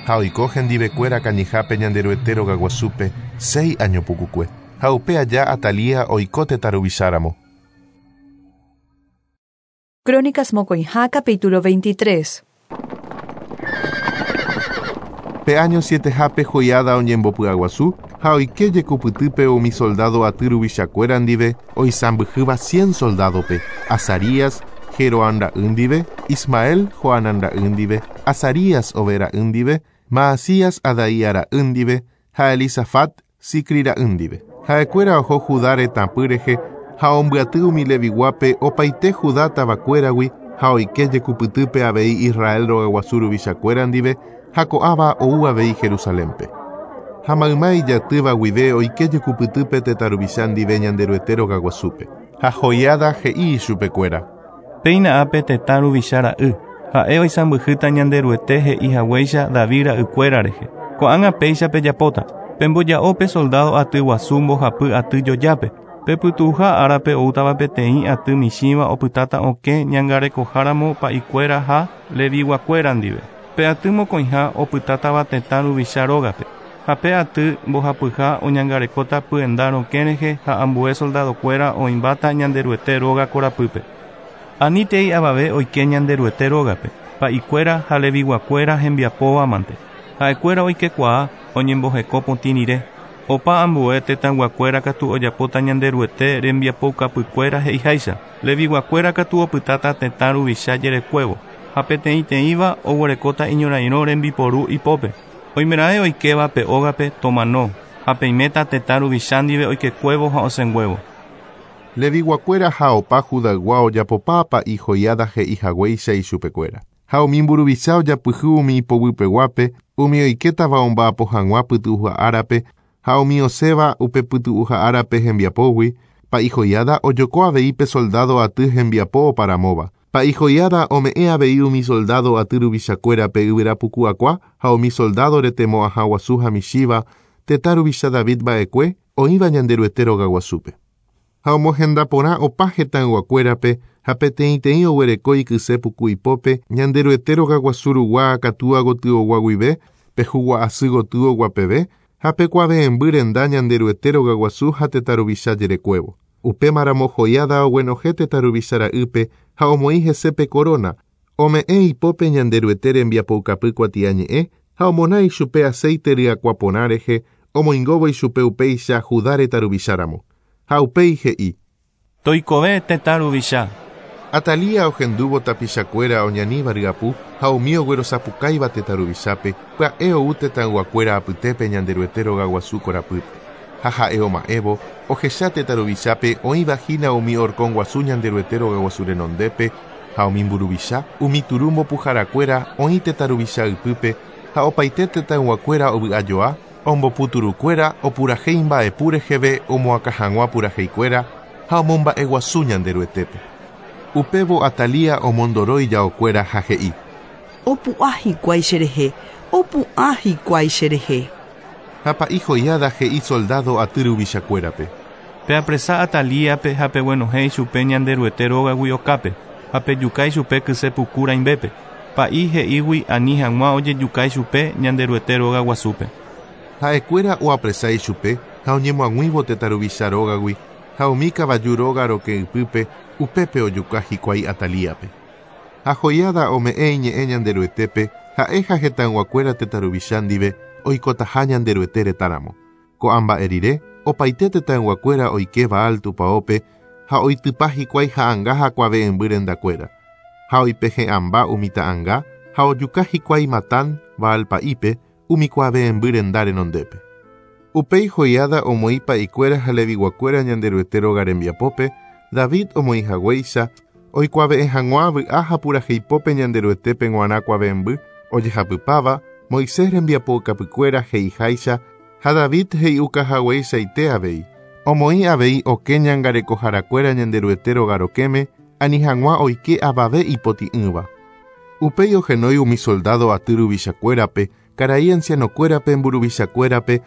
Ha oiko hendivekuéra kañyhápe Ñanderuete rogaguasúpe séi año pukukue. Ha upe aja Atalía oiko tetã ruvicháramo. Crónicas mokõiha capítulo 23. Pe áño sietehápe Joiada oñembopy'aguasu ha oike jekupytýpe umi soldado aty ruvichakuéra ndive oisãmbyhýva cien soldádope, Azarías, Jeroham ra'y ndive, Ismael, Johanán ra'y ndive, Azarías, Obed ra'y ndive, Maasías, Adaía ra'y ndive ha Elisafat, Zicri ra'y ndive. Ha'ekuéra oho Judá retãpy rehe ha ombyaty umi Leviguápe opaite Judá tavakuéragui ha oike jekupytýpe avei Israel rogaguasu ruvichakuéra ndive ha ko'ãva ou avei Jerusalénpe. Ha mayma ijatýva guive oike jekupytýpe tetã ruvicha ndive Ñanderuete rogaguasúpe. Ha Joiada he'i ichupekuéra. Péina ápe tetã ruvicha ra'y, ha'e oisãmbyhýta Ñanderuete he'i haguéicha David ra'ykuéra rehe. Ko'ág̃a péicha pejapóta, pemboja'o pe soldado aty guasu mbohapy aty jojápe, pe pytu'uha árape oútava peteĩ aty michĩva opytáta okẽ ñangarekoháramo pa'ikuéra ha leviguakuéra ndive. Pe aty mokõiha opytátava tetã ruvicha rógape, ha pe aty mbohapyha oñangarekóta pyenda rokẽ rehe ha ambue soldadokuéra oĩmbáta Ñanderuete róga korapýpe. Anítei avave oike Ñanderuete rógape, pa'ikuéra ha leviguakuéra hembiapóva mante. Ha'ekuéra oikekuaa oñemboheko potĩ rire. Opa ambue tetãyguakuéra katu ojapóta Ñanderuete rembiapoukapykuéra he'iháicha. Leviguakuéra katu opytáta tetã ruvicha jerekuévo, ha peteĩteĩva oguerekóta iñorairõ rembiporu ipópe. Oimeraẽ oikéva pe ógape tomano, ha peiméta tetã ruvicha ndive oikekuévo ha osẽnguévo. Leviguakuéra ha opa Judaygua ojapopa pa'i Joiada he'ihaguéicha ichupekuéra. Ha umi mburuvicha ojapyhy umi ipoguypeguápe, umi oikétava omba'apo hag̃ua pytu'uha árape ha umi osẽva upe pytu'uha árape hembiapógui, pa'i Joiada ojoko avei pe soldado aty hembiapo oparamóva. Pa'i Joiada ome'ẽ avei umi soldado aty ruvichakuérape yvyrapuku akua ha umi soldado retemo'ãha guasu ha michĩva tetã ruvicha David mba'ekue oĩva Ñanderuete rogaguasúpe. Ha omohenda porã opa hetãyguakuérape ha peteĩteĩ oguereko ikyse puku ipópe Ñanderuete rogaguasu rugua akatúa gotyogua guive pe hugua'asy gotyogua peve ha pe kuave'ẽmby renda Ñanderuete rogaguasu ha tetã ruvicha jerekuévo. Upémaramo Joiada oguenohẽ tetã ruvicha ra'ýpe ha omoĩ hese pe corona, ome'ẽ ipópe Ñanderuete rembiapoukapy kuatiañe'ẽ ha omona ichupe aceite ryakuã porã rehe omoingóvo ichupe upéicha Judá retã ruvicháramo. Ha upéi he'i. Toikove tetã ruvicha. Atalía ohendúvo tapichakuéra oñaníva ryapu ha umi oguerosapukáiva tetã ruvichápe, pya'e ou tetãyguakuéra apytépe Ñanderuete rogaguasu korapýpe. Ha ha'e oma'ẽvo, ohecha tetã ruvichápe oĩva hína umi horkon guasu Ñanderuete rogaguasu renondépe, ha umi mburuvicha, umi turu mbopuharakuéra oĩ tetã ruvicha ypýpe, ha opaite tetãyguakuéra ovy'ajoa, ombopu turukuéra, opurahéi mba'epu reheve omoakã hag̃ua puraheikuéra ha omomba'eguasu Ñanderuetépe. Upévo Atalía omondoro ijaokuéra ha he'i. Opu'ã hikuái cherehe, opu'ã hikuái cherehe. Ha pa'i Joiada he'i soldado aty ruvichakuérape. Peapresa Atalíape ha peguenohẽ ichupe Ñanderuete rógagui okápe, ha pejuka ichupe kyse puku rãimbépe. Pa'i he'ígui ani hag̃ua ojejuka ichupe Ñanderuete róga guasúpe. Ha'ekuéra oapresa ichupe ha oñemoag̃uívo tetã ruvicha rógagui ha umi kavaju róga rokẽ ypýpe, upépe ojuka hikuái Atalíape. Ha Joiada ome'ẽ iñe'ẽ Ñanderuetépe, ha'e ha hetãyguakuéra tetã ruvicha ndive oikotaha Ñanderuete retãramo. Ko'ã mba'e rire, opaite tetãyguakuéra oike Baal tupãópe ha oitypa hikuái ha'anga ha kuave'ẽmby rendakuéra. Ha oipehe'ãmba umi ta'anga ha ojuka hikuái Matán, Baal pa'ípe, umi kuave'ẽmby renda renondépe. Upéi Joiada omoĩ pa'ikuéra ha Leviguakuéra Ñanderuete róga rembiapópe, David omoĩ haguéicha, oikuave'ẽ hag̃ua vy'a ha puraheipópe Ñanderuetépe g̃uarã kuave'ẽmby ojehapypáva, Moisés rembiapoukapykuéra he'iháicha ha David he'iuka hagueichaite avei. Omoĩ avei okẽ ñangarekoharakuéra Ñanderuete róga rokẽme, ani hag̃ua oike avave ipotĩ'ỹva. Upéi ohenói umi soldado aty ruvichakuérape, karai ancianokuérape, mburuvichakuérape,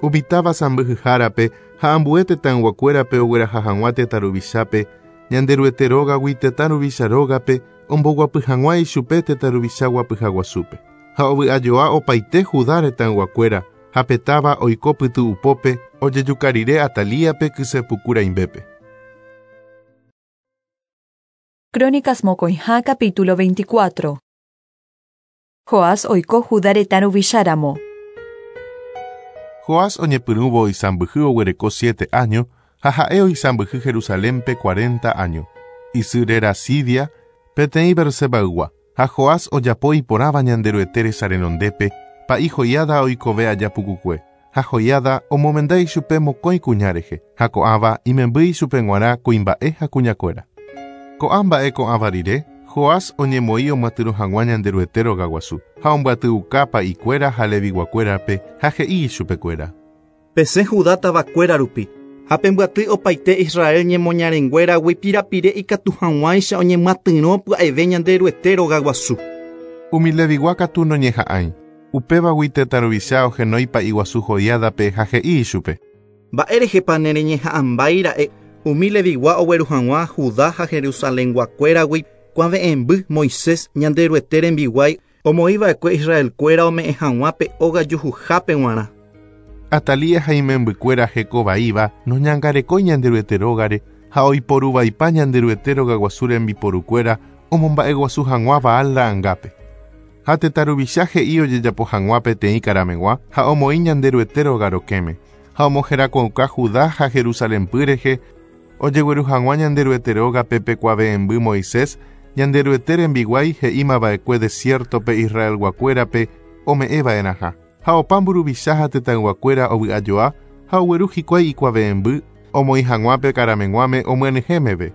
umi táva sãmbyhyhárape ha ambue tetãyguakuérape ogueraha hag̃ua tetã ruvichápe, Ñanderuete rógagui tetã ruvicha rógape omboguapy hag̃ua ichupe tetã ruvicha guapyha guasúpe. Ha ovy'ajoa opaite Judá retãyguakuéra ha pe táva oiko pytu'upópe ojejuka rire Atalíape kysepuku rãimbépe. Crónicas mokõiha capítulo 24. Joás oiko Judá retã ruvicháramo. Joás oñepyrũvo oisãmbyhy oguereko siete áño, ha ha'e oisãmbyhy Jerusalénpe cuarenta áño. Isy réra Sibia, peteĩ Beersebaygua, ha Joás ojapo iporãva Ñanderuete resa renondépe, pa'i Joiada oikove aja pukukue. Ha Joiada omomenda ichupe mokõi kuña rehe, ha ko'ãva imemby ichupe g̃uarã kuimba'e ha kuñakuéra. Ko'ã mba'e ko'ãva rire, Joás oñemoĩ omyatyrõ hag̃ua Ñanderuete rogaguasu, ha ombyatyuka pa'ikuéra ha Leviguakuérape ha he'i ichupekuéra. Pesẽ Judá tavakuéra rupi, ha pembyaty opaite Israel ñemoñarenguéragui pirapire ikatu hag̃uáicha oñemyatyrõ pya'eve Ñanderuete rogaguasu. Umi Levigua katu noñeha'ãi. Upévagui tetã ruvicha ohenói pa'iguasu Joiádape ha he'i ichupe. Mba'érehepa nereñeha'ãmbáira'e umi Levigua ogueru hag̃ua Judá ha Jerusalenguakuéragui kuave'ẽmby Moisés Ñanderuete rembiguái omoĩva'ekue Israelkuéra ome'ẽ hag̃ua pe óga juhuhápe g̃uarã. Atalía ha imembykuéra hekovaíva noñangarekói Ñanderuete rógare ha oiporuvaipa Ñanderuete rogaguasu rembiporukuéra omomba'eguasu hag̃ua Baal ra'angápe. Ha tetã ruvicha he'i ojejapo hag̃ua peteĩ karameg̃ua ha omoĩ Ñanderuete róga rokẽme, ha omoherakuãuka Judá ha Jerusalénpy rehe ojegueru hag̃ua Ñanderuete rógape pe kuave'ẽmby Moisés, Ñanderuete rembiguái he'imava'ekue desiértope Israelguakuérape ome'ẽva'erãha. Ha opa mburuvicha ha tetãyguakuéra ovy'ajoa ha ogueru hikuái ikuave'ẽmby omoĩ hag̃ua pe karameg̃uáme omyenyhẽ meve.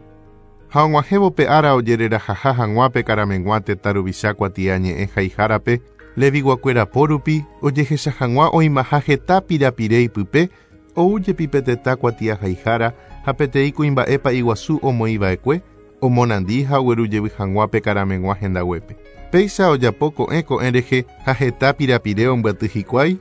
Ha og̃uahẽvo pe ára ojererahaha hag̃ua pe karameg̃ua tetã ruvicha kuatiañe'ẽ haihárape, Leviguakuéra po rupi ojehecha hag̃ua oĩmaha heta pirapire ipype, ou jepi pe tetã kuatiahaihára ha peteĩ kuimba'e pa'iguasu omoĩva'ekue, Omonandi ha oguerujevy hag̃ua pe karameg̃ua hendaguépe. Péicha ojapo ko'ẽ ko'ẽ rehe ha heta pirapire ombyaty hikuái,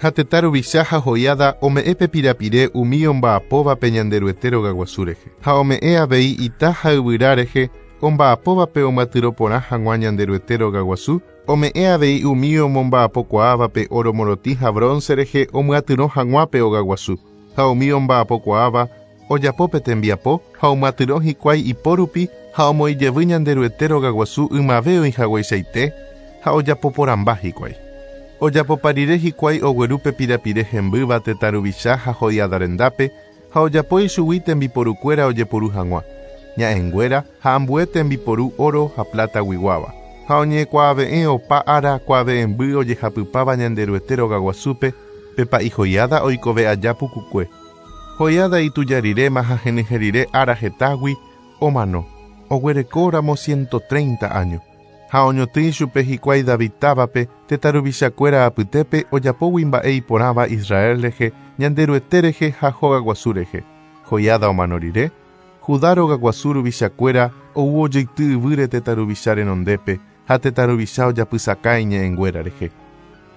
ha tetã ruvicha ha Joiada ome'ẽ pe pirapire umi omba'apóvape Ñanderuete rogaguasu rehe. Ha ome'ẽ avei ita ha yvyra rehe omba'apóvape omyatyrõ porã hag̃ua Ñanderuete rogaguasu, ome'ẽ avei umi omomba'apokuaávape oro morotĩ ha bronce rehe omyatyrõ hag̃ua pe ogaguasu. Ha umi omba'apokuaáva ojapo pe tembiapo ha omyatyrõ hikuái ipo rupi ha omoĩjevy Ñanderuete rogaguasu ymave oĩhagueichaite ha ojapoporãmba hikuái. Ojapopa rire hikuái ogueru pe pirapire hembýva tetã ruvicha ha Joiada rendápe ha ojapo ichugui tembiporukuéra ojeporu hag̃ua, ña'ẽnguéra ha ambue tembiporu oro ha plata-guiguáva. Ha oñekuave'ẽ opa ára kuave'ẽmby ojehapypáva Ñanderuete rogaguasúpe pe pa'i Joiada oikove aja pukukue. Joiada ituja riréma ha henyhẽ rire ára hetágui omano, oguerekóramo 130 áño. Ha oñotỹ ichupe hikuái David távape tetã ruvichakuéra apytépe ojapógui mba'e iporãva Israel rehe, Ñanderuete rehe ha hogaguasu rehe. Joiada omano rire, Judá rogaguasu ruvichakuéra ou ojeity yvýre tetã ruvicha renondépe ha tetã ruvicha ojapysaka iñe'ẽnguéra rehe.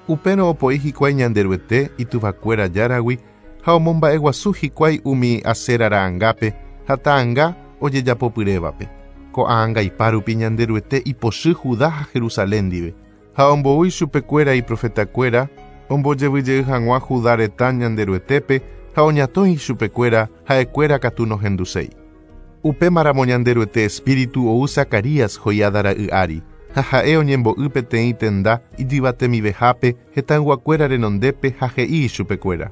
Upérõ opoi hikuái Ñanderuete ituvakuéra járagui ha omomba'eguasu hikuái umi Asera ra'angápe ha ta'anga ojejapopyrévape. Ko'ã angaipa rupi Ñanderuete ipochy Judá ha Jerusalén ndive, ha ombou ichupekuéra iprofetakuéra ombojevyjey hag̃ua Judá retã Ñanderuetépe ha oñatõi ichupekuéra ha'ekuéra katu nohenduséi. Upémaramo Ñanderuete espíritu ou Zacarías Joiada ra'y ári, ha ha'e oñembo'y peteĩ tenda ijyvatemivehápe hetãyguakuéra renondépe ha he'i ichupekuéra.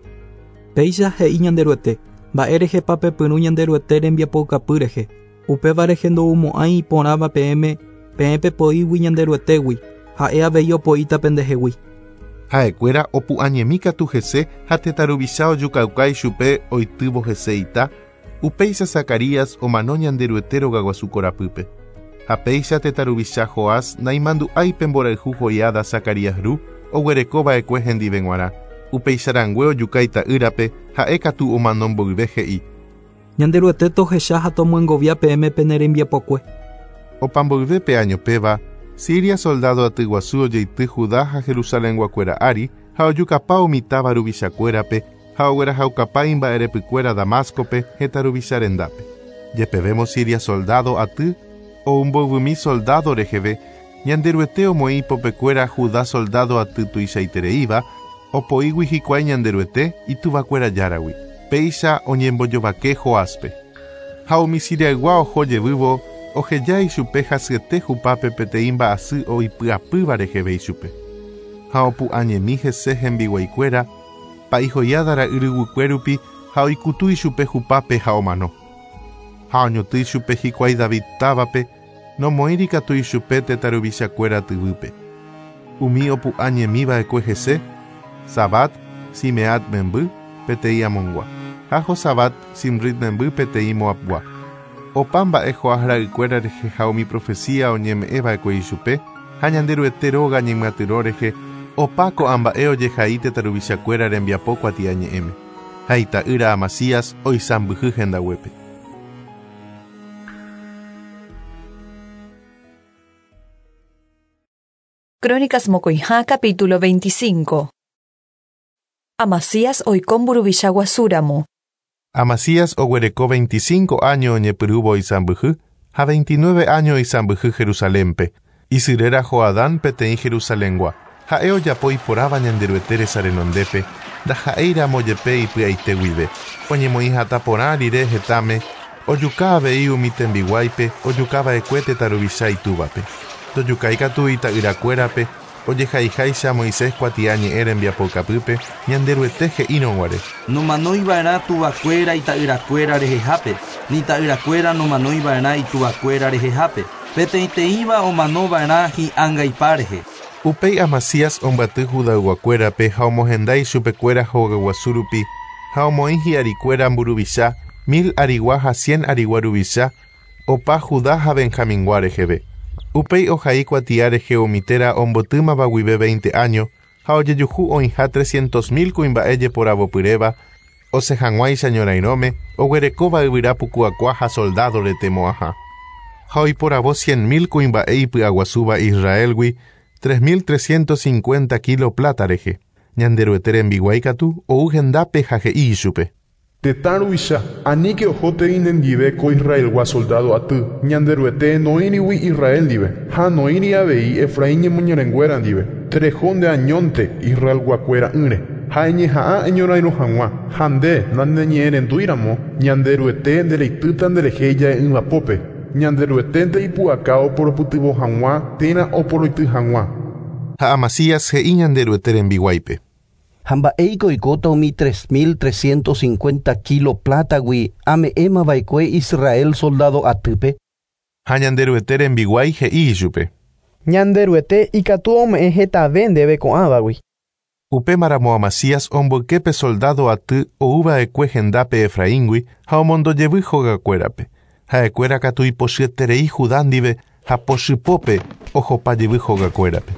Péicha he'i Ñanderuete, Mba'e rehepa pepyrũ Ñanderuete rembiapoukapy rehe, upéva rehe ndoumo'ãi iporãva peẽme, peẽ pepoígui Ñanderuetégui, ha'e avei opoíta pendehegui. Ha'ekuéra opu'ãñemi katu hese ha tetã ruvicha ojukauka ichupe oitývo hese ita, upéicha Zacarías omano Ñanderuete rogaguasu korapýpe. Ha péicha tetã ruvicha Joás naimandu'ái pe mborayhu Joiada Zacarías ru oguereko va'ekue hendive g̃uarã, upeicharangue ojuka ita'ýrape ha'e katu omano mboyve he'i. Ñanderuete tohecha ha tomyengovia peẽme pene rembiapokue. Opa mboyve pe áño péva, Siria soldado atyguasu ojeity Judá ha Jerusalenguakuéra ári ha ojukapa umi táva ruvichakuérape ha oguerahaukapa imba'erepykuéra Damáscope hetã ruvicha rendápe. Jepevémo Siria soldado aty ou mbovymi soldado reheve, Ñanderuete omoĩ ipopekuéra Judá soldado aty tuichaitereíva, opoígui hikuái Ñanderuete ituvakuéra Járagui. Péicha oñembojovake Joáspe. Ha umi Siriaygua oho jevývo oheja ichupe hasyete hupápe peteĩ mba'asy oipy'apýva reheve ichupe. Ha opu'ãñemi hese hembiguaikuéra, pa'i Joiada ra'y ryguykue rupi ha oikutu ichupe hupápe ha omano. Ha oñotỹ ichupe hikuái David távape, nomoĩri katu ichupe tetã ruvichakuéra tyvýpe. Umi opu'ãñemi va'ekue hese, Zabad, Simeat memby, peteĩ Amongua, ha Jozabad, Simrit memby, peteĩ Moabgua. Opa mba'e Joás ra'ykuéra rehe ha umi profecía oñeme'ẽ va'ekue ichupe, ha Ñanderuete róga ñemyatyrõ rehe, opa ko'ã mba'e ojehai tetã ruvichakuéra rembiapo kuatiañe'ẽme. Ha ita'ýra Amasías oisãmbyhy hendaguépe. Crónicas mokõiha capítulo 25. Amasías oiko mburuvicha guasúramo. Amasías oguereko 25 áño oñepyrũvo oisãmbyhy ha 29 áño oisãmbyhy Jerusalénpe. Isy réra Joadán peteĩ Jerusalengua. Ha'e ojapo iporãva Ñanderuete resa renondépe, ndaha'éiramo jepe ipy'aite guive. Oñemoĩ hatã porã rire hetãme, ojuka avei umi tembiguáipe ojukava'ekue tetã ruvicha itúvape. Ndojukái katu ita'yrakuérape, ojehaiháicha Moisés kuatia ñe'ẽ rembiapoukapýpe, Ñanderuete he'írõ guare. Nomanoiva'erã tuvakuéra ita'yrakuéra rehehápe, ni ta'yrakuéra nomanoiva'erã ituvakuéra rehehápe, peteĩteĩva omanova'erã hi'angaipa rehe. Upéi Amasías ombyaty Judayguakuérape ha omohenda ichupekuéra hogaguasu rupi ha omoĩ hi'arikuéra mburuvicha, mil arigua ha cien arigua ruvicha, opa Judá ha Benjamingua reheve. Upéi ohai kuatia rehe umi téra ombotýmava guive 20 áño ha ojejuhu oĩha 300.000 kuimba'e jeporavopyréva osẽ hag̃uáicha ñorairõme oguerekóva yvyra pukuakua ha soldado retemo'ãha. Ha oiporavo 100.000 kuimba'e ipy'aguasúva Israelgui 3.350 kilo plata rehe. Ñanderuete rembiguái katu ou hendápe ha he'i ichupe. Tetã ruvicha, aníke ohótei nendive ko Israelgua soldado aty, Ñanderuete noĩrigui Israel ndive, ha noĩri avei Efraín ñemoñarenguéra ndive. Tereho nde añónte Israelguakuéra'ỹre, ha eñeha'ã eñorairõ hag̃ua, ha nde naneñe'ẽrendúiramo, Ñanderuete ndereitýta nderehe ija'e'ỹvapópe. Ñanderueténte ipu'aka oporopytyvõ hag̃ua térã oporoity hag̃ua. Ha Amasías he'i Ñanderuete rembiguáipe. Ha mba'éiko oikóta umi 3350 kílo plátagui ame'ẽmava'ekue Israel soldado atýpe? Ha Ñanderuete rembiguái he'i ichupe. Ñanderuete ikatu ome'ẽ hetave ndéve ko'ãvagui. Upémaramo Amasías omboyke pe soldado aty ouva'ekue hendápe Efraíngui ha omondojevy hogakuérape. Ha'ekuéra katu ipochyeterei Judá ndive ha pochypópe ohopajevy hogakuérape.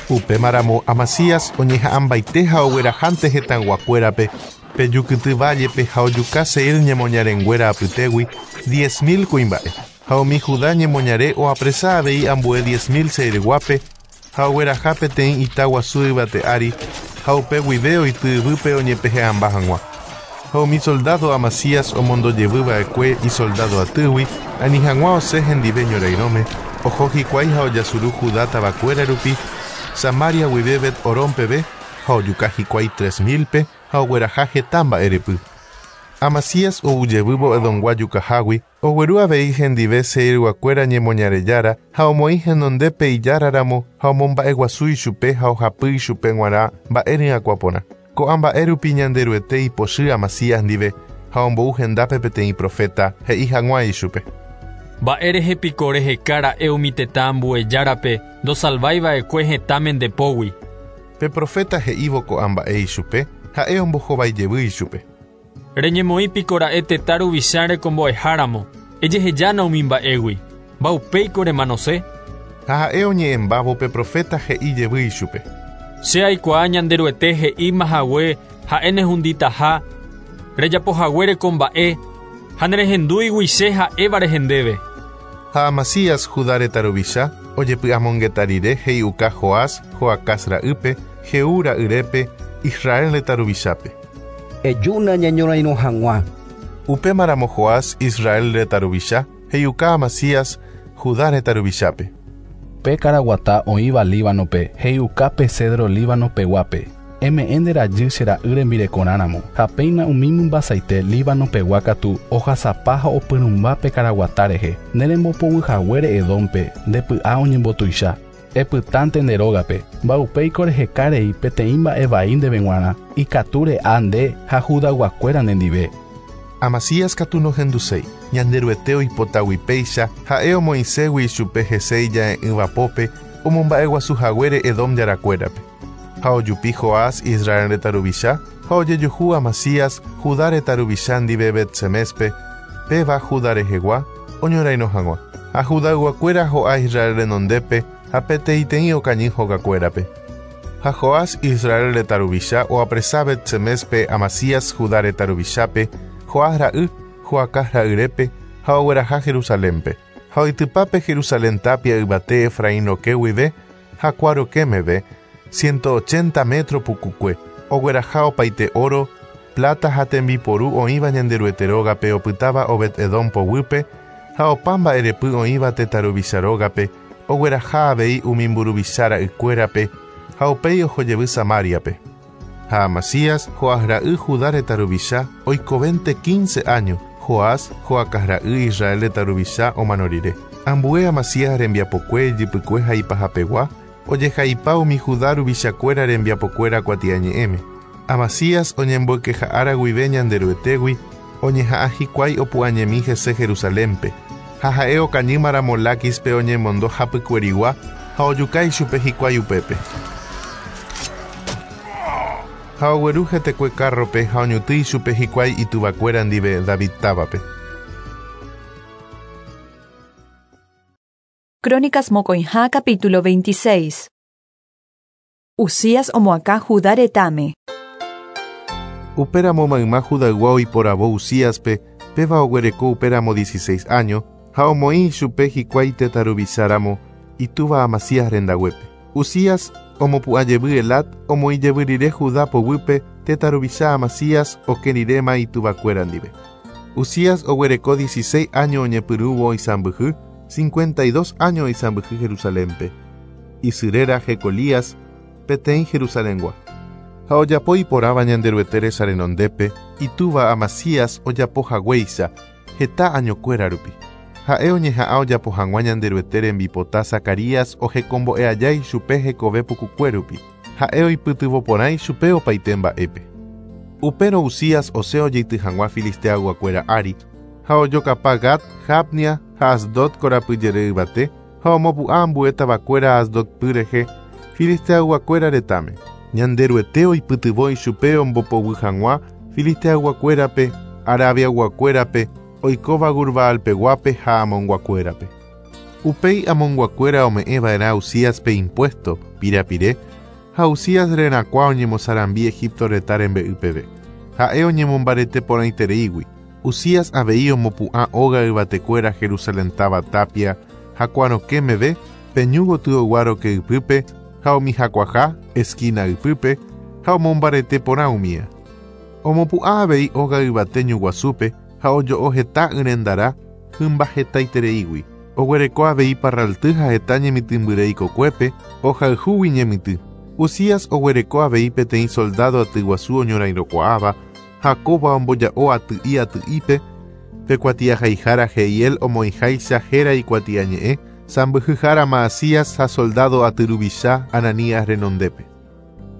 Upémaramo Amasías oñeha'ãmbaite ha oguerahánte hetãyguakuérape pe jukyty vállepe ha ojuka Seir ñemoñarenguéra apytégui 10.000 kuimba'e. Ha umi Judá ñemoñare oapresa avei ambue 10.000 Seirguápe ha ogueraha peteĩ ita guasu yvate ári ha upe guive oity yvýpe oñepehe'ãmba hag̃ua. Ha umi soldado Amasías omondojevýva'ekue isoldado atýgui ani hag̃ua osẽ hendive ñorairõme, oho hikuái ha ojasuru Judá tavakuéra rupi, Samaria guive Bet-Horón peve ha ojuka hikuái 3.000-pe ha ogueraha heta mba'erepy. Amasías oujevývo Edomgua jukahágui, ogueru avei hendive Seirguakuéra ñemoñarejára ha omoĩ henondépe ijáraramo ha omomba'eguasu ichupe ha ohapy ichupe g̃uarã mba'e ryakuã porã. Ko'ã mba'e rupi Ñanderuete ipochy Amasías ndive ha ombou hendápe peteĩ profeta he'i hag̃ua ichupe. Mba'e piko reheka ra'e umi tetã ambuejárape ndosalvaiva'ekue hetãme nde pógui. Pe profeta he'ívo ko'ã mba'e ichupe, ha'e ombohovaijevy ichupe. Reñemoĩ piko ra'e tetã ruvicha rekombo'eháramo, ejehejána umi mba'égui. Mba'upéiko remanose? Ha ha'e oñe'ẽmbávo pe profeta he'i jevy ichupe. Che aikuaa Ñanderuete he'íma hague ha'e nehunditaha, rejapohaguére ko mba'e, ha nerehendúigui che ha'éva rehe ndéve. Ha Amasías Judá retã ruvicha ojepy'amongeta rire he'iuka Joás Joacás ra'ýpe, Jehú ra'yrépe, Israel retã ruvichápe. Ejúna ñañorairõ hag̃ua. Upémaramo Joás Israel retã ruvicha he'iuka Amasías Judá retã ruvichápe. Pe karaguata oĩva Líbanope he'iuka pe cedro Líbano peguápe. Eme'ẽ nde rajy che ra'y rembirekorãramo ha péina umi mymbasaite Líbano pegua katu ohasapa ha opyrũmba pe karaguata rehe. Ne rembopoguyhaguére Edómpe nde py'a oñembotuicha. Epytánte nde rógape. Mba'upéiko reheka rei peteĩ mba'e vai ndéve g̃uarã ikatu re'a nde ha Judayguakuéra nendive. Amasías katu nohenduséi. Ñanderuete oipotagui péicha ha'e omoĩségui ichupe hese ija'e'ỹvapópe omomba'eguasuhaguére Edom jarakuérape. Ha ojupi Joás Israel retã ruvicha ha ojejuhu Amasías Judá retã ruvicha ndive Bet-Seméspe, péva Judá rehegua oñorairõ hag̃ua. Ha Judayguakuéra ho'a Israel renondépe ha peteĩteĩ okañy hogakuérape. Ha Joás Israel retã ruvicha oapresa Bet-Seméspe Amasías Judá retã ruvichápe, Joás ra'y, Joacás ra'yrépe ha ogueraha Jerusalénpe. Ha oitypápe Jerusalén tapia yvate Efraín rokẽ guive ha kua rokẽ meve, 180 metro pukukue, ogueraha opaite oro, plata ha tembiporu oĩva Ñanderuete rógape opytáva Obed-Edom poguýpe ha opa mba'erepy oĩva tetã ruvicha rógape, ogueraha avei umi mburuvicha ra'ykuérape ha upéi ohojevy Samáriape. Ha Amasías, Joás ra'y Judá retã ruvicha, oikovénte 15 áño, Joás, Joacás ra'y Israel retã ruvicha omano rire. Ambue Amasías rembiapokue ijypykue ha ipahapegua, ojehaipa umi Judá ruvichakuéra rembiapokuéra kuatiañe'ẽme. Amasías oñemboykeha'ára guive Ñanderuetégui, oñeha'ã hikuái opu'ãñemi hese Jerusalénpe. Ha ha'e okañýmaramo Láquispe oñemondo hapykuerigua ha ojuka ichupe hikuái upépe. Ha ogueru hetekue kárrope ha oñotỹ ichupe hikuái ituvakuéra ndive David távape. Crónicas mokõiha capítulo 26. Uzías omoakã Judá retãme. Upéramo mayma Judaygua oiporavo Uzíaspe, péva oguereko upéramo 16 áño, Ha omoĩ ichupe hikuái tetã ruvicha ramo itúva Amasías rendaguépe. Uzías omopu'ã jevy Elat omoĩ jevy rire Judá poguýpe tetã ruvicha Amasías oke riréma ituvakuéra ndive. Uzías oguereko dieciséis áño oñepyrũvo oisãmbyhy, cincuenta y dos áño oisãmbyhy Jerusalénpe. Isy réra Jecolías, peteĩ Jerusalengua. Ha ojapo iporãva Ñanderuete resa renondépe, itúva Amasías ojapo haguéicha, heta añokuéra rupi. Ha'e oñeha'ã ojapo hag̃ua Ñanderuete rembipota Zacarías ohekombo'e aja ichupe hekove pukukue rupi. Ha'e oipytyvõ porã ichupe opaite mba'épe. Upérõ Uzías osẽ ojeity hag̃ua Filisteayguakuéra ári, ha ojokapa Gat, Jabnia ha Asdod korapyjere yvate, ha omopu'ã ambue tavakuéra Asdod py rehe, Filisteayguakuéra retãme. Ñanderuete oipytyvõ ichupe ombopoguy hag̃ua Filisteayguakuérape, Arabiayguakuérape, oikóva Gurbaalpeguápe ha Amonguakuérape. Upéi Amonguakuéra ome'ẽva'erã Uzíaspe impuésto, pirapire, ha Uzías rerakuã oñemosarambi Egipto retã rembe'y peve. Ha'e oñemombarete porãitereígui. Uzías avei omopu'ã óga yvatekuéra Jerusalén táva tápia ha kuarokẽ meve, pe ñu gotyogua roke ypýpe ha umi hakuaha, esquina, ypýpe, ha omombarete porã umía. Omopu'ã avei óga yvate ñu guasúpe ha ojo'o heta yrendara hymba hetaitereígui. Oguereko avei parralty ha heta ñemitỹmbyre ikokuépe, ohayhúgui ñemitỹ. Uzías oguereko avei peteĩ soldádo atyguasu oñorairõkuaáva, ha kóva omboja'o aty'i aty'ípe, pe kuatiahaihára Jehiel omoĩháicha héra ikuatiañe'ẽ, sãmbyhyhára Maasías ha soldádo aty ruvicha Ananías renondépe.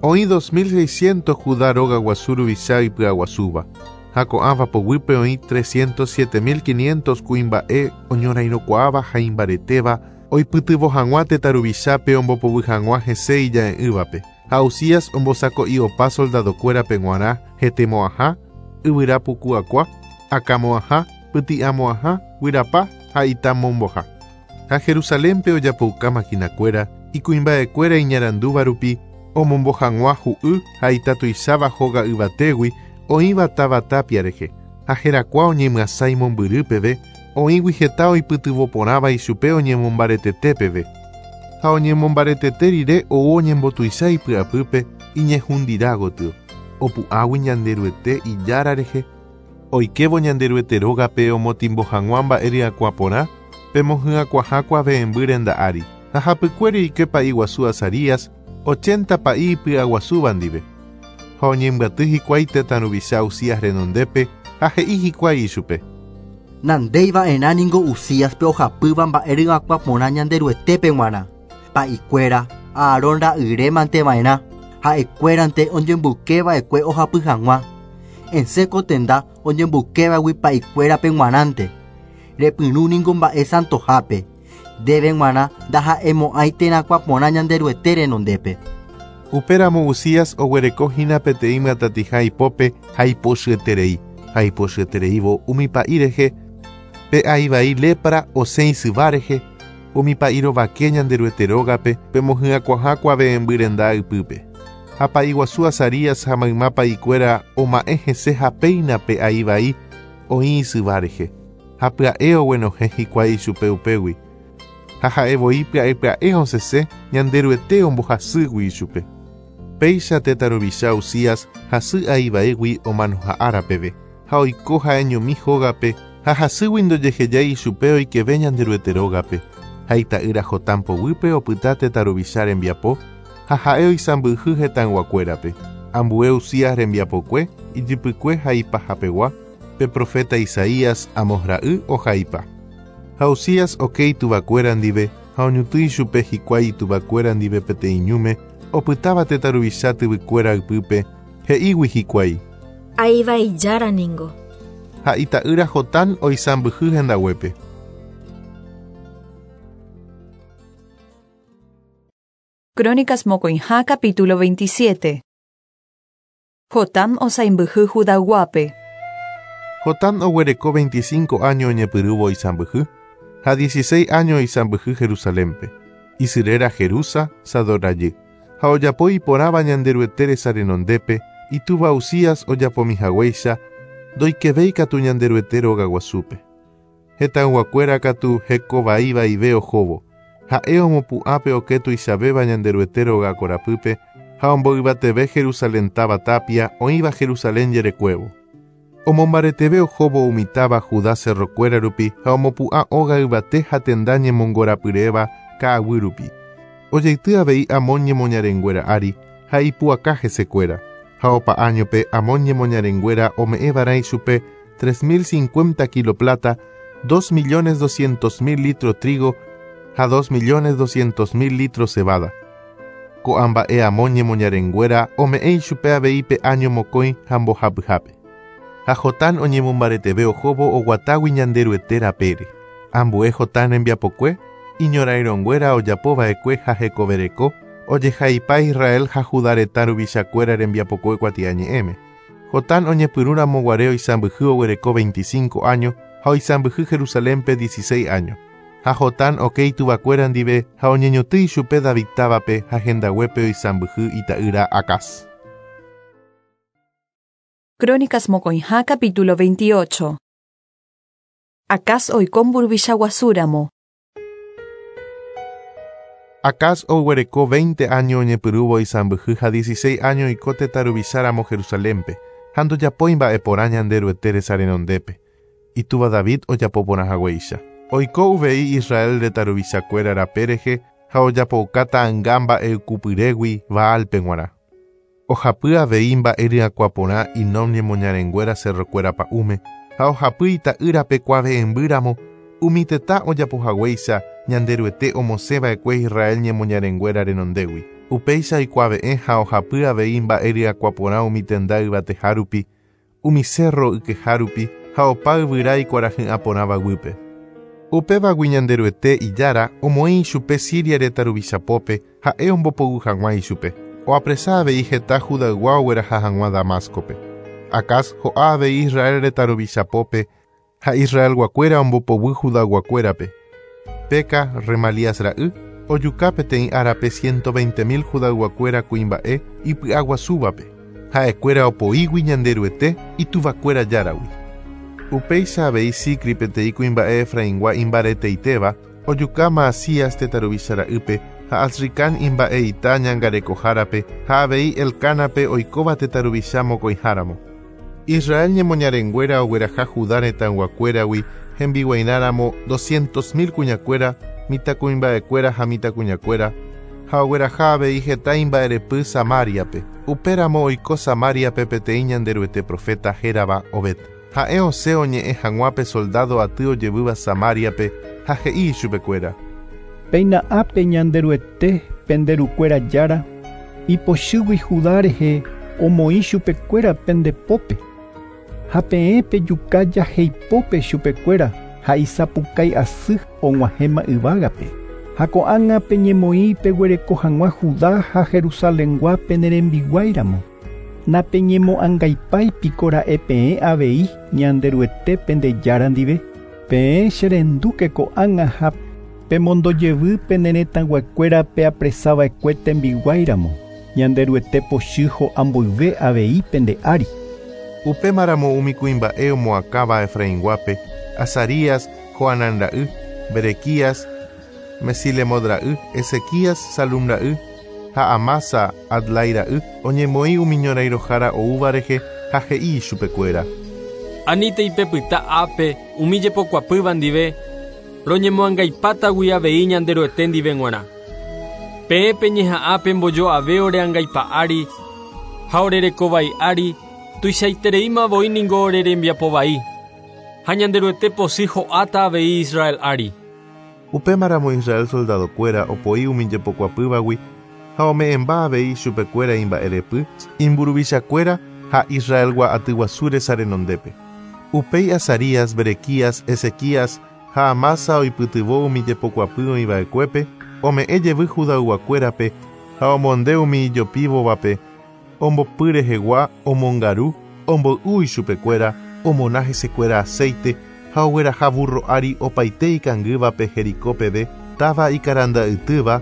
Oĩ 2600 Judá róga guasu ruvicha ipy'aguasúva, ha ko'ãva poguýpe oĩ 307 500 kuimba'e oñorairõkuaáva ha imbaretéva oipytyvõ hag̃ua tetã ruvichápe ombopoguy hag̃ua hese ija'e'ỹvape. Ha Uzías ombosako'i opa soldadokuérape g̃uarã hetemo'ãha, yvyra puku akua, akãmo'ãha, pyti'amo'ãha, guyrapa ha itamomboha. Ha Jerusalénpe ojapouka makinakuéra, ikuimba'ekuéra iñarandúva rupi, omombo hag̃ua hu'y ha ita tuicháva hóga yvatégui oĩva táva tápia rehe, ha herakuã oñemyasãi mombyry peve, oĩgui heta oipytyvõ porãva ichupe oñemombaretete peve. Ha oñemombaretete rire ou oñembotuicha ipy'apýpe iñehundirã gotyo, opu'ãgui Ñanderuete Ijára rehe, oikévo Ñanderuete rógape omotimbo hag̃ua mba'e ryakuã porã pe mohyakuãha kuave'ẽmby renda ári. Ha hapykuéri oike pa'i guasu Azarías, ochenta pa'i ipy'aguasúva ndive. Ha oñembyaty hikuái tetã ruvicha Uzías renondépe ha he'i hikuái ichupe. Nandéi va'erã ningo Uzíaspe ohapýva mba'e ryakuã porã Ñanderuetépe g̃uarã. Pa'ikuéra, Aarón ra'yre mante va'erã, ha'ekuérante oñemboyke va'ekue ohapy hag̃ua. Esẽ ko tenda oñemboykévagui pa'ikuérape g̃uarãnte. Repyrũ ningo mba'e santohápe. Ndéve g̃uarã ndaha'emo'ãi terakuã porã Ñanderuete renondépe. Upéramo Uzías oguereko hína peteĩ myatatĩha ipópe ha ipochyeterei, ha ipochyetereívo umi pa'i rehe, pe ai vai lépra osẽ isyva rehe, umi pa'i rovake Ñanderuete rógape pe mohyakuãha kuave'ẽmby renda ypýpe. Ha pa'i guasu Azarías ha mayma pa'ikuéra oma'ẽ hese ha péina pe ai vai oĩ isyva rehe, ha pya'e oguenohẽ hikuái ichupe upégui. Ha ha'e voi pya'e pya'e osẽse Ñanderuete ombohasýgui ichupe. Péicha tetã ruvicha Uzías hasy ai vaígui omanoha ára peve, ha oiko ha'eñomi hógape ha hasýgui ndojehejái ichupe oikeve Ñanderuete rógape, ha ita'ýra Jotán poguýpe opyta tetã ruvicha rembiapo, ha ha'e oisãmbyhy hetãyguakuérape. Ambue Uzías rembiapokue, ijypykue ha ipahapegua, pe proféta Isaías, Amos ra'y, ohaipa. Ha Uzías oke ituvakuéra ndive, ha oñotỹ ichupe hikuái ituvakuéra ndive peteĩ ñúme, opytáva tetã ruvicha tyvykuéra ypýpe, he'ígui hikuái. Ai vai jára ningo. Ha ita'ýra Jotán oisãmbyhy hendaguépe. Crónicas mokõiha capítulo 27. Jotam osaimbyhy Judayguápe. Jotam oguereko veinticinco áño oñepyrũvo oisãmbyhy, ha dieciséis áño oisãmbyhy Jerusalénpe. Isy réra Jerusa, Sadoc rajy. Ha ojapo iporãva Ñanderuete resa renondépe, itúva Uzías ojapomi haguéicha, ndoikevéi katu Ñanderuete rogaguasúpe. Hetãyguakuéra katu hekovai vaive ohóvo. Ha'e omopu'ã pe okẽ tuichavéva Ñanderuete róga korapýpe ha omboyvateve Jerusalén táva tapia oĩva Jerusalén jerekuévo. Omombareteve ohóvo umi táva Judá cerrokuéra rupi ha omopu'ã óga yvate ha tenda ñemongorapyréva ka'aguy rupi. Ojeity avei Amón ñemoñarenguéra ári ha ipu'aka hesekuéra. Ha opa áñope Amón ñemoñarenguéra ome'ẽva'erã ichupe 3050 kilo plata, 2.200.000 litro trigo ha 2.200.000 litro cebada. Ko'ã mba'e Amón ñemoñarenguéra ome'ẽ ichupe avei pe áño mokõi ha mbohapyhápe. Ha Jotán oñemombareteve ohóvo oguatágui Ñanderuete rapére. Ambue Jotán rembiapokue, iñorairõnguéra ojapova'ekue ha hekovereko, ojehaipa Israel ha Judá retã ruvichakuéra rembiapokue kuatiañe'ẽme. Jotán oñepyrũramo guare oisãmbyhy oguereko 25 áño ha oisãmbyhy Jerusalénpe 16 áño. Ha Jotán oke ituvakuéra ndive ha oñeñotỹ ichupe David távape ha hendaguépe oisãmbyhy ita'ýra Acaz. Crónicas mokõiha capítulo 28. Acaz oiko mburuvicha guasúramo. Acaz oguereko 20 áño oñepyrũvo oisãmbyhy ha 16 áño oiko tetã ruvicháramo Jerusalénpe, ha ndojapói mba'eporã Ñanderuete resa renondépe. Itúva David ojapo porã haguéicha. Oiko uvei Israel retã ruvichakuéra rape rehe ha ojapouka ta'ãnga mba'eykupyrégui Baalpe g̃uarã. Ohapy avei mba'e ryakuã porã Hinom ñemoñarenguéra cerrokuéra pa'ũme ha ohapy ita'ýrape kuave'ẽmbýramo umi tetã ojapohaguéicha Ñanderuete omosẽva'ekue Israel ñemoñarenguéra renondégui. Upéicha oikuave'ẽ ha ohapy avei mba'e ryakuã porã umi tenda yvateha rupi, umi cerro ykeha rupi ha opa yvyra ikuarahy'ã porãva guýpe. Upévagui Ñanderuete Ijára omoĩ ichupe Siria retã ruvichapópe ha'e ombopoguy hag̃ua ichupe. Oapresa avei heta Judaygua ogueraha hag̃ua Damáscope. Acaz ho'a avei Israel retã ruvichapópe ha Israelguakuéra ombopoguy Judayguakuérape. Peka, Remalías ra'y, ojuka peteĩ árape 120.000 Judayguakuéra kuimba'e ipy'aguasúvape. Ha'ekuéra opoígui Ñanderuete ituvakuéra Járagui. Upéicha avei Zicri peteĩ kuimba'e Efraingua imbareteitéva, ojuka Maasías tetã ruvicha ra'ýpe ha Azricán imba'eita ñangarekohárape ha avei Elcánape oikóva tetã ruvicha mokõiháramo. Israel ñemoñarenguéra ogueraha Judá retãyguakuéragui hembiguairãramo 200.000 kuñakuéra, mitãkuimba'ekuéra ha mitãkuñakuéra, ha ogueraha avei heta imba'erepy Samáriape. Upéramo oiko Samáriape peteĩ Ñanderuete profeta hérava Obed. Ha'e osẽ oñe'ẽ hag̃ua pe soldado aty ojevýva Samáriape ha he'i ichupekuéra. Péina ápe Ñanderuete pende rukuéra Jára, ipochýgui Judá rehe omoĩ chupekuéra pende pópe. Ha peẽ pejuka jaheipópe chupekuéra ha isapukái asy og̃uahẽma yvágape. Ha ko'ág̃a peñemoĩ peguereko hag̃ua Judá ha Jerusalengua pene rembiguáiramo. Napeñemo'ãngaipái piko ra'e peẽ avei Ñanderuete pende Jára ndive. Peẽ cherendúke ko'ág̃a ha pemondojevy pene retãyguakuéra peapresava'ekue tembiguáiramo. Ñanderuete pochy ho'a mboyve avei pende ári. Upémaramo umi kuimba'e omoakãva Efrainguápe, Azarías, Johanán ra'y, Berequías, Mesilemot ra'y, Ezequías, Salum ra'y, ha Amasa, Adlai ra'y, oñemoĩ umi ñorairõhára oúva rehe ha he'i ichupekuéra. Anítei pepyta ápe umi jepokuapýva ndive, roñemoangaipátagui avei Ñanderuete ndive g̃uarã. Peẽ peñeha'ã pembojo'ave ore angaipa ári ha ore rekovai ári, tuichaitereíma voi ningo ore rembiapovai. Ha Ñanderuete pochy ho'áta avei Israel ári. Upémaramo Israel soldadokuéra opoi umi jepokuapývagui ha ome'ẽmba avei ichupekuéra imba'erepy, imburuvichakuéra ha Israelgua atyguasu resa renondépe. Upéi Azarías, Berequías, Ezequías ha Amasa oipytyvõ umi jepokuapy oĩva'ekuépe, ome'ẽ jevy Judayguakuérape ha omonde umi ijopívovape, ombopy rehegua, omongaru, omboy'u ichupekuéra, omona hesekuéra aceite ha ogueraha burro ári opaite ikangývape Jericó peve, táva ikaranda'ytýva,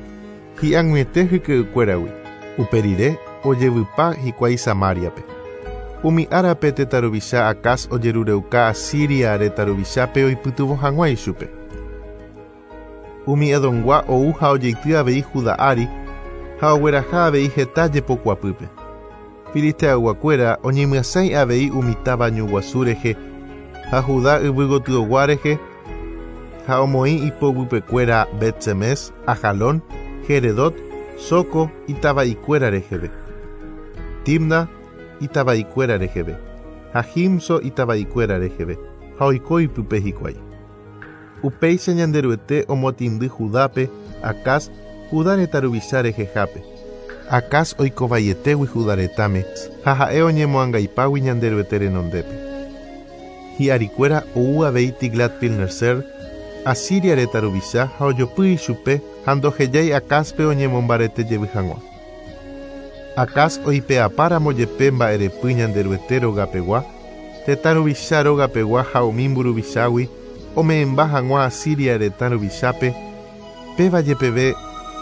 hi'ag̃uiete hyke'ykuéragui. Upe rire ojevypa hikuái Samáriape. Umi árape tetã ruvicha Acaz ojerureuka Asiria retã ruvichápe oipytyvõ hag̃ua ichupe. Umi Edomgua ou ha ojeity avei Judá ári ha ogueraha avei heta jepokuapýpe. Filisteayguakuéra oñemyasãi avei umi táva ñu guasu rehe ha Judá yvy gotyogua rehe ha omoĩ ipoguypekuéra Bet-Semes, Ajalón, Geredot, Soco itava'ikuéra reheve, Timna itava'ikuéra reheve ha Gimzo itava'ikuéra reheve, ha oiko ipype hikuái. Upéicha Ñanderuete omotĩndy Judápe, Acaz, Judá retã ruvicha rehehápe. Acaz oikovaietégui Judá retãme ha ha'e oñemoangaipágui Ñanderuete renondépe. Hi'arikuéra ou avei Tiglat-Pilneser, Asiria retã ruvicha ha ojopy ichupe ha ndohejái Acázpe oñemombarete jevy hag̃ua. Acaz oipe'apáramo jepe mba'erepy Ñanderuete rogapegua, tetã ruvicha rogapegua ha umi mburuvichágui ome'ẽmba hag̃ua Asiria retã ruvichápe, péva jepeve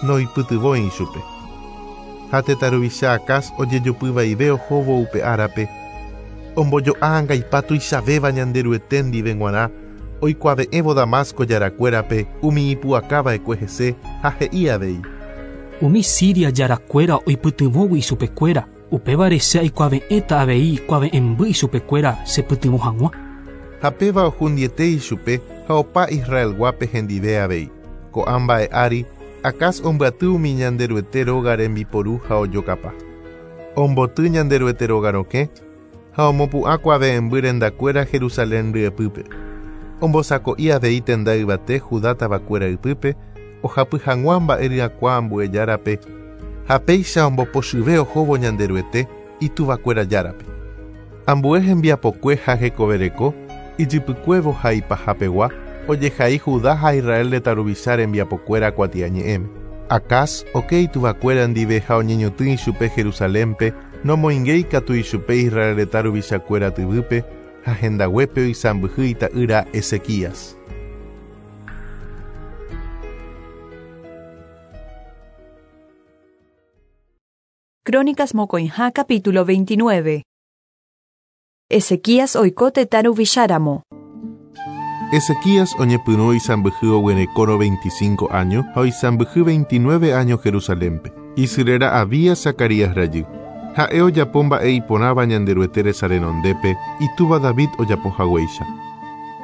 noipytyvõi ichupe. Ha tetã ruvicha Acaz ojejopyvaive ohóvo upe árape, ombojo'a angaipa tuichavéva Ñanderuete ndive g̃uarã oikuave'ẽvo Damasco jarakuérape umi ipu'akava'ekue hese ha he'i avei. Umi Siria jarakuéra oipytyvõgui ichupekuéra, upévare che aikuave'ẽta avei kuave'ẽmby ichupekuéra chepytyvõ hag̃ua. Ha péva ohundiete ichupe ha opa Israelguápe hendive avei. Ko'ã mba'e ári, Acaz ombyaty umi Ñanderuete róga rembiporu ha ojokapa. Omboty Ñanderuete róga rokẽ ha omopu'ã kuave'ẽmby rendakuéra Jerusalén ryepýpe. Ombosako'i avei tenda yvate Judá tavakuéra ypýpe ohapy hag̃ua mba'e ryakuã ambue járape ha péicha ombopochyve ohóvo Ñanderuete ituvakuéra Járape. Ambue hembiapokue ha hekovereko, ijypykuévo ha ipahapegua, ojehai Judá ha Israel retã ruvicha rembiapokuéra kuatiañe'ẽme. Acaz oke ituvakuéra ndive ha oñeñotỹ ichupe Jerusalénpe, nomoingéi katu ichupe Israel retã ruvichakuéra tyvýpe ha hendaguépe oisãmbyhy ita'ýra Ezequías. Crónicas mokõiha capítulo 29. Ezequías oiko tetã ruvicháramo. Ezequías oñepyrũ oisãmbyhy oguerekórõ 25 áño ha oisãmbyhy 29 áño Jerusalénpe. Isy réra Abías Zacarías rajy. Ha'e ojapo mba'e iporãva Ñanderuete resa renondépe, itúva David ojapo haguéicha.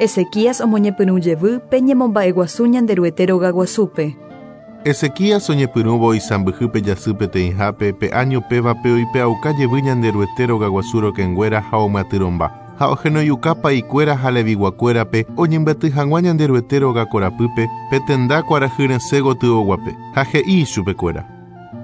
Ezequías omoñepyrũ jevy pe ñemomba'eguasu Ñanderuete rogaguasúpe. Ezequías oñepyrũvo oisãmbyhy pe jasy peteĩhápe pe áño pévape oipe'auka jevy Ñanderuete rogaguasu rokẽnguéra ha omyatyrõmba, ha ohenoiuka pa'ikuéra ha leviguakuérape oñembyaty hag̃ua Ñanderuete róga korapýpe pe tenda kuarahy resẽ gotyoguape, ha he'i ichupekuéra.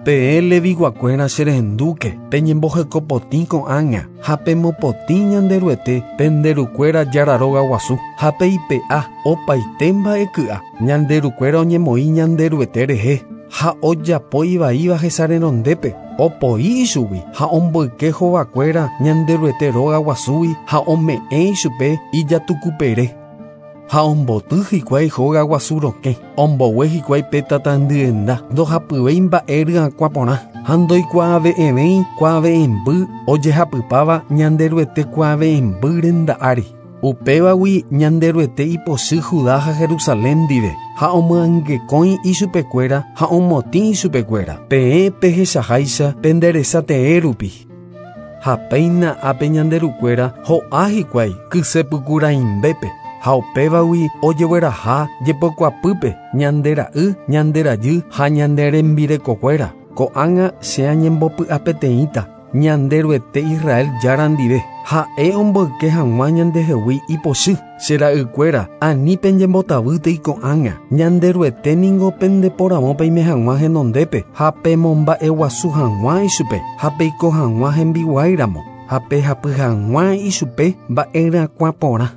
Peẽ leviguakuéra cherendúke, peñembohekopotĩ ko'ág̃a ha pemopotĩ Ñanderuete pende rukuéra Jára róga guasu ha peipe'a opaite mba'eky'a ñande rukuéra oñemoĩ Ñanderuete rehe ha ojapo ivaíva hesa renondépe, opoi ichugui ha omboyke hovakuéra Ñanderuete róga guasúgui ha ome'ẽ ichupe ijatukupere. Ha omboty hikuái hóga guasu rokẽ, ombogue hikuái pe tatandyenda, ndohapyvéi mba'e ryakuã porã ha ndoikuaave'ẽvéi kuave'ẽmby ojehapypáva Ñanderuete kuave'ẽmby renda ári. Upévagui Ñanderuete ipochy Judá ha Jerusalén ndive ha omyangekõi ichupekuéra ha omotĩ ichupekuéra. Peẽ pehechaháicha pende resa tee rupi. Ha péina ápe ñande rukuéra ho'a hikuái kysepykuraimbépe ha upévagui ojegueraha jepokuapýpe ñande ra'y, ñande rajy ha ñande rembirekokuéra. Ko'ág̃a che añembopy'apeteĩta Ñanderuete Israel Jára ndive. Ha'e omboyke hag̃ua ñandehegui ipochy. Che ra'ykuéra, ani peñembotavýtei ko'ág̃a. Ñanderuete ningo pendeporavo peime hag̃ua henondépe ha pemomba'eguasu hag̃ua ichupe ha peiko hag̃ua hembiguáiramo ha pehapy hag̃ua ichupe mba'eryakuã porã.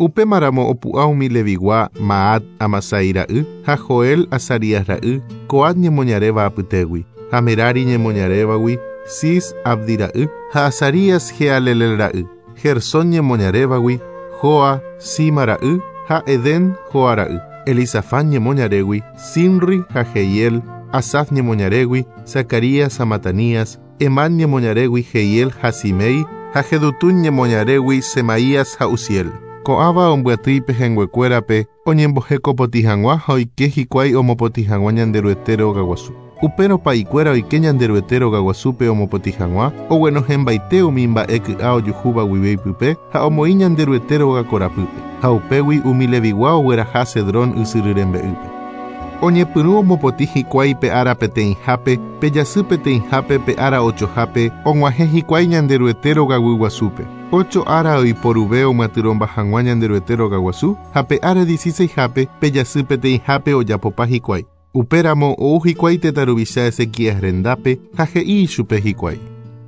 Upémaramo opu'ã umi Levigua Maat Amasai ra'y ha Joel Azarías ra'y Coat ñemoñaréva apytégui, ha Merari ñemoñarévagui Cis Abdi ra'y ha Azarías Jehalelel ra'y, Gersón ñemoñarévagui Joa Sima ra'y ha Edén Joa ra'y, Elisafán ñemoñarégui Simri ha Jeiel, Asaf ñemoñarégui Zacarías ha Matanías, Hemán ñemoñarégui Jeiel ha Simei, Ha Jedutún ñemoñarégui Semaías ha Uziel. Ko'ãva ombyaty ipehẽnguekuérape oñembohekopotĩ hag̃ua ha oike hikuái omopotĩ hag̃ua Ñanderuete rogaguasu. Upérõ pa'ikuéra oike Ñanderuete rogaguasúpe omopotĩ hag̃ua, oguenohẽmbaite umi mba'e ky'a ojuhúva guive ipype ha omoĩ Ñanderuete rogakorapýpe, ha upégui umi Levigua ogueraha Cedrón ysyry rembe'ýpe. Oñepyrũ omopotĩ hikuái pe ára peteĩhápe, pe jasy peteĩhápe pe ára ochohápe, og̃uahẽ hikuái Ñanderuete rogaguyguasúpe. Ocho ára oiporuve omyatyrõmba hag̃ua Ñanderuete rogaguasu, ha pe ára dieciseishápe, pe jasy peteĩhápe ojapopa hikuái. Upéramo ou hikuái tetã ruvicha Ezequías rendápe ha he'i ichupe hikuái.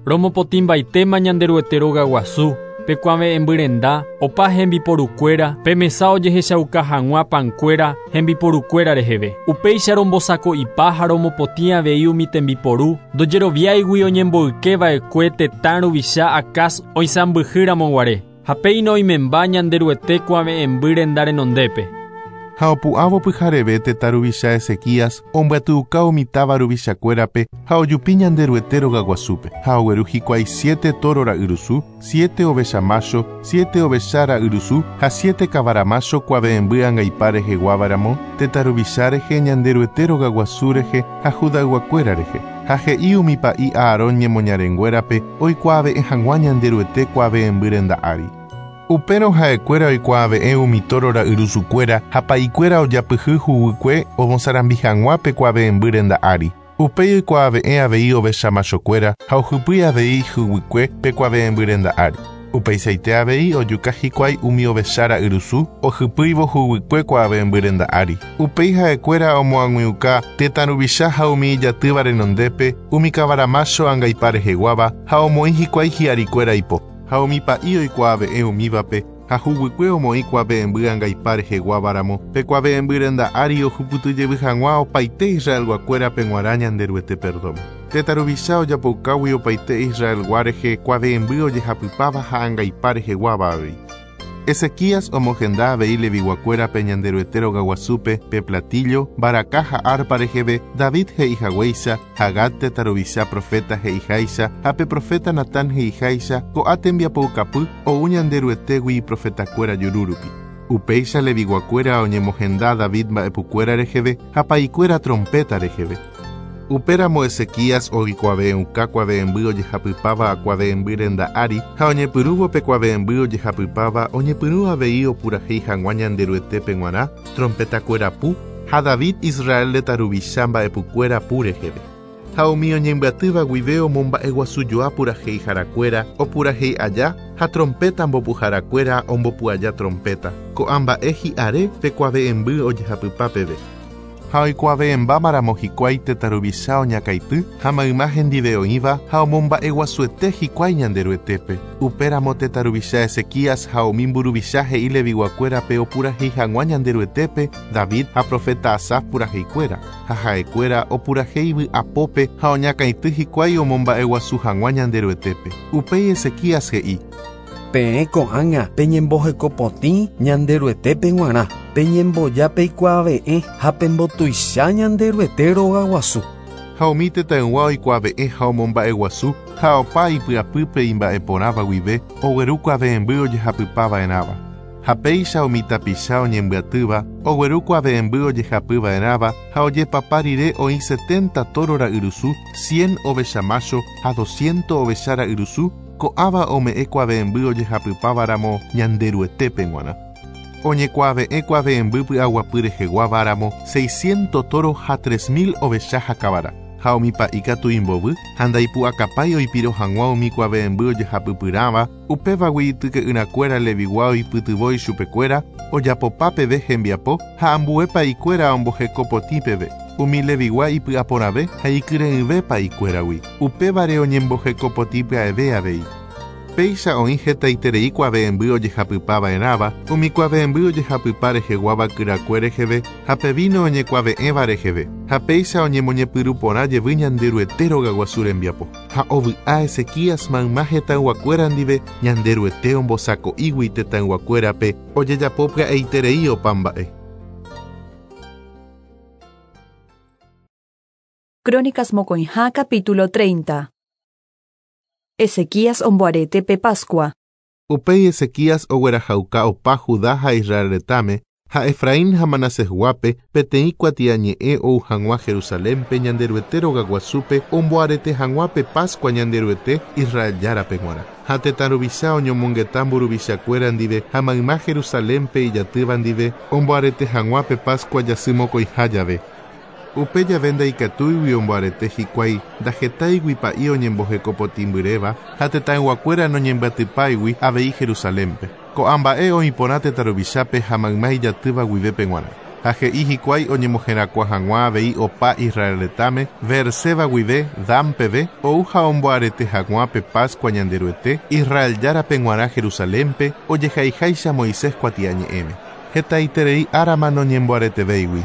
Romopotĩmbaitéma Ñanderuete rogaguasu, pe kuave'ẽmby renda, opa hembiporukuéra, pe mesa ojehechauka hag̃ua pankuéra hembiporukuéra reheve. Upéicha rombosako'ipa ha romopotĩ avei umi tembiporu, ndojeroviáigui oñemboyke va'ekue tetã ruvicha Acaz oisãmbyhy ramoguare. Ha péina oimemba Ñanderuete kuave'ẽmby renda renondépe. Ha opu'ãvo pyhareve tetã ruvicha Ezequías ombyatyuka umi táva ruvichakuérape ha ojupi Ñanderuete rogaguasúpe, ha ogueru hikuái siete tóro ra'yrusu, siete ovecha mácho, siete ovecha ra'yrusu ha siete kavara mácho kuave'ẽmby angaipa reheguáva ramo, tetã ruvicha rehe, Ñanderuete rogaguasu rehe ha Judayguakuéra rehe. Ha he'i umi pa'i Aarón ñemoñarenguérape oikuaave'ẽ hag̃ua Ñanderuete kuave'ẽmby renda ári. Upérõ ha'ekuéra oikuaave'ẽ umi tóro ra'yrusukuéra ha pa'ikuéra ojapyhy huguykue omosarambi hag̃ua pe kuave'ẽmby renda ári. Upéi oikuaave'ẽ avei ovecha machokuéra ha ohypýi avei huguykue pe kuave'ẽmby renda ári. Upeichaite avei ojuka hikuái umi ovecha ra'yrusu ohypýivo huguykue kuave'ẽmby renda ári. Upéi ha'ekuéra omoag̃uiuka tetã ruvicha ha umi ijatýva renondépe umi kavara mácho angaipa reheguáva ha omoĩ hikuái hi'arikuéra ipo. Ha umi pa'i oikuaave'ẽ umívape ha huguykue omoĩ kuave'ẽmby angaipa reheguáva ramo pe kuave'ẽmby renda ári ohupytyjevy hag̃ua opaite Israelguakuérape g̃uarã Ñanderuete perdón. Tetã ruvicha ojapoukágui opaite Israelgua rehe kuave'ẽmby ojehapypáva ha angaipa reheguáva avei. Ezequías omohenda avei Leviguakuérape Ñanderuete rogaguasúpe pe platillo, mbaraka ha arpa reheve, David he'ihaguéicha, ha Gad tetã ruvicha proféta he'iháicha, ha pe proféta Natán he'iháicha, ko'ã tembiapoukapy ou Ñanderuetégui iprofetakuéra juru rupi. Upéicha Leviguakuéra oñemohenda David mba'epukuéra reheve ha pa'ikuéra trompéta reheve. Upéramo Ezequías oikuave'ẽuka kuave'ẽmby ojehapypáva kuave'ẽmby renda ári, ha oñepyrũvo pe kuave'ẽmby ojehapypáva oñepyrũ avei opurahéi hag̃ua Ñanderuetépe g̃uarã, trompetakuéra pu, ha David Israel retã ruvicha mba'epukuéra pu reheve. Ha umi oñembyatýva guive omomba'eguasujoa puraheiharakuéra opurahéi aja ha trompéta mbopuharakuéra ombopu aja trompéta, ko'ã mba'e hi'are pe kuave'ẽmby ojehapypa peve. Ha oikuave'ẽmbámaramo hikuái tetã ruvicha oñakãity ha mayma hendive oĩva ha omomba'eguasuete hikuái Ñanderuetépe. Upéramo tetã ruvicha Ezequías ha umi mburuvicha he'i Leviguakuérape opurahéi hag̃ua Ñanderuetépe David ha proféta Asaf puraheikuéra, ha ha'ekuéra opurahéi vy'apópe ha oñakãity hikuái omomba'eguasu hag̃ua Ñanderuetépe. Upéi Ezequías he'i. Peẽ ko'ág̃a peñembohekopotĩ Ñanderuetépe g̃uarã, peñemboja peikuaave'ẽ ha pembotuicha Ñanderuete rogaguasu. Ha umi tetãygua oikuaave'ẽ ha omomba'eguasu ha opa ipy'apýpe imba'eporãva guive ogueru kuave'ẽmby ojehapypava'erãva. Ha péicha umi tapicha oñembyatýva ogueru kuave'ẽmby ojehapyva'erãva ha ojepapa rire oĩ setenta tóro ra'yrusu, cien ovecha mácho ha dosciento ovecha ra'yrusu, Ko'ãva ome'ẽ kuave'ẽmby ojehapypáva ramo Ñanderuetépe g̃uarã. Oñekuave'ẽ kuave'ẽmby py'aguapy reheguáva ramo seisciento tóro ha 3000 ovecha ha kavara. Ha umi pa'i katu imbovy ha ndaipu'akapái oipiro hag̃ua umi kuave'ẽmby ojehapypyrãva, upévagui ityke'yrakuéra Levigua oipytyvõ ichupekuéra ojapopa peve hembiapo ha ambue pa'ikuéra omboheko potĩ peve. Umi Levigua ipy'aporãve ha ikyre'ỹve pa'ikuéragui, upévare oñemboheko potĩ pya'eve avei. Péicha oĩ hetaiterei kuave'ẽmby ojehapypa va'erãva, umi kuave'ẽmby ojehapypa reheguáva kyrakue reheve ha pe víno oñekuave'ẽva reheve, ha péicha oñemoñepyrũ porã jevy Ñanderuete rogaguasu rembiapo. Ha ovy'a Ezequías mayma hetãyguakuéra ndive Ñanderuete ombosako'ígui tetãyguakuérape ojejapo pya'eiterei opa mba'e. Crónicas mokõiha capítulo 30. Ezequías omboarete pe Pascua. Upéi Ezequías oguerahauka opa Judá ha Israel retãme ha Efraín ha Manasesguápe peteĩ kuatiañe'ẽ ou hag̃ua Jerusalénpe Ñanderuete rogaguasúpe omboarete hag̃ua pe Pascua Ñanderuete Israel Járape g̃uarã. Ha tetã ruvicha oñomongeta mburuvichakuéra ndive ha mayma Jerusalénpe ijatýva ndive omboarete hag̃ua pe Pascua jasy mokõiha jave. Upe jave ndaikatúigui omboarete hikuái ndahetáigui pa'i oñembohekopotĩmbyréva ha tetãyguakuéra noñembyatypáigui avei Jerusalénpe. Ko'ã mba'e oĩ porã tetã ruvichápe ha mayma ijatýva guivépe g̃uarã. Ha he'i hikuái oñemoherakuã hag̃ua avei opa Israel retãme, Beerseba guive Dan peve, ou ha omboarete hag̃ua pe Pascua Ñanderuete, Israel Járape g̃uarã Jerusalénpe, ojehaiháicha Moisés kuatiañe'ẽme. Hetaiterei árama noñemboaretevéigui.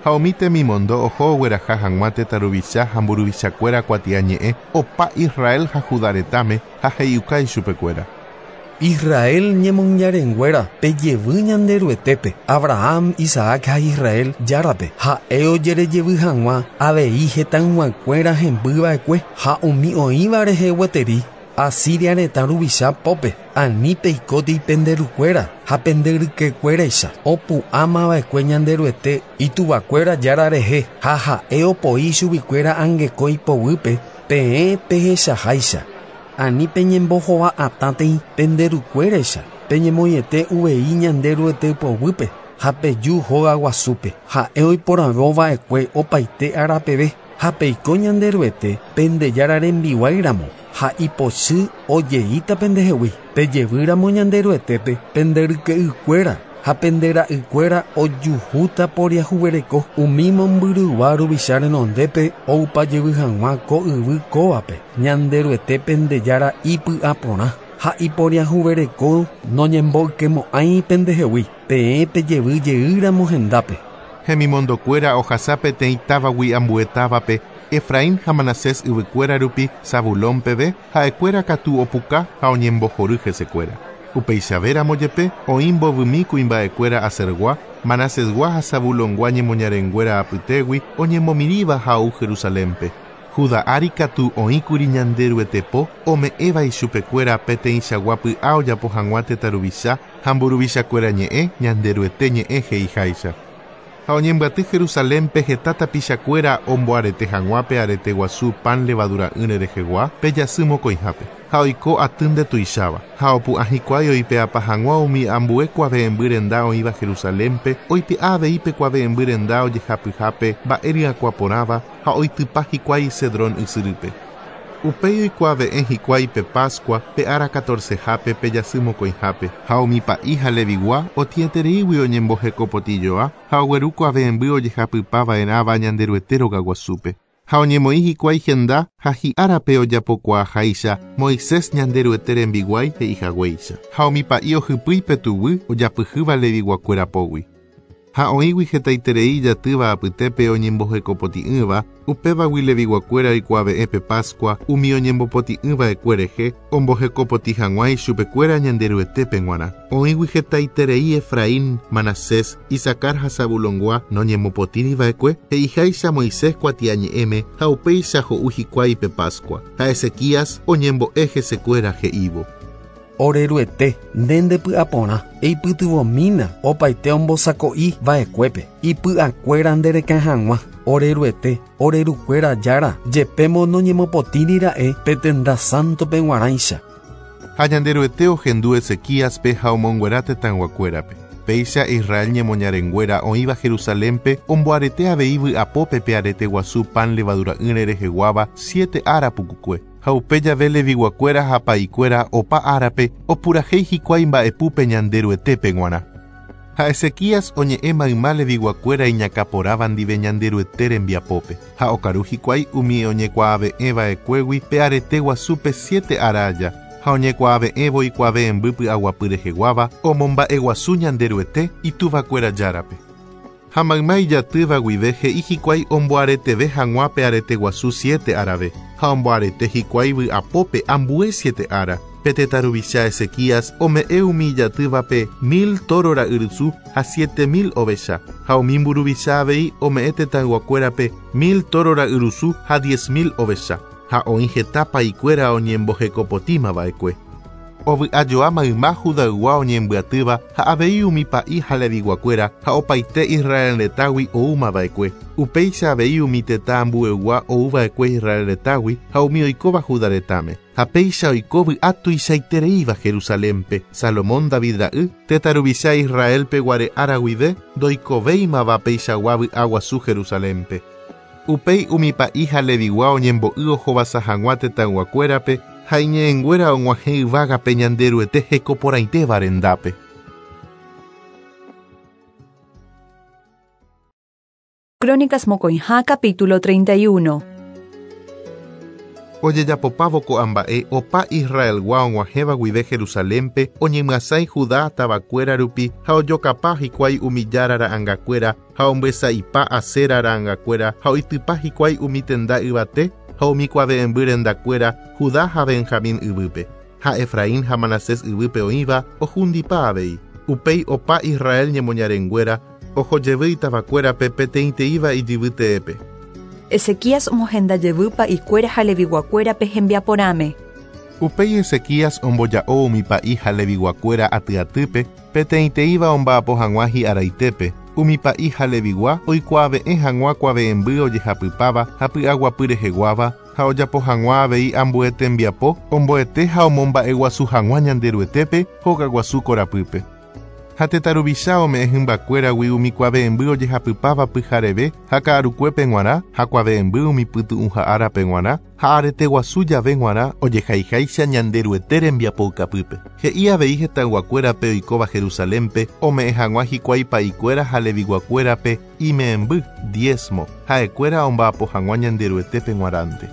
Ha umi temimondo oho ogueraha hag̃ua tetã ruvicha ha mburuvichakuéra kuatiañe'ẽ opa Israel ha Judá retãme ha he'iuka ichupekuéra. Israel ñemoñarenguéra pejevy Ñanderuetépe, Abraham, Isaac ha Israel Járape, ha'e ojerejevy hag̃ua avei hetãyguakuéra hembyva'ekue ha umi oĩva rehe gueteri Asiria retã ruvicha pópe, ani peikóti penderukuéra ha penderykekuéraicha opu'ãmava'ekue Ñanderuete ituvakuéra Jára rehe ha ha'e opoi chuguikuéra angekói poguýpe peẽ pehechaháicha. Ani peñembohova'atãtei penderukuéraicha peñemoĩete uvei Ñanderuete poguýpe ha peju hógaguasúpe ha'e oiporavóva'ekue opaite árapeve ha peiko Ñanderuete Pendejára rembiguáiramo ha ipochy ojeíta pendehegui pejevýramo Ñanderuetépe penderyke'ykuéra ha pendera'ykuéra ojuhúta poriahuvereko umi mombyrygua ruvicha renondépe oupajevy hag̃ua ko yvy kóvape Ñanderuete Pendejára ipy'aporã ha iporiahuvereko noñemboykemo'ãi pendehegui peẽ pejevy jeýramo hendápe. Hemimondokuéra ohasa peteĩ távagui ambue távape Efraín ha Manasés yvykuéra rupi Zabulón peve ha'ekuéra katu opuka ha oñembohory hesekuéra. Upeichavéramo jepe oĩ mbovymi kuimba'ekuéra Asergua, Manasesgua ha Zabulongua ñemoñarenguéra apytégui oñemomirĩva ha ou Jerusalénpe. Judá ári katu oĩkuri Ñanderuete po ome'ẽva ichupekuéra peteĩchagua py'a ojapo hag̃ua tetã ruvicha ha mburuvichakuéra ñe'ẽ Ñanderuete ñe'ẽ he'iháicha. Ha oñembyaty Jerusalénpe heta tapichakuéra omboarete hag̃ua pe arete guasu pan levadura'ỹre rehegua pe jasy mokõihápe. Ha oiko aty ndetuicháva. Ha opu'ã hikuái oipe'apa hag̃ua umi ambue kuave'ẽmby renda oĩva Jerusalénpe, oipe'a avei pe kuave'ẽmby renda ojehapyhápe mba'e ryakuã porãva ha oitypa hikuái Cedrón ysyrýpe. Upéi oikuave'ẽ hikuái pe Pascua pe ára catorcehápe pe jasy mokõihápe, ha umi pa'i ha Levigua otĩetereígui oñembohekopotĩjoa ha ogueru kuave'ẽmby ojehapypava'erãva Ñanderuete rogaguasúpe. Ha oñemoĩ hikuái henda ha hi'árape ojapokuaaháicha Moisés Ñanderuete rembiguái he'ihaguéicha. Ha umi pa'i ohypýi pe tuguy ojapyhýva Leviguakuéra pógui. Ha oĩgui hetaiterei ijatýva apytépe oñembohekopotĩ'ỹva, upévagui Leviguakuéra oikuave'ẽ pe Pascua umi oñembopotĩ'ỹva'ekue rehe ombohekopotĩ hag̃ua ichupekuéra Ñanderuetépe g̃uarã. Oĩgui hetaiterei Efraín, Manasés, Isacar ha Zabulongua noñemopotĩriva'ekue he'iháicha Moisés kuatiañe'ẽme ha upéicha ho'u hikuái pe Pascua. Ha Ezequías oñembo'e hesekuéra he'ívo. Oreruete, nde ndepy'aporã, eipytyvõmína opaite ombosako'i va'ekuépe, ipy'akuéra nderekã hag̃ua. Oreruete, orerukuéra Jára, jepémo noñemopotĩrira'e pe tenda sántope g̃uarãicha. Ha Ñanderuete ohendu Ezequíaspe ha omonguera tetãyguakuérape. Péicha Israel ñemoñarenguéra oĩva Jerusalénpe omboarete avei vy'apópe pe arete guasu pan levadura'ỹre reheguáva siete ára pukukue. Ha upe jave Leviguakuéra ha pa'ikuéra opa árape opurahéi hikuái mba'epúpe Ñanderuetépe g̃uarã. Ha Ezequías oñe'ẽ mayma Leviguakuéra iñakãporãva ndive Ñanderuete rembiapópe. Ha okaru hikuái umi oñekuaave'ẽva'ekuégui pe arete guasúpe siete ára aja. Ha oñekuaave'ẽvo ikuave'ẽmby py'aguapy reheguáva omomba'eguasu Ñanderuete ituvakuéra Járape. Ha mayma ijatýva guive he'i hikuái omboareteve hag̃ua pe arete guasu siete árave, ha omboarete hikuái vy'apópe ambue siete ára. Pe tetã ruvicha Ezequías ome'ẽ umi ijatývape mil tóro ra'yrusu ha 7000 ovecha, ha umi mburuvicha avei ome'ẽ tetãyguakuérape mil tóro ra'yrusu ha 10 000 ovecha. Ha oĩ heta pa'ikuéra oñembohekopotímava'ekue. Ovy'ajoa mayma Judaygua oñembyatýva ha avei umi pa'i ha leviguakuéra ha opaite Israel retãgui oúmava'ekue. Upéicha avei umi tetã ambuegua oúva'ekue Israel retãgui ha umi oikóva Judá retãme. Ha péicha oiko vy'a tuichaitereíva Jerusalénpe, Salomón David ra'y, tetã ruvicha Israelpe guare ára guive ndoikovéimava peichagua vy'a guasu Jerusalénpe. Upéi umi pa'i ha levigua oñembo'y ohovasa hag̃ua tetãyguakuérape ha iñe'ẽnguéra og̃uahẽ yvágape Ñanderuete hekoporãitéva rendápe. Crónicas mokõiha capítulo 31. Ojejapopávo ko'ã mba'e opa Israelgua og̃uahẽva guive Jerusalénpe oñemyasãi Judá tavakuéra rupi ha ojokapa hikuái umi jára ra'angakuéra ha ombyesa'ipa Asera ra'angakuéra ha oitypa hikuái umi tenda yvate ha umi kuave'ẽmby rendakuéra Judá ha Benjamín yvýpe, ha Efraín ha Manasés yvýpe oĩva ohundipa avei. Upéi opa Israel ñemoñarenguéra oho jevy itavakuérape peteĩteĩva ijyvy teépe. Ezequías omohenda jevy pa'ikuéra ha leviguakuérape hembiaporãme. Upéi Ezequías omboja'o umi pa'i ha leviguakuéra atyatýpe peteĩteĩva omba'apo hag̃ua hi'araitépe, umi pa'i ha levigua oikuaave'ẽ hag̃ua kuave'ẽmby ojehapypáva ha py'aguapy reheguáva ha ojapo hag̃ua avei ambue tembiapo omboete ha omomba'eguasu hag̃ua Ñanderuetépe hogaguasu korapýpe. Ha tetã ruvicha ome'ẽ hymbakuéragui umi kuave'ẽmby ojehapypáva pyhareve ha ka'arukuépe g̃uarã ha kuave'ẽmby umi pytu'ũha árape g̃uarã ha areteguasu jave g̃uarã ojehaiháicha Ñanderuete rembiapoukapýpe. He'i avei hetãyguakuérape oikóva Jerusalénpe ome'ẽ hag̃ua hikuái pa'ikuéra ha leviguakuérape ime'ẽmby, diezmo, ha'ekuéra omba'apo hag̃ua Ñanderuetépe g̃uarãnte.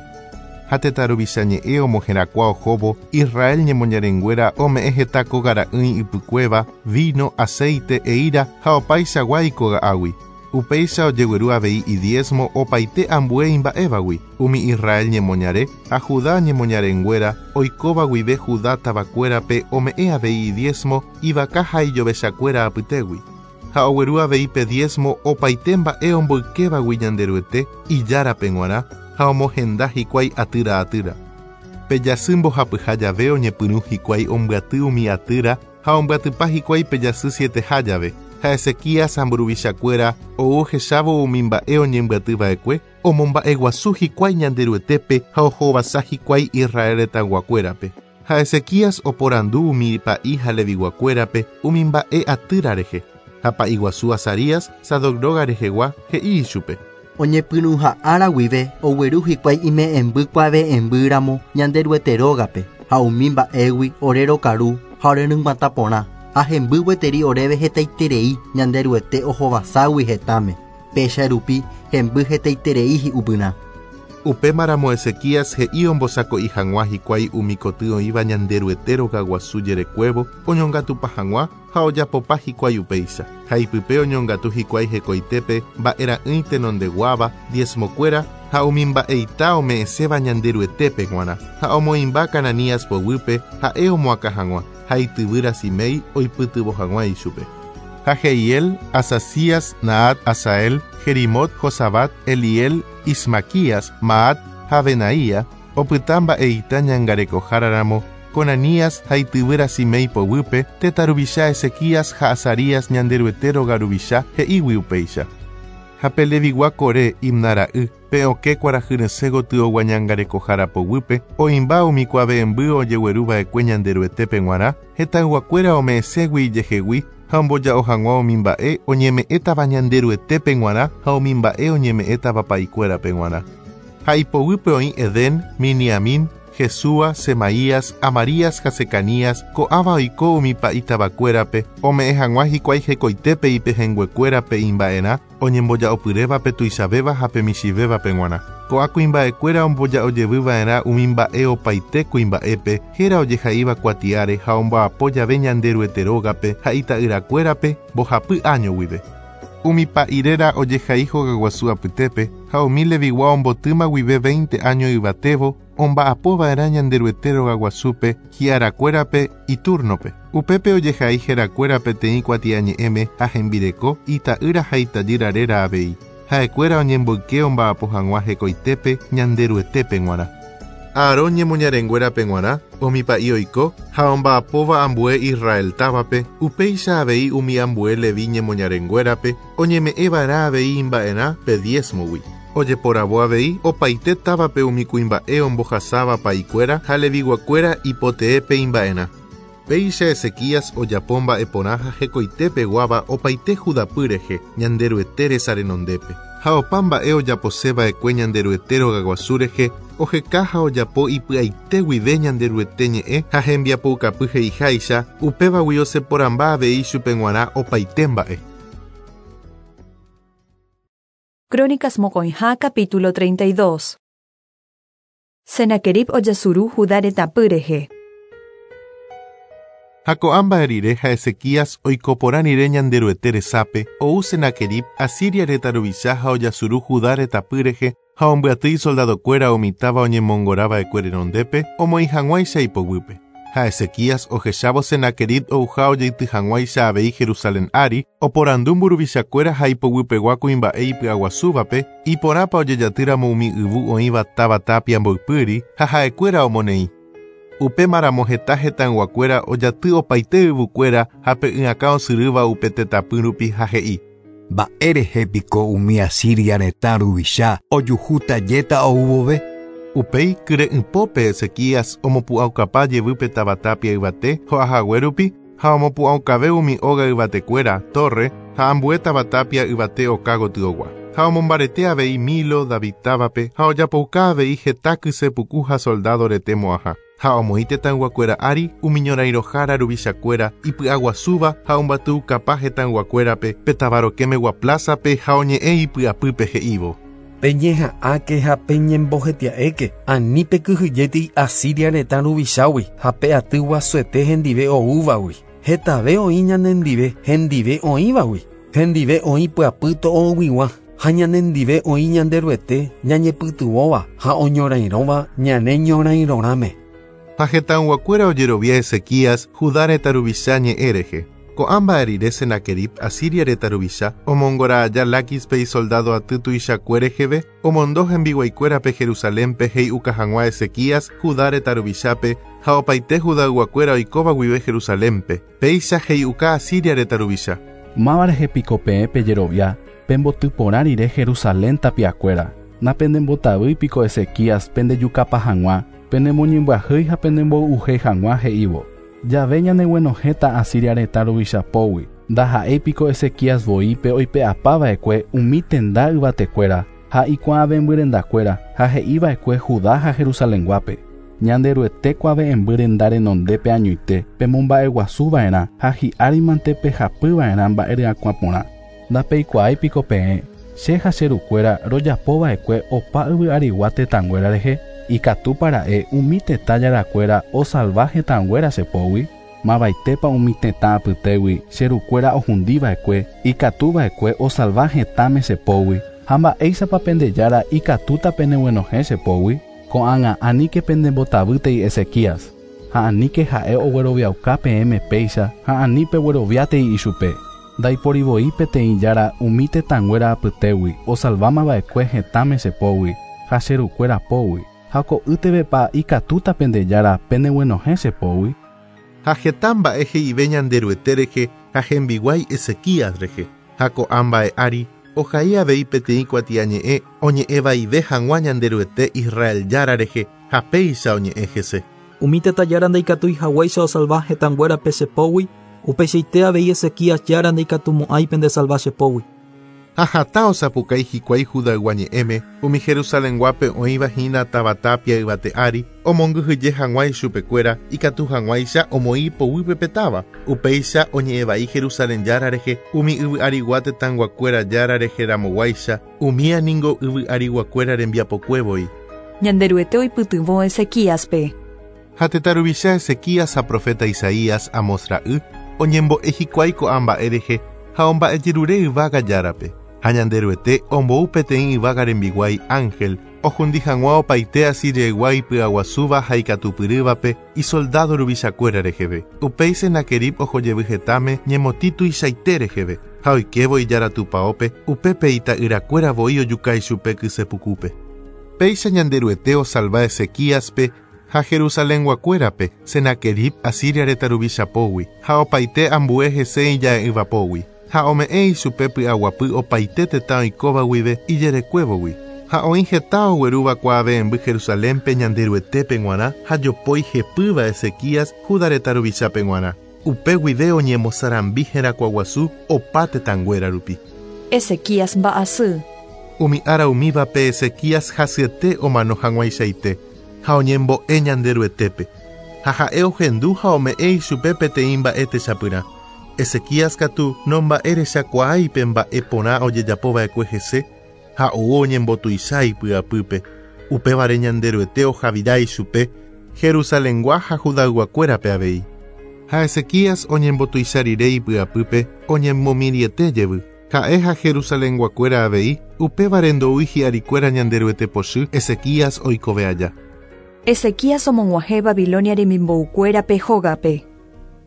Ha tetã ruvicha ñe'ẽ omoherakuã ohóvo Israel ñemoñarenguéra ome'ẽ heta kógara'ỹi ypykuéva, vino, aceite, eíra ha opaichagua ikoga'águi. Upéicha ojegueru avei idiezmo opaite ambue imba'évagui, umi Israel ñemoñare ha Judá ñemoñarenguéra oikóva guive Judá tavakuérape ome'ẽ avei idiezmo ivaka ha ijovechakuéra apytégui. Ha ogueru avei pe diezmo opaite mba'e omboykévagui Ñanderuete Ijárape g̃uarã ha omohenda hikuái atýra atýra. Pe jasy mbohapyha jave oñepyrũ hikuái ombyaty umi atýra ha ombyatypa hikuái pe jasy sieteha jave. Ha Ezequías ha mburuvichakuéra ou ohechávo umi mba'e oñembyatyva'ekue, omomba'eguasu hikuái Ñanderuetépe ha ohovasa hikuái Israel retãyguakuérape. Ha Ezequías oporandu umi pa'i ha leviguakuérape umi mba'e atýra rehe. Ha pa'iguasu Azarías, Sadoc róga rehegua, he'i ichupe. Oñepyrũha ára guive ogueru hikuái ime'ẽmby kuave'ẽmbýramo Ñanderuete rógape ha umi mba'égui ore rokaru ha ore ryg̃uatã porã ha hemby gueteri oréve hetaiterei Ñanderuete ohovaságui hetãme. Péicha rupi hemby hetaiterei hi'upyrã. Upémaramo Ezequías he'i ombosako'i hag̃ua hikuái umi koty oĩva Ñanderuete rogaguasu jerekuévo oñongatupa hag̃ua ha ojapopa hikuái upéicha. Ha ipype oñongatu hikuái hekoitépe mba'era'ỹi tenondeguáva, diezmokuéra ha umi mba'eita ome'ẽséva Ñanderuetépe g̃uarã. Ha omoĩmba Cananías poguýpe ha'e omoakã hag̃ua ha ityvýra Simei oipytyvõ hag̃ua ichupe. Ha Jehiel, Azazías, Nahat, Asael, Jerimot, Josabat, Eliel, Ismaquías, Maat ha Benaía opyta mba'eita ñangarekoháraramo Conanías ha ityvýra Simei poguýpe, tetã ruvicha Ezequías ha Azarías Ñanderuete róga ruvicha he'ígui upéicha. Ha pe levigua Coré, Imná ra'y, pe okẽ kuarahyresẽ gotyogua ñangarekohára poguýpe, oĩmba umi kuave'ẽmby ojegueruva'ekue Ñanderuetépe g̃uarã, hetãyguakuéra ome'ẽségui ijehegui ha omboja'o hag̃ua umi mba'e oñeme'ẽtava Ñanderuetépe g̃uarã ha umi mba'e oñeme'ẽtava pa'ikuérape g̃uarã. Ha ipoguýpe oĩ Edén, Miniamín, Jesúa, Semaías, Amarías ha Secanías, ko'ãva oiko umi pa'i tavakuérape, ome'ẽ hag̃ua hikuái hekoitépe ipehẽnguekuérape imba'erã, oñemboja'opyrévape tuichavéva ha pe michĩvévape g̃uarã. Ko'ã kuimba'ekuéra omboja'ojevyva'erã umi mba'e opaite kuimba'épe, héra ojehaíva kuatiáre ha omba'apo jave Ñanderuete rógape ha ita'yrakuérape mbohapy áño guive. Umi pa'i réra ojehai hogaguasu apytépe ha umi levigua ombotýma guive 20 áño yvatévo omba'apova'erã Ñanderuete rogaguasúpe hi'arakuérape itúrnope. Upépe ojehai herakuéra peteĩ kuatiañe'ẽme ha hembireko, ita'ýra ha itajýra réra avei. Ha'ekuéra oñemboyke omba'apo hag̃ua hekoitépe Ñanderuetépe g̃uarã. Aarón ñemoñarenguérape g̃uarã, umi pa'i oiko ha omba'apóva ambue Israel távape, upéicha avei umi ambue Levi ñemoñarenguérape oñeme'ẽva'erã avei imba'erã pe diezmogui. Ojeporavo avei opaite távape umi kuimba'e ombohasáva pa'ikuéra ha leviguakuéra ipoteépe imba'erã. Péicha Ezequías ojapo mba'eporã ha hekoitépeguáva opaite Judapy rehe Ñanderuete resa renondépe. Ha opa mba'e ojaposeva'ekue Ñanderuete rogaguasu rehe oheka ha ojapo ipy'aite guive Ñanderuete ñe'ẽ ha hembiapoukapy he'iháicha, upévagui oseporãmba avei chupe g̃uarã opaite mba'e. Crónicas mokõiha capítulo 32. Senaquerib ojasuru Judá retãpy rehe. Ha ko'ã mba'e rire ha Ezequías oiko porã rire Ñanderuete resápe, ou Senaquerib Asiria retã ruvicha ha ojasuru Judá retãpy rehe ha ombyaty isoldadokuéra umi táva oñemongorava'ekue renondépe omoĩ hag̃uáicha ipoguýpe. Ha Ezequías ohechávo Senaquerib ouha ojeity hag̃uáicha avei Jerusalén ári, oporandu mburuvichakuéra ha ipoguypegua kuimba'e ipy'aguasúvape, iporãpa ojejatýramo umi yvu oĩva táva tapia mboypýri ha ha'ekuéra omoneĩ. Upémaramo heta hetãyguakuéra ojaty opaite yvukuéra ha pe y'akã osyrýva upe tetãpy rupi ha he'i. Mba'érehe piko umi Asiria retã ruvicha ojuhúta jéta ou vove? Upéi kyre'ỹpópe Ezequías omopu'ãukapa jevy pe táva tapia yvate ho'ahague rupi ha omopu'ãukave umi óga yvatekuéra, torre ha ambue táva tapia yvate oka gotyogua. Ha omombarete avei Milo, David távape ha ojapouka avei heta kysepuku ha soldado rete mo'ãha. Ha omoĩ tetãyguakuéra ári umi ñorairõhára ruvichakuéra ipy'aguasúva ha ombatyukapa hetãyguakuérape pe táva rokẽmegua plaza-pe ha oñe'ẽ ipy'apýpe he'ívo. Peñeha'ãke ha peñembohetia'éke ani pekyhyjétei Asiria retã ruvichágui ha pe aty guasuete hendive oúvagui. Hetave oĩ ñanendive hendive oĩvagui. Hendive oĩ pyapy to'oguigua ha ñanendive oĩ Ñanderuete ñañepytyvõva ha oñorairõva ñane ñorairõrãme. Ha hetãyguakuéra ojerovia Ezequías Judá retã ruvicha ñe'ẽ rehe. Ko'ã mba'e rire Senaquerib Asiria retã ruvicha omongora aja Láquispe isoldado aty tuichakue reheve, omondo hembiguaikuérape Jerusalénpe he'iuka hag̃ua Ezequías Judá retã ruvichápe ha opaite Judayguakuéra oikóva guive Jerusalénpe. Péicha he'iuka Asiria retã ruvicha. Máva rehe piko peẽ pejerovia pembotyporã rire Jerusalén tapiakuéra. Napendembotavýi piko Ezequías pendejukapa hag̃ua, penemoñembyahýi ha penemboy'uhéi hag̃ua he'ívo. Jave ñaneguenohẽta Asiria retã ruvichapógui. Ndaha'éi piko Ezequías voi pe oipe'apava'ekue umi tenda yvatekuéra ha ikuave'ẽmbyrendakuéra ha he'iva'ekue Judá ha Jerusalenguápe. Ñanderuete kuave'ẽmby renondépe añoite pemomba'eguasuva'erã ha hi'árimante pehapyva'erã mba'e ryakuã porã. Ndapeikuaái piko peẽ che ha che rukuéra rojapova'ekue opa yvy'arigua tetãnguéra rehe, ikatúpara'e umi tetã jarakuéra osalva hetãnguéra chepógui, mavaitépa umi tetã apytégui che rukuéra ohundiva'ekue, ikatuva'ekue osalva hetãme chepógui, ha mba'éichapa pendejára ikatúta peneguenohẽ chepógui, ko'ág̃a aníke pendembotavýtei Ezequías, ha aníke ha'e ogueroviauka peẽme péicha ha ani pegueroviátei ichupe. Ndaiporivoi peteĩ jára umi tetãnguéra apytégui osalvámava'ekue hetãme chepógui ha che rukuéra pógui, ha ko'ýtevepa ikatúta pendejára peneguenohẽ chepógui. Ha heta mba'e he'ive Ñanderuete rehe ha hembiguái Ezequías rehe. Ha ko'ã mba'e ári ohai avei peteĩ kuatiañe'ẽ oñe'ẽvaive hag̃ua Ñanderuete Israel Jára rehe ha péicha oñe'ẽ hese. Umi tetã jára ndaikatúi haguéicha osalva hetãnguérape chepógui, upeichaite avei Ezequías jára ndaikatumo'ãi pendesalva chepógui. Ha hatã osapukái hikuái Judaygua ñe'ẽme umi Jerusalenguápe oĩva hína táva tapia yvate ári, omongyhyje hag̃ua ichupekuéra ikatu hag̃uáicha omoĩ ipoguýpe pe táva. Upéicha oñe'ẽvai Jerusalén Jára rehe umi yvy'arigua tetãyguakuéra Jára rehe ramoguáicha, umía ningo yvy'ariguakuéra rembiapokue voi. Ñanderuete oipytyvõ Ezequíaspe. Ha tetã ruvicha Ezequías ha profeta Isaías Amós ra'y oñembo'e hikuái ko'ã mba'e rehe ha omba'ejerure yvága Járape. Ha Ñanderuete ombou peteĩ yvága rembiguái ángel ohundi hag̃ua opaite Asiriaygua ipy'aguasúva ha ikatupyrývape isoldado ruvichakuéra reheve. Upéi Senaquerib ohojevy hetãme ñemotĩ tuichaite reheve ha oikévo ijára tupãópe upépe ita'yrakuéra voi ojuka ichupe kysepukúpe. Péicha Ñanderuete osalva Ezequíaspe ha Jerusalenguakuérape, Senaquerib Asiria retã ruvicha pógui, ha opaite ambue hese ija'e'ỹva pógui. Ha ome'ẽ ichupe py'aguapy opaite tetã oikóva guive ijerekuévogui. Ha oĩ heta oguerúva kuave'ẽmby Jerusalénpe Ñanderuetépe g̃uarã ha jopói hepýva Ezequías Juda retã ruvichápe g̃uarã. Upe guive oñemosarambi herakuãguasu opa tetãnguéra rupi. Ezequías mba'asy. Umi ára umívape Ezequías hasyete omano hag̃uaichaite, ha oñembo'e Ñanderuetépe. Ha ha'e ohendu ha ome'ẽ ichupe peteĩ mba'e techapyrã. Ezequías katu nomba'erechakuaái pe mba'e porã ojejapo va'ekue hese, ha ou oñembotuicha ipy'apýpe. Upévare Ñanderuete ohavira ichupe, Jerusalengua ha Judayguakuérape avei. Ha Ezequías oñembotuicha rire ipy'apýpe, oñemomirĩete jevy. Ha'e ha Jerusalenguakuéra avei, upévare ndoúi hi'arikuéra Ñanderuete pochy Ezequías oikove aja. Ezequías omog̃uahẽ Babilonia remimboukuérape hógape.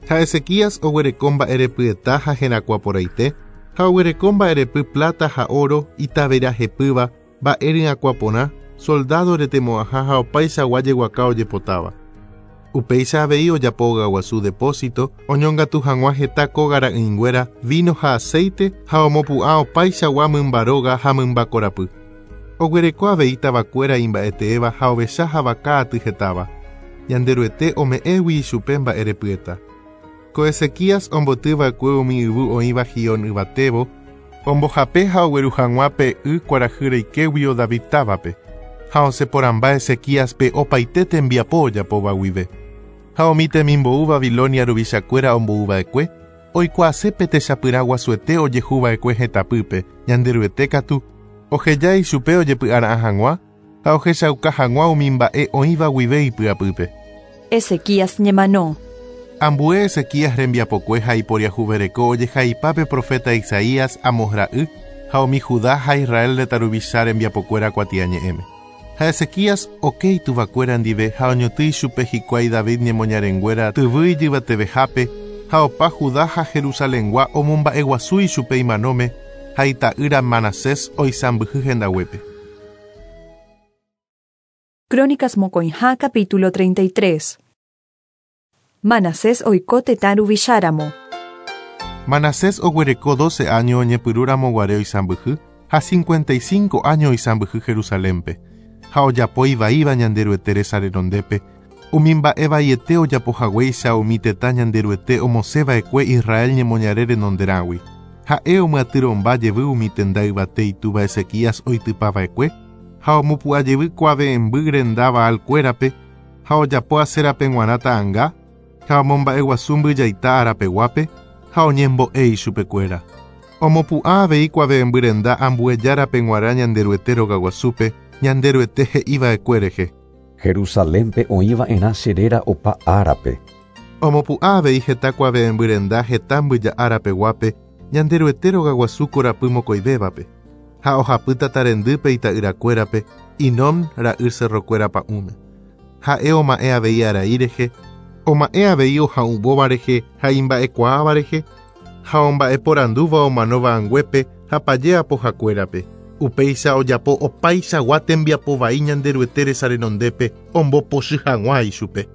Ha Ezequías oguereko mba'erepyeta ha herakuã porãite, ha oguereko mba'erepy pláta ha óro, ita vera hepýva, mba'e ryakuã porã, soldádo retemo'ãha ha opaichagua jeguaka ojepotáva. Upéicha avei ojapo ogaguasu depósito, oñongatu hag̃ua heta kóga ra'ỹinguéra, víno ha aséite, ha omopu'ã opaichagua mymba róga ha mymba korapy. Oguereko avei tavakuéra imba'eteéva ha ovecha ha vaka aty hetáva, Ñanderuete ome'ẽgui ichupe mba'erepyeta. Ko Ezequías omboty va'ekue umi yvy oĩva Gihón yvatévo, ombohape ha ogueru hag̃ua pe y kuarahy reikéguio David távape, ha osẽ porãmba Ezequíaspe opaite tembiapo ojapóva guive. Ha umi temimbou Babilonia ruvichakuéra ombou va'ekue, oikuaase pe techapyrã guasuete ojehu va'ekue hetãpýpe, Ñanderuete katu, oheja ichupe ojepy'ara'ã hag̃ua ha ohechauka hag̃ua umi mba'e oĩva guive ipy'apýpe. Ezequías ñemano. Ambue Ezequías rembiapokue ha iporiahuvereko ojehaipa pe proféta Isaías, Amos ra'y, ha umi Judá ha Israel retã ruvicha rembiapokuéra kuatiañe'ẽme. Ha Ezequías oke ituvakuéra ndive ha oñotỹ ichupe hikuái David ñemoñarenguéra tyvy ijyvatevehápe, ha opa Judá ha Jerusalengua omomba'eguasu ichupe imanóme, ha ita'ýra Manasés oisãmbyhy hendaguépe. Crónicas mokõiha capítulo 33. Manasés oiko tetã ruvicháramo. Manasés oguereko dóce áño oñepyrũramo guare oisãmbyhy, ha 55 áño oisãmbyhy Jerusalénpe. Ha ojapo ivaíva Ñanderuete resa renondépe, umi mba'e vaiete ojapo haguéicha umi tetã Ñanderuete omosẽ va'ekue Israel ñemoñare renonderãgui. Ha'e omyatyrõmba jevy umi tenda yvate itúva Ezequías oitypa va'ekue, ha omopu'ã jevy kuave'ẽmby renda Baal kuérape, ha ojapo Aserape g̃uarã ta'anga, ha omomba'eguasu mbyjaita arapeguápe, ha oñembo'e ichupekuéra. Omopu'ã avei kuave'ẽmby renda ambue járape g̃uarã Ñanderuete rogaguasúpe, Ñanderuete he'i va'ekue rehe. Jerusalénpe oĩ va'erã che réra opa árape. Omopu'ã avei heta kuave'ẽmby renda heta mbyja árapeguápe, Ñanderuete rogaguasu korapy mokõivévape, ha ohapy tata rendýpe ita'yrakuérape, Hinom ra'y cerrokuéra pa'ũme. Ha'e oma'ẽ avei arai rehe, oma'ẽ avei oha'uvóva rehe ha imba'ekuaáva rehe, ha omba'eporandúva omanóva anguépe ha paje apohakuérape. Upéicha ojapo opaichagua tembiapo vai Ñanderuete resa renondépe ombopochy hag̃ua ichupe.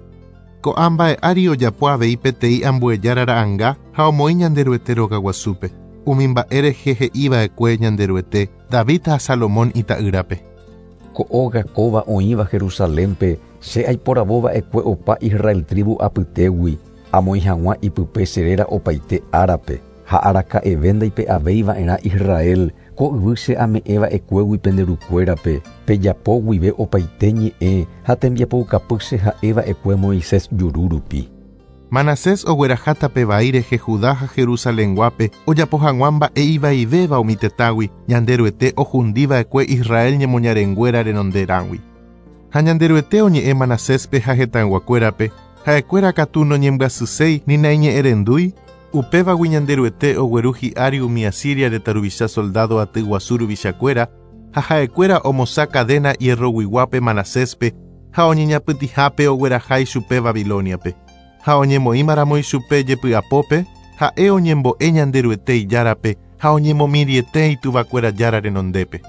Ko'ã mba'e ári ojapo avei peteĩ ambue jára ra'anga ha omoĩ Ñanderuete rogaguasúpe, umi mba'e rehe he'i va'ekue Ñanderuete, David ha Salomón ita'ýrape. Ko óga kóva oĩva Jerusalénpe, che aiporavo va'ekue opa Israel trívu apytégui, amoĩ hag̃ua ipype che réra opaite árape, ha araka'eve ndaipe'avéi va'erã Israel ko yvy che ame'ẽ va'ekuégui pende rukuérape, pejapo guive opaite ñe'ẽ ha tembiapoukapy che ha'e va'ekue Moisés juru rupi. Manasés ogueraha tape vai rehe Judá ha Jerusalenguápe ojapo hag̃ua mba'e ivaivéva umi tetãgui, Ñanderuete ohundi va'ekue Israel ñemoñarenguéra renonderãgui. Ha Ñanderuete oñe'ẽ Manaséspe ha hetãyguakuérape, ha'ekuéra katu noñembyasyséi ni naiñe'ẽrendúi, upévagui Ñanderuete ogueru hi'ári umi Asiria retã ruvicha soldádo aty guasu ruvichakuéra, ha ha'ekuéra omosã kadéna hierroguiguápe Manaséspe ha oñeñapytĩhápe ogueraha ichupe Babilóniape. Ha oñemoĩmaramo ichupe jepy'apópe, ha'e oñembo'e Ñanderuete Ijárape ha oñemomirĩete ituvakuéra Jára renondépe.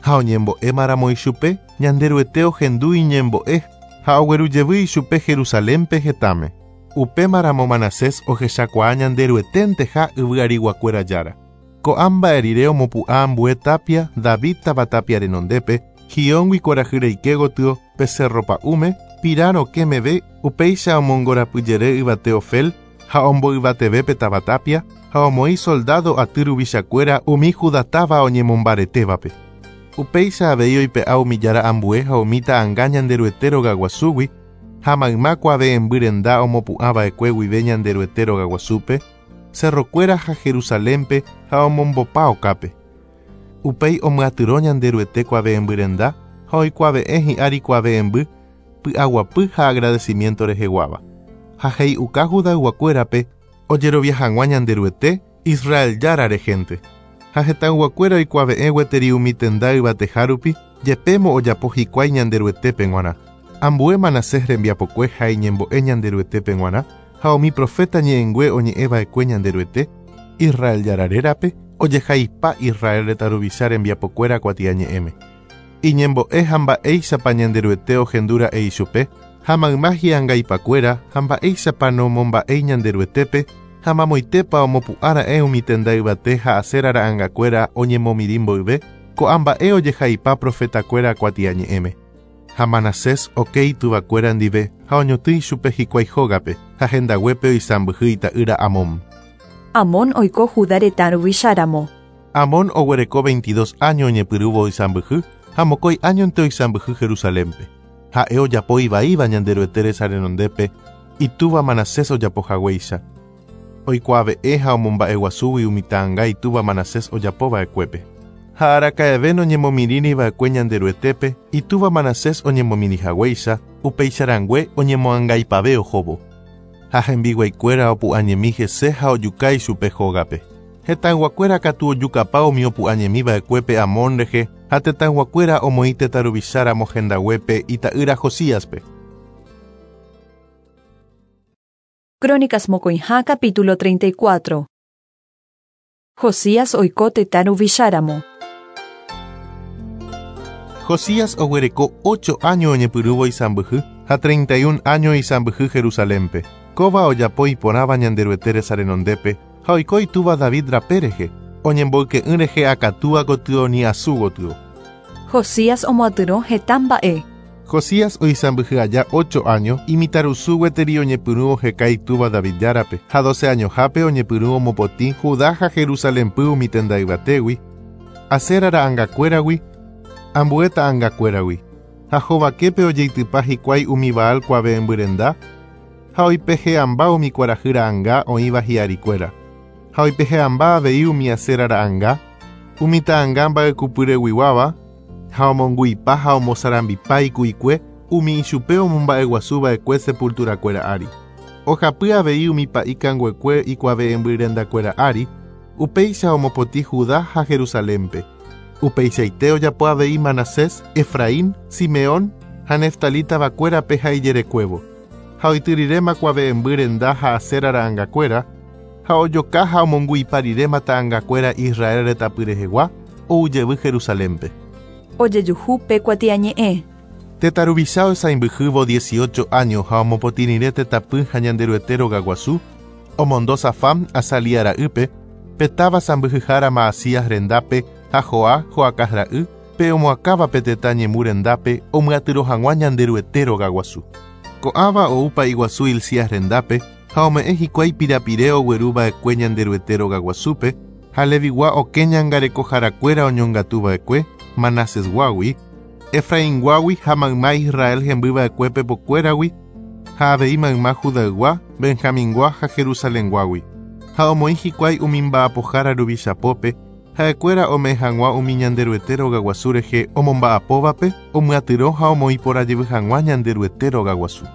Ha oñembo'émaramo ichupe, Ñanderuete ohendu iñembo'e ha oguerujevy ichupe Jerusalénpe hetãme. Upémaramo Manasés ohechakuaa Ñanderueténteha yvyariguakuéra Jára. Ko'ã mba'e rire omopu'ã ambue tápia David táva tápia renondépe, Gióngui kuarahy reike gotyo pe cérro pa'ũme, Pirã rokẽ meve, upéicha omongorapyjere yvate Ofel ha omboyvateve pe táva tápia, ha omoĩ soldádo aty ruvichakuéra umi Judá táva oñemombaretévape. Upéicha avei oipe'a umi jára ambue ha umi ta'anga Ñanderuete rogaguasúgui, ha mayma kuave'ẽmby renda omopu'ã va'ekue guive Ñanderuete rogaguasúpe, cerrokuéra ha Jerusalénpe ha omombopa okápe. Upéi omyatyrõ Ñanderuete kuave'ẽmby renda ha oikuave'ẽ hi'ári kuave'ẽmby py'aguapy ha agradecimiento reheguáva. Ha he'i'uka Judayguakuérape ojerovia hag̃ua Ñanderuete, Israel Jára rehénte. Ha hetãyguakuéra oikuave'ẽ gueteri umi tenda yvateha rupi, jepémo ojapo hikuái Ñanderuetépe g̃uarã. Ambue Manasés rembiapokue ha iñembo'e Ñanderuetépe g̃uarã, ha umi proféta ñe'ẽngue oñe'ẽ va'ekue Ñanderuete, Israel Jára rérape, ojehaipa Israel retã ruvicha rembiapokuéra kuatiañe'ẽme. Iñembo'e ha mba'éichapa Ñanderuete ohendu ra'e ichupe, ha mayma hi'angaipakuéra ha mba'éichapa nomomba'éi Ñanderuetépe, ha mamoitépa omopu'ã ra'e umi tenda yvate ha Asera ra'angakuéra oñemomirĩ mboyve, ko'ã mba'e ojehaipa profetakuéra kuatiañe'ẽme. Ha Manasés oke ituvakuéra ndive ha oñotỹ ichupe hikuái hógape, ha hendaguépe oisãmbyhy ita'ýra Amón. Amón oiko Judá retã ruvicha ramo. Amón oguereko veintidós áño oñepyrũvo oisãmbyhy, ha mokõi áñonte oisãmbyhy Jerusalénpe. Ha'e ojapo ivaíva Ñanderuete resa renondépe, itúva Manasés ojapo haguéicha. Oikuaave'ẽ ha omomba'eguasúgui umi ta'anga itúva Manasés ojapo va'ekuépe. Ha araka'eve noñemomirĩri va'ekue Ñanderuetépe, itúva Manasés oñemomirĩ haguéicha, upéicha rangue oñemoangaipave ohóvo. Ha hembiguaikuéra opu'ãñemi hese ha ojuka ichupe hógape. Hetãyguakuéra katu ojukapa umi opu'ãñemi va'ekuépe Amón rehe ha tetãyguakuéra omoĩ tetã ruvicha ramo hendaguépe ita'ýra Josíaspe. Crónicas mokõiha capítulo 34. Josías oiko tetã ruvicháramo. Josías oguereko ocho áño oñepyrũvo isãmbyhy ha treinta y un áño isãmbyhy Jerusalénpe. Kóva ojapo iporãva Ñanderuete resa renondépe ha oiko itúva David rape rehe, oñemboyke'ỹ rehe akatúa gotyo ni asu gotyo. Josías omoatyrõ heta mba'e. Josías oisãmbyhy aja ocho áño, imitãrusu gueteri oñepyrũ oheka itúva David Járape, ha doce añohápe oñepyrũ omopotĩ Judá ha Jerusalénpy umi tenda yvatégui, Asera ra'angakuéragui, ambue ta'angakuéragui. Ha hovaképe ojeitypa hikuái umi Baal kuave'ẽmby renda, ha oipehe'ãmba umi kuarahy ra'anga oĩva hi'arikuéra. Ha oipehe'ãmba avei umi Asera ra'anga, umi ta'anga mba'ekupyreguiguáva, ha omongu'ipa ha omosarambipa iku'ikue umi ichupe omomba'eguasu va'ekue sepulturakuéra ári. Ohapy avei umi pa'i kanguekue ikuave'ẽmby rendakuéra ári, upéicha omopotĩ Judá ha Jerusalénpe. Upeichaite ojapo avei Manasés, Efraín, Simeón ha Neftalí tavakuérape ha ijerekuévo. Ha oity riréma kuave'ẽmby renda ha Asera ra'angakuéra, ha ojoka ha omongu'ipa riréma ta'angakuéra Israel retãpy rehegua, ou jevy Jerusalénpe. Ojejuhu pe kuatiañe'ẽ. Tetã ruvicha oisãmbyhývo dieciocho áño ha omopotĩ rire tetãpy ha Ñanderuete rogaguasu, omondo Safán, Azalía ra'ýpe, pe táva sãmbyhyhára Maasías rendápe ha Joa, Joacaz ra'y, pe omoakãva pe tetã ñemu rendápe omyatyrõ hag̃ua Ñanderuete rogaguasu. Ko'ãva ou pa'iguasu Hilcías rendápe ha ome'ẽ hikuái pirapire ogueru va'ekue Ñanderuete rogaguasúpe, ha Levigua okẽ ñangarekoharakuéra oñongatu va'ekue, Manasesguágui, Efrainguágui ha mayma Israel hemby va'ekue pepokuéragui, ha avei mayma Judaygua, Benjamingua ha Jerusalenguágui. Ha omoĩ hikuái umi mba'apohára ruvichapópe, ha'ekuéra ome'ẽ hag̃ua umi Ñanderuete rogaguasu rehe omomba'apóvape, omyatyrõ ha omoĩ porã jevy hag̃ua Ñanderuete rogaguasu.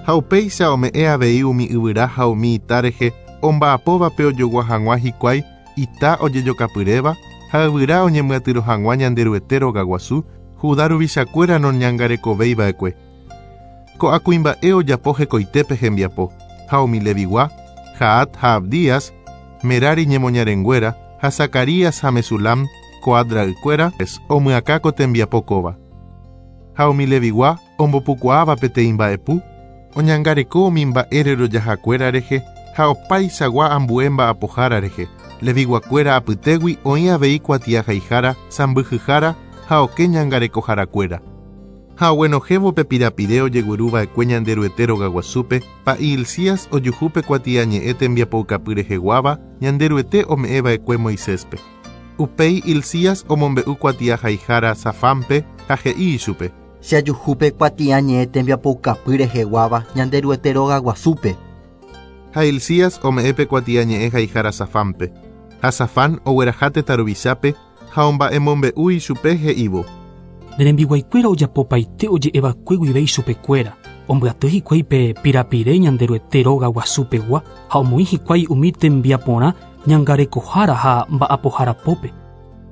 Ha upéicha ome'ẽ avei umi yvyra ha umi ita rehe omba'apóvape ojogua hag̃ua hikuái ita ojejokapyréva ha yvyra oñemyatyrõ hag̃ua Ñanderuete rogaguasu, Judá ruvichakuéra noñangarekovéi va'ekue. Ko'ã kuimba'e ojapo hekoitépe hembiapo, ha umi Levigua, Jahat ha Abdías, Merari ñemoñarenguéra, ha Zacarías ha Mesulam, Coat ra'ykuéra omyakã ko tembiapo kóva. Ha umi Levigua ombopukuaáva peteĩ mba'epu, oñangareko umi mba'e rerojahakuéra rehe ha opaichagua ambue mba'apohára rehe. Leviguakuéra apytégui oĩ avei kuatiahaihára, sãmbyhyhára ha okẽ ñangarekoharakuéra. Ha oguenohẽvo pe pirapire ojegueruva'ekue Ñanderuete rogaguasúpe, pa'i Hilcías ojuhu pe kuatiañe'ẽ tembiapoukapy reheguáva Ñanderuete ome'ẽva'ekue Moiséspe. Upéi Hilcías omombe'u kuatiahaihára Safánpe ha he'i ichupe. Che ajuhu pe kuatiañe'ẽ tembiapoukapy reheguáva Ñanderuete rogaguasúpe. Ha Hilcías ome'ẽ pe kuatiañe'ẽ haihára Safánpe. Ha Safán ogueraha tetã ruvichápe ha omba'emombe'u ichupe he'ívo. Ne rembiguaikuéra ojapopaite oje'eva'ekue guive ichupekuéra. Ombyaty hikuái pe pirapire Ñanderuete róga guasupegua ha omoĩ hikuái umi tembiaporã ñangarekohára ha mba'apoharapópe.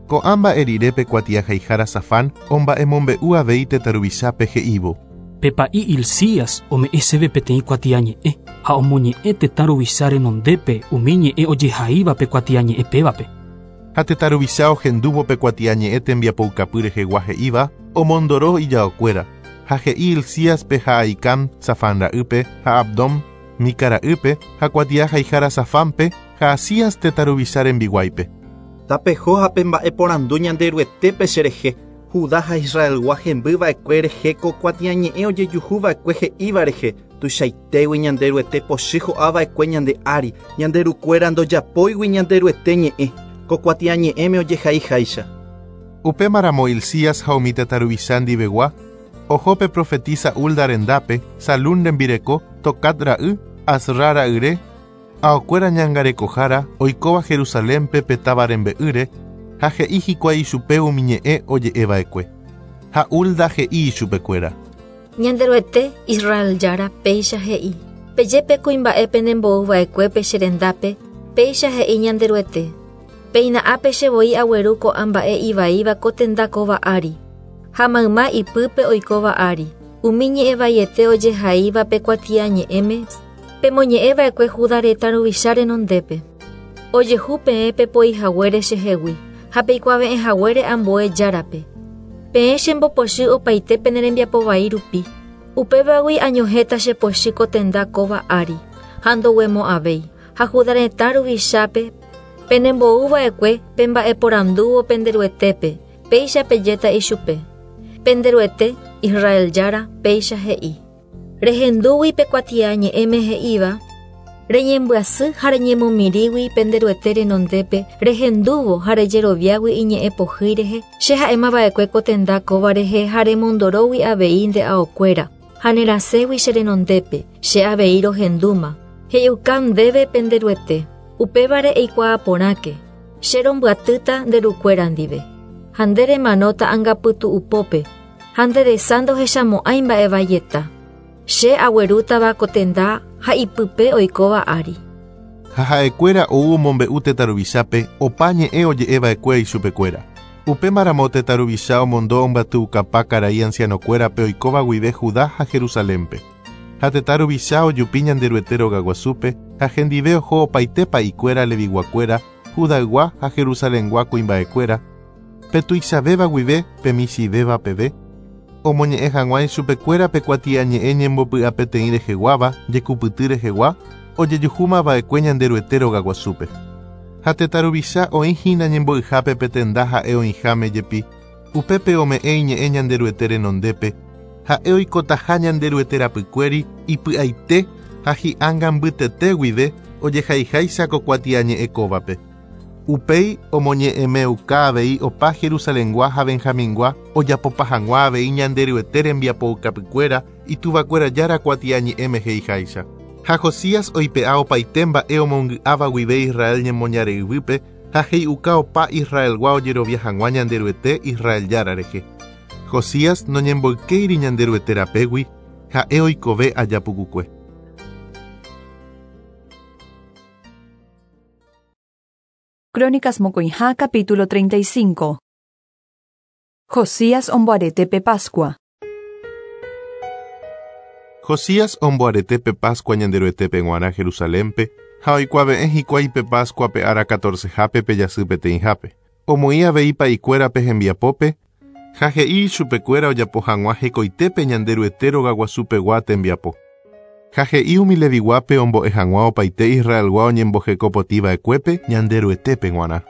Ko'ã mba'e rire pe kuatiahaihára Safán omba'emombe'u avei tetã ruvichápe he'ívo. Pe pa'i Hilcías ome'ẽ chéve peteĩ kuatiañe'ẽ ha omoñe'ẽ tetã ruvicha renondépe umi ñe'ẽ ojehaíva pe kuatiañe'ẽ pévape. Ha tetã ruvicha ohendúvo pe kuatiañe'ẽ tembiapoukapy rehegua he'íva, omondoro ijaokuéra, ha he'i Hilcíaspe ha Ahicam, Safán ra'ýpe, ha Abdón, Mica ra'ýpe, ha kuatiahaihára Safánpe, ha Asías tetã ruvicha rembiguáipe. Tapeho ha pemba'eporandu Ñanderuetépe cherehe, Judá ha Israelgua hembyva'ekue rehe ko kuatiañe'ẽ ojejuhuva'ekue he'íva rehe, tuichaitégui Ñanderuete pochy ho'ava'ekue ñande ári, ñanderukuéra ndojapóigui Ñanderuete ñe'ẽ, ko kuatiañe'ẽme ojehaiháicha. Upémaramo Hilcías ha umi tetã ruvicha ndivegua, oho pe profetisa Hulda rendápe, Salún rembireko, Tocat ra'y, Asra ra'yre, aokuéra ñangarekohára oikóva Jerusalénpe pe táva rembe'ýre, ha he'i hikuái ichupe umi ñe'ẽ oje'eva'ekue. Ha Hulda he'i ichupekuéra. Ñanderuete, Israel Jára, péicha he'i. Peje pe kuimba'e penembouva'ekuépe che rendápe, péicha he'i Ñanderuete. Péina ápe che voi agueru ko'ã mba'e ivaíva ko tenda kóva ári, ha mayma ipýpe oikóva ári, umi ñe'ẽ vaiete ojehaíva pe kuatiañe'ẽme, pemoñe'ẽva'ekue Judá retã ruvicha renondépe. Ojehu peẽ pepoihaguére chehegui, ha peikuave'ẽhaguére ambue járape. Peẽ chembopochy opaite pene rembiapo vai rupi. Upévagui añohẽta che pochy ko tenda kóva ári, ha ndoguemo'ãvéi. Ha Judá retã ruvichápe penembouva'ekue pemba'eporandúvo pende Ruetépe, péicha pejéta ichupe. Pende Ruete, Israel Jára, péicha he'i. Rehendúgui pe kuatiañe'ẽme he'íva, reñembyasy ha reñemomirĩgui pende Ruete renondépe, rehendúvo ha rejeroviágui iñe'ẽ pohýi rehe, che ha'emava'ekue ko tenda kóva rehe ha remondorógui avei nde aokuéra, ha nerasẽgui che renondépe, che avei rohendúma. He'iuka ndéve pende Ruete, upévare eikuaa porãke, che rombyatýta nde rukuéra ndive, ha nde remanóta angapytu'upópe, ha nde resa ndohechamo'ãi mba'evaieta. Che aguerútava ko tenda ha ipype oikóva ári. Ha ha'ekuéra ou omombe'u tetã ruvichápe opa ñe'ẽ oje'eva'ekue ichupekuéra. Upémaramo tetã ruvicha omondo ombyatyukapa karai ancianokuérape oikóva guive Judá ha Jerusalénpe. Ha tetã ruvicha ojupi Ñanderuete rogaguasúpe ha hendive oho opaite pa'ikuéra Leviguakuéra, Judaygua ha Jerusalengua kuimba'ekuéra, pe tuichavéva guive pe michĩvéva peve, omoñe'ẽ hag̃ua ichupekuéra pe kuatiañe'ẽ ñembopy'apeteĩ reheguáva, jekupyty rehegua, ojejuhúmava'ekue Ñanderuete rogaguasúpe. Ha tetã ruvicha oĩhína ñembo'yhápe pe tenda ha'e oĩháme jepi, upépe ome'ẽ iñe'ẽ Ñanderuete renondépe, ha'e oikotaha Ñanderuete rapykuéri ipy'aite ha hi'ánga mbytete guive ojehaiháicha ko kuatiañe'ẽ kóvape. Upéi omoñe'ẽmeuka avei opa Jerusalengua ha Benjamingua ojapopa hag̃ua avei Ñanderuete rembiapoukapykuéra ituvakuéra Jára kuatiañe'ẽme he'iháicha. Ha Josías oipe'a opaite mba'e omongy'áva guive Israel ñemoñare yvýpe ha he'iuka opa Israelgua ojerovia hag̃ua Ñanderuete Israel Jára rehe. Josías noñemboykéiri Ñanderuete rapégui, ha'e oikove aja pukukue. Crónicas mokõiha capítulo 35. Josías omboarete pe Pascua. Josías omboarete pe Pascua Ñanderuetépe g̃uarã Jerusalénpe ha oikuave'ẽ hikuái pe Pascua pe ára 14-hápe pe jasy peteĩhápe. Omoĩ avei pa'ikuérape hembiapópe ha he'i ichupekuéra ojapo hag̃ua hekoitépe Ñanderuete rogaguasupegua tembiapo. Ha he'i umi Leviguápe ombo'e hag̃ua opaite Israelgua oñembohekopotĩva'ekuépe Ñanderuetépe g̃uarã.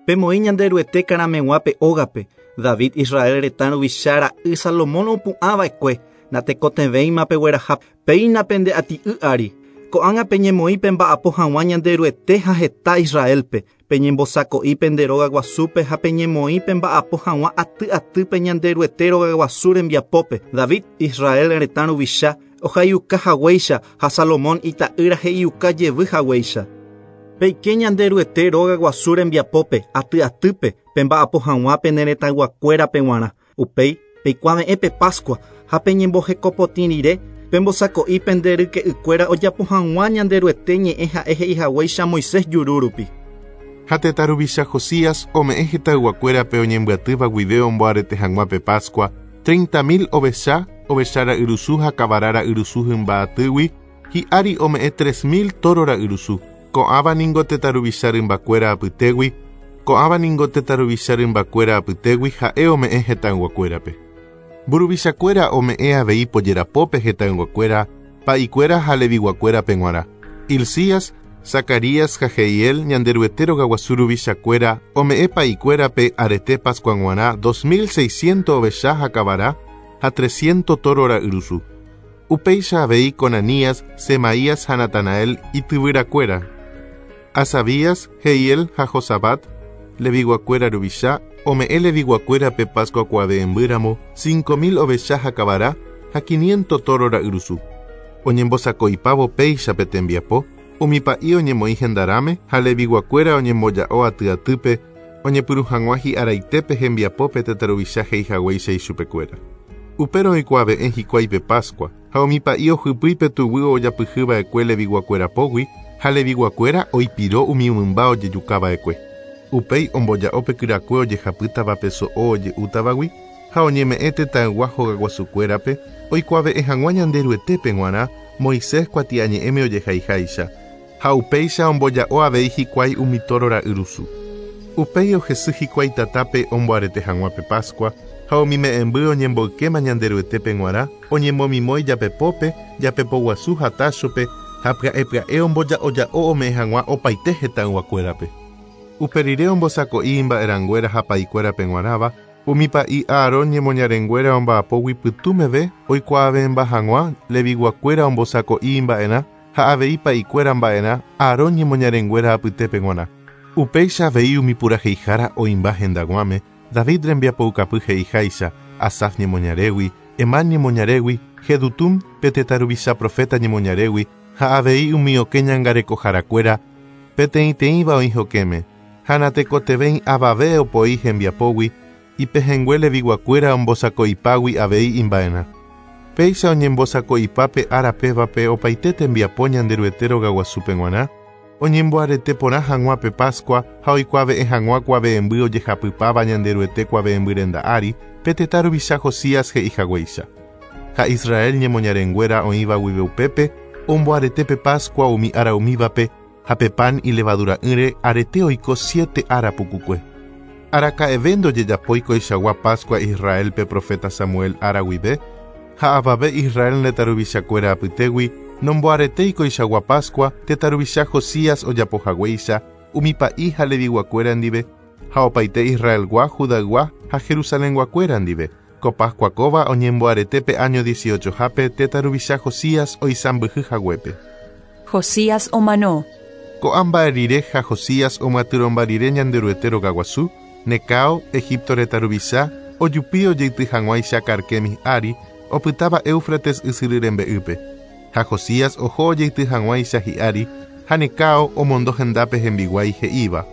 Pemoĩ Ñanderuete karameg̃uápe ógape, David Israel retã ruvicha ra'y Salomón opu'ãva'ekue, natekotevẽima pegueraha péina pende ati'y ári. Ko'ág̃a peñemoĩ pemba'apo hag̃ua Ñanderuete ha heta Israelpe, peñembosako'i pende rogaguasúpe ha peñemoĩ pemba'apo hag̃ua aty atýpe Ñanderuete rogaguasu rembiapópe, David Israel retã ruvicha ohaiuka haguéicha ha Salomón ita'ýra he'iuka jevy haguéicha. Peike Ñanderuete rogaguasu rembiapópe aty atýpe pemba'apo hag̃ua pene retãyguakuérape g̃uarã. Upéi peikuave'ẽ pe Pascua ha peñembohekopotĩ rire pembosako'i pende ryke'ykuéra ojapo hag̃ua Ñanderuete ñe'ẽ ha'e he'ihaguéicha Moisés juru rupi. Ha tetã ruvicha Josías ome'ẽ hetãyguakuérape oñembyatýva guive omboarete hag̃ua pe Pascua, 30.000 ovecha, ovecha ra'yrusu ha kavara ra'yrusu hymba atýgui, hi'ári ome'ẽ 3.000 tóro ra'yrusu. Ko'ãva ningo tetã ruvicha rymbakuéra apytégui, ko'ãva ningo tetã ruvicha rymbakuéra apytégui ha'e ome'ẽ hetãyguakuérape. Mburuvichakuéra ome'ẽ avei pojerapópe hetãyguakuéra, pa'ikuéra ha leviguakuérape g̃uarã. Hilcías, Zacarías ha Jehiel Ñanderuete rogaguasu ruvichakuéra ome'ẽ pa'ikuérape arete Pascua g̃uarã 2600 ovecha ha kavara ha 300 tóro ra'yrusu. Upéicha avei Conanías, Semaías ha Natanael ityvyrakuéra. Asabías, Jehiel ha Josabat, leviguakuéra ruvicha, ome'ẽ leviguakuérape Pascua kuave'ẽmbýramo 5000 ovecha ha kavara ha 500 tóro ra'yrusu. Oñembosako'ipávo péicha pe tembiapo, umi pa'i oñemoĩ hendarãme ha leviguakuéra oñemboja'o aty atýpe oñepyrũ hag̃ua hi'araitépe hembiapópe tetã ruvicha he'ihaguéicha ichupekuéra. Upérõ oikuave'ẽ hikuái pe Pascua ha umi pa'i ohypýi pe tuguy ojapyhyva'ekue leviguakuéra pógui ha leviguakuéra oipiro umi mymba ojejukava'ekue. Upéi omboja'o pe kyrakue ojehapýtava pe so'o oje'útavagui ha oñeme'ẽ tetãygua hogaguasukuérape oikuave'ẽ hag̃ua Ñanderuetépe g̃uarã Moisés kuatiañe'ẽme ojehaiháicha ha upéicha omboja'o avei hikuái umi tóro ra'yrusu. Upéi ohesy hikuái tatápe omboarete hag̃ua pe Pascua ha umi me'ẽmby oñemboykéma Ñanderuetépe g̃uarã oñemomimói japepópe, japepoguasu ha táchope ha pya'e pya'e omboja'oja'o ome'ẽ hag̃ua opaite hetãyguakuérape. Upe rire ombosako'i imba'erãnguéra ha pa'ikuérape g̃uarãva, umi pa'i Aarón ñemoñarenguéra omba'apógui pytũ meve oikuaave'ẽmba hag̃ua leviguakuéra ombosako'i imba'erã ha avei pa'ikuéra mba'erã Aarón ñemoñarenguéra apytépe g̃uarã. Upéicha avei umi puraheihára oĩmba hendag̃uáme, David rembiapoukapy he'iháicha, Asaf ñemoñarégui, Hemán ñemoñarégui, Jedutún pe tetã ruvicha profeta ñemoñarégui ha avei umi okẽ ñangarekoharakuéra peteĩteĩva oĩ hokẽme, ha natekotevẽi avave opoi hembiapógui ipehẽngue leviguakuéra ombosako'ipágui avei imba'erã. Péicha oñembosako'ipápe ára pévape opaite tembiapo Ñanderuete rogaguasúpe g̃uarã, oñemboarete porã hag̃ua pe Pascua ha oikuave'ẽ hag̃ua kuave'ẽmby ojehapypáva Ñanderuete kuave'ẽmby renda ári pe tetã ruvicha Josías he'ihaguéicha. Ha Israel ñemoñarenguéra oĩva guive upépe omboarete pe Pascua umi ára umívape ha pe pan ilevadura'ỹre arete oiko 7 ára pukukue. Araka'eve ndojejapói koichagua Pascua Israelpe profeta Samuel ára guive ha avave Israel retã ruvichakuéra apytégui nomboaretéi koichagua Pascua tetã ruvicha Josías ojapohaguéicha umi pa'i ha leviguakuéra ndive ha opaite Israelgua, Judaygua ha Jerusalenguakuéra ndive. Ko Pascua kóva oñemboarete pe año 18hápe tetã ruvicha Josías oisãmbyhy haguépe. Josías omano. Ko'ã mba'e rire ha Josías omyatyrõmba rire Ñanderuete rogaguasu, Necao, Egipto retã ruvicha, ojupi ojeity hag̃uáicha Carquemis ári, opytáva Éufrates ysyry rembe'ýpe. Ha Josías oho ojeity hag̃uáicha hi'ári ha Necao omondo hendápe hembiguái he'íva.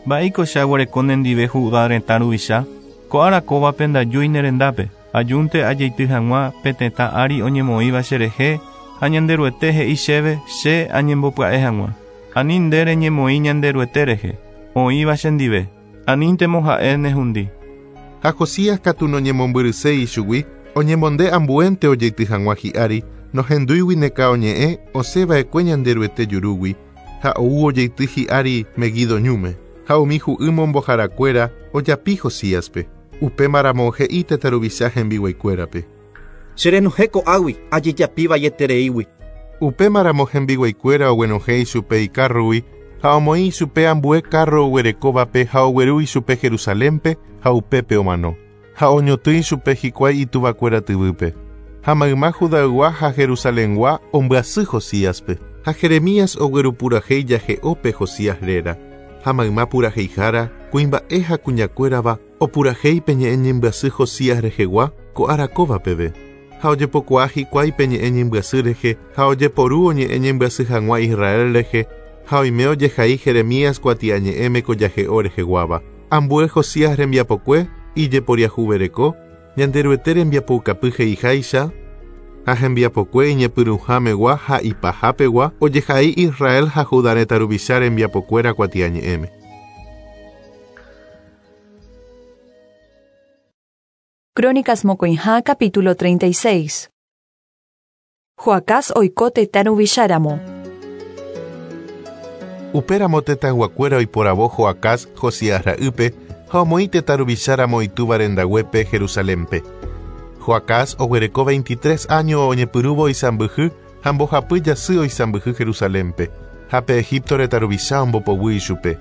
Mba'éiko che aguereko nendive Judá retã ruvicha, ko ára kóvape ndajúi ne rendápe, ajúnte ajeity hag̃ua pe tetã ári oñemoĩva cherehe ha Ñanderuete he'i chéve che añembopya'e hag̃ua. Ani nde reñemoĩ Ñanderuete rehe, oĩva chendive, aníntemo ha'e nehundi. Ha Josías katu noñemombyryséi ichugui, oñemonde ambuénte ojeity hag̃ua hi'ári, nohendúigui Necao ñe'ẽ osẽva'ekue Ñanderuete jurúgui ha ou ojeity hi'ári Meguido ñúme. Ha umi hu'y momboharakuéra ojapi Josíaspe. Upémaramo he'i tetã ruvicha hembiguaikuérape. Cherenohẽ ko'águi ajejapi vaietereígui. Upémaramo hembiguaikuéra oguenohẽ ichupe ikárrogui ha omoĩ ichupe ambue kárro oguerekóvape ha ogueru ichupe Jerusalénpe ha upépe omano. Ha oñotỹ ichupe hikuái ituvakuéra tyvýpe. Ha mayma Judaygua ha Jerusalengua ombyasy Josíaspe. Ha Jeremías oguerupurahéi jahe'ópe Josías réra. Ha mayma puraheihára, kuimba'e ha kuñakuérava opurahéi pe ñe'ẽ ñembyasy Josías rehegua ko ára kóva peve. Ha ojepokuaa hikuái pe ñe'ẽ ñembyasy rehe ha ojeporu oñe'ẽ ñembyasy hag̃ua Israel rehe ha oime ojehai Jeremías kuatiañe'ẽme ko jahe'o reheguáva. Ambue Josías rembiapokue ijeporiahuvereko, Ñanderuete rembiapoukapy he'iháicha ha hembiapokue iñepyrũhámegua ha ipahapegua ojehai Israel ha Judá retã ruvicha rembiapokuéra kuatiañe'ẽme. Crónicas mokõiha capítulo 36. Joacaz oiko tetã ruvicháramo. Upéramo tetãyguakuéra oiporavo Joacaz, Josías ra'ýpe, ha omoĩ tetã ruvicháramo itúva rendaguépe Jerusalénpe. Joacaz oguereko 23 áño oñepyrũvo oisãmbyhy ha mbohapy jasy oisãmbyhy Jerusalénpe, ha pe Egipto retã ruvicha ombopoguy ichupe.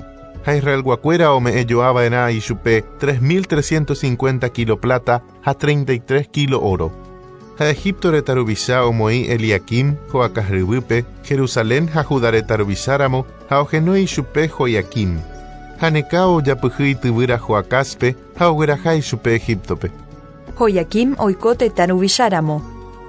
Ha Israelguakuéra ome'ẽjoava'erã ichupe 3350 kílo pláta ha 33 kílo óro. Ha Egipto retã ruvicha omoĩ Eliaquim, Joacaz ryvýpe, Jerusalén ha Judá retã ruvicháramo ha ohenói ichupe Joiaquim. Ha Necao ojapyhy ityvýra Joacázpe ha ogueraha ichupe Egíptope. Joiaquim oiko tetã ruvicháramo.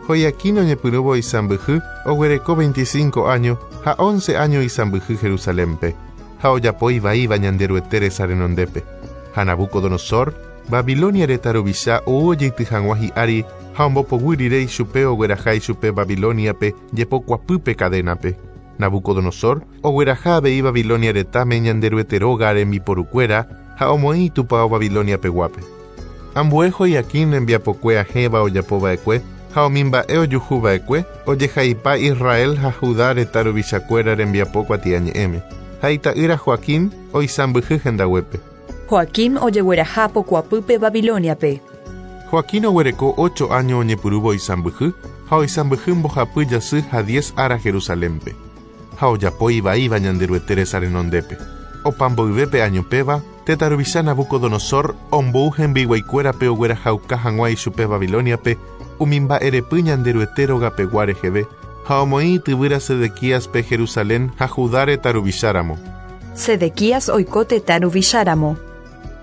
Joiaquín oñepyrũvo isãmbyhy oguereko 25 áño ha once áño isãmbyhy Jerusalénpe, ha ojapo ivaíva Ñanderuete resa renondépe. Ha Nabucodonosor, Babilonia retã ruvicha ou ojeity hag̃ua hi'ári ha ombopoguy rire ichupe ogueraha ichupe Babilóniape jepokuapýpe cadénape. Nabucodonosor ogueraha avei Babilonia retãme Ñanderuete róga rembiporukuéra ha omoĩ itupao Babilonia peguápe. Ambue Joiaquín rembiapokue ahẽva ojapo va'ekue ha umi mba'e ojuhu va'ekue ojehaipa Israel ha Judá retã ruvichakuéra rembiapo kuatiañe'ẽme. Ha ita'ýra Joaquín oisãmbyhy hendaguépe. Joaquín ojegueraha pokuapýpe Babilóniape. Joaquín oguereko ocho áño oñepyrũvo oisãmbyhy ha oisãmbyhy mbohapy jasy ha diez ára Jerusalénpe. Ha ojapo ivaíva Ñanderuete resa renondépe. Opa mboyve pe áño péva, tetã ruvicha Nabucodonosor ombou hembiguaikuérape oguerahauka hag̃ua ichupe Babilóniape umi mba'erepy Ñanderuete rogapegua reheve ha omoĩ ityvýra Sedequíaspe Jerusalén ha Judá retã ruvicháramo. Sedequías oiko tetã ruvicháramo.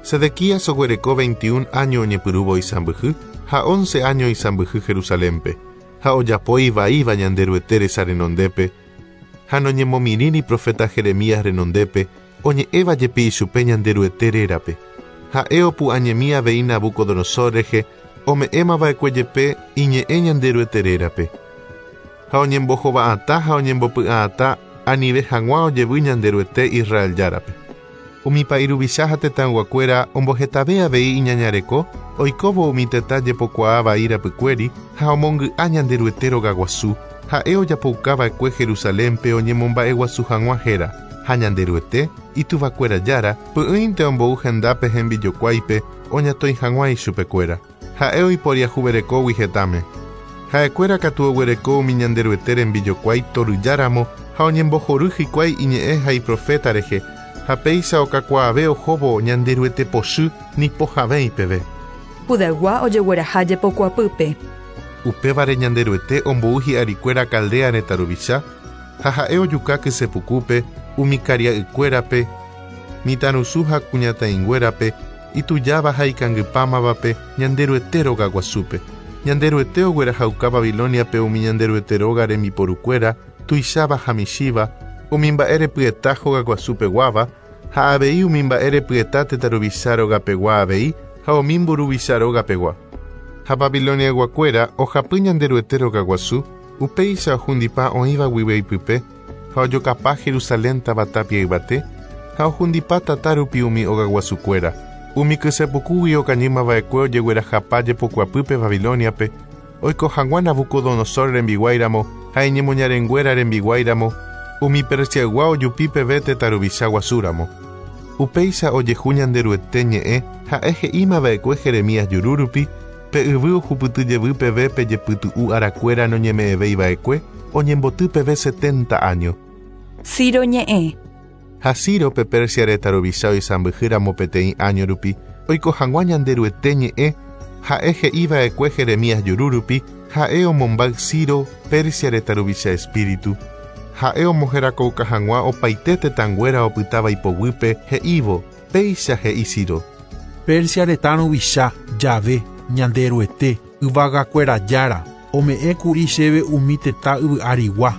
Sedequías oguereko 21 áño oñepyrũvo isãmbyhy ha once áño isãmbyhy Jerusalénpe, ha ojapo ivaíva Ñanderuete resa renondépe, ha noñemomirĩri proféta Jeremías renondépe, oñe'ẽva jepi ichupe Ñanderuete rérape. Ha'e opu'ãñemi avei Nabucodonosor rehe, ome'ẽmava'ekue jepe iñe'ẽ Ñanderuete rérape. Ha oñembohova'atã ha oñembopy'a'atã anive hag̃ua ojevy Ñanderuete Israel Járape. Umi pa'i ruvicha ha tetãyguakuéra ombohetave avei iñañareko, oikóvo umi tetã jepokuaa vai rapykuéri ha omongy'a Ñanderuete rogaguasu, ha'e ojapoukava'ekue Jerusalénpe oñemomba'eguasu hag̃ua héra, ha Ñanderuete, ituvakuéra Jára, py'ỹinte ombou hendápe hembijokuáipe oñatõi hag̃ua ichupekuéra. Ha'e oiporiahuverekógui hetãme. Ha'ekuéra katu oguereko umi Ñanderuete rembijokuái toryjáramo ha oñembohory hikuái iñe'ẽ ha iproféta rehe, ha péicha okakuaave ohóvo Ñanderuete pochy nipohavẽi peve. Judaygua ojegueraha jepokuapýpe. Upévare Ñanderuete ombou hi'arikuéra Caldea retã ruvicha, ha ha'e ojuka kysepukúpe umi karia'ykuérape, mitãrusu ha kuñataĩnguérape, itujáva ha ikangypámavape Ñanderuete rogaguasúpe. Ñanderuete oguerahauka Babilóniape umi Ñanderuete róga rembiporukuéra, tuicháva ha michĩva, umi mba'e repyeta hogaguasupeguáva, ha avei umi mba'e repyeta tetã ruvicha rogapegua avei ha umi mburuvicha rogapegua. Ha Babiloniayguakuéra ohapy Ñanderuete rogaguasu, upéicha ohundipa oĩva guive ipype, ha ojokapa Jerusalén táva tapia yvate, ha ohundipa tata rupi umi ogaguasukuéra. Umi kysepukúgui okañýmava'ekue ojeguerahapa jepokuapýpe Babilóniape, oiko hag̃ua Nabucodonosor rembiguáiramo ha iñemoñarenguéra rembiguáiramo, umi Persiaygua ojupi peve tetã ruvicha guasúramo. Upéicha ojehu Ñanderuete ñe'ẽ ha'e he'imava'ekue Jeremías juru rupi, pe yvy ohupyty jevy peve pe jepytu'u arakuéra noñeme'ẽvéiva'ekue, oñemboty peve 70 año. Ciro ñe'ẽ. Ha Ciro pe Persia retã ruvicha oisãmbyhýramo peteĩ año rupi, oiko hag̃ua Ñanderuete ñe'ẽ ha'e he'iva'ekue Jeremías juru rupi, ha'e omombáy Ciro Persia retã ruvicha espíritu. Ha'e omoherakouka hag̃ua opaite tetãnguéra opytáva ipoguýpe he'ívo, péicha he'i Ciro. Persia retã ruvicha, Jahve, Ñanderuete, yvagakuéra Jára, ome'ẽkuri chéve umi tetã yvy arigua.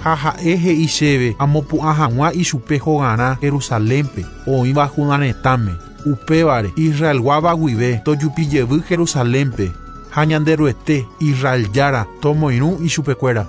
Ha ha'e he'i chéve amopu'ã hag̃ua ichupe hogarã Jerusalénpe, oĩva Judá retãme. Upévare Israelguáva guive tojupijevy Jerusalénpe ha Ñanderuete, Israel Jára, tomoirũ ichupekuéra.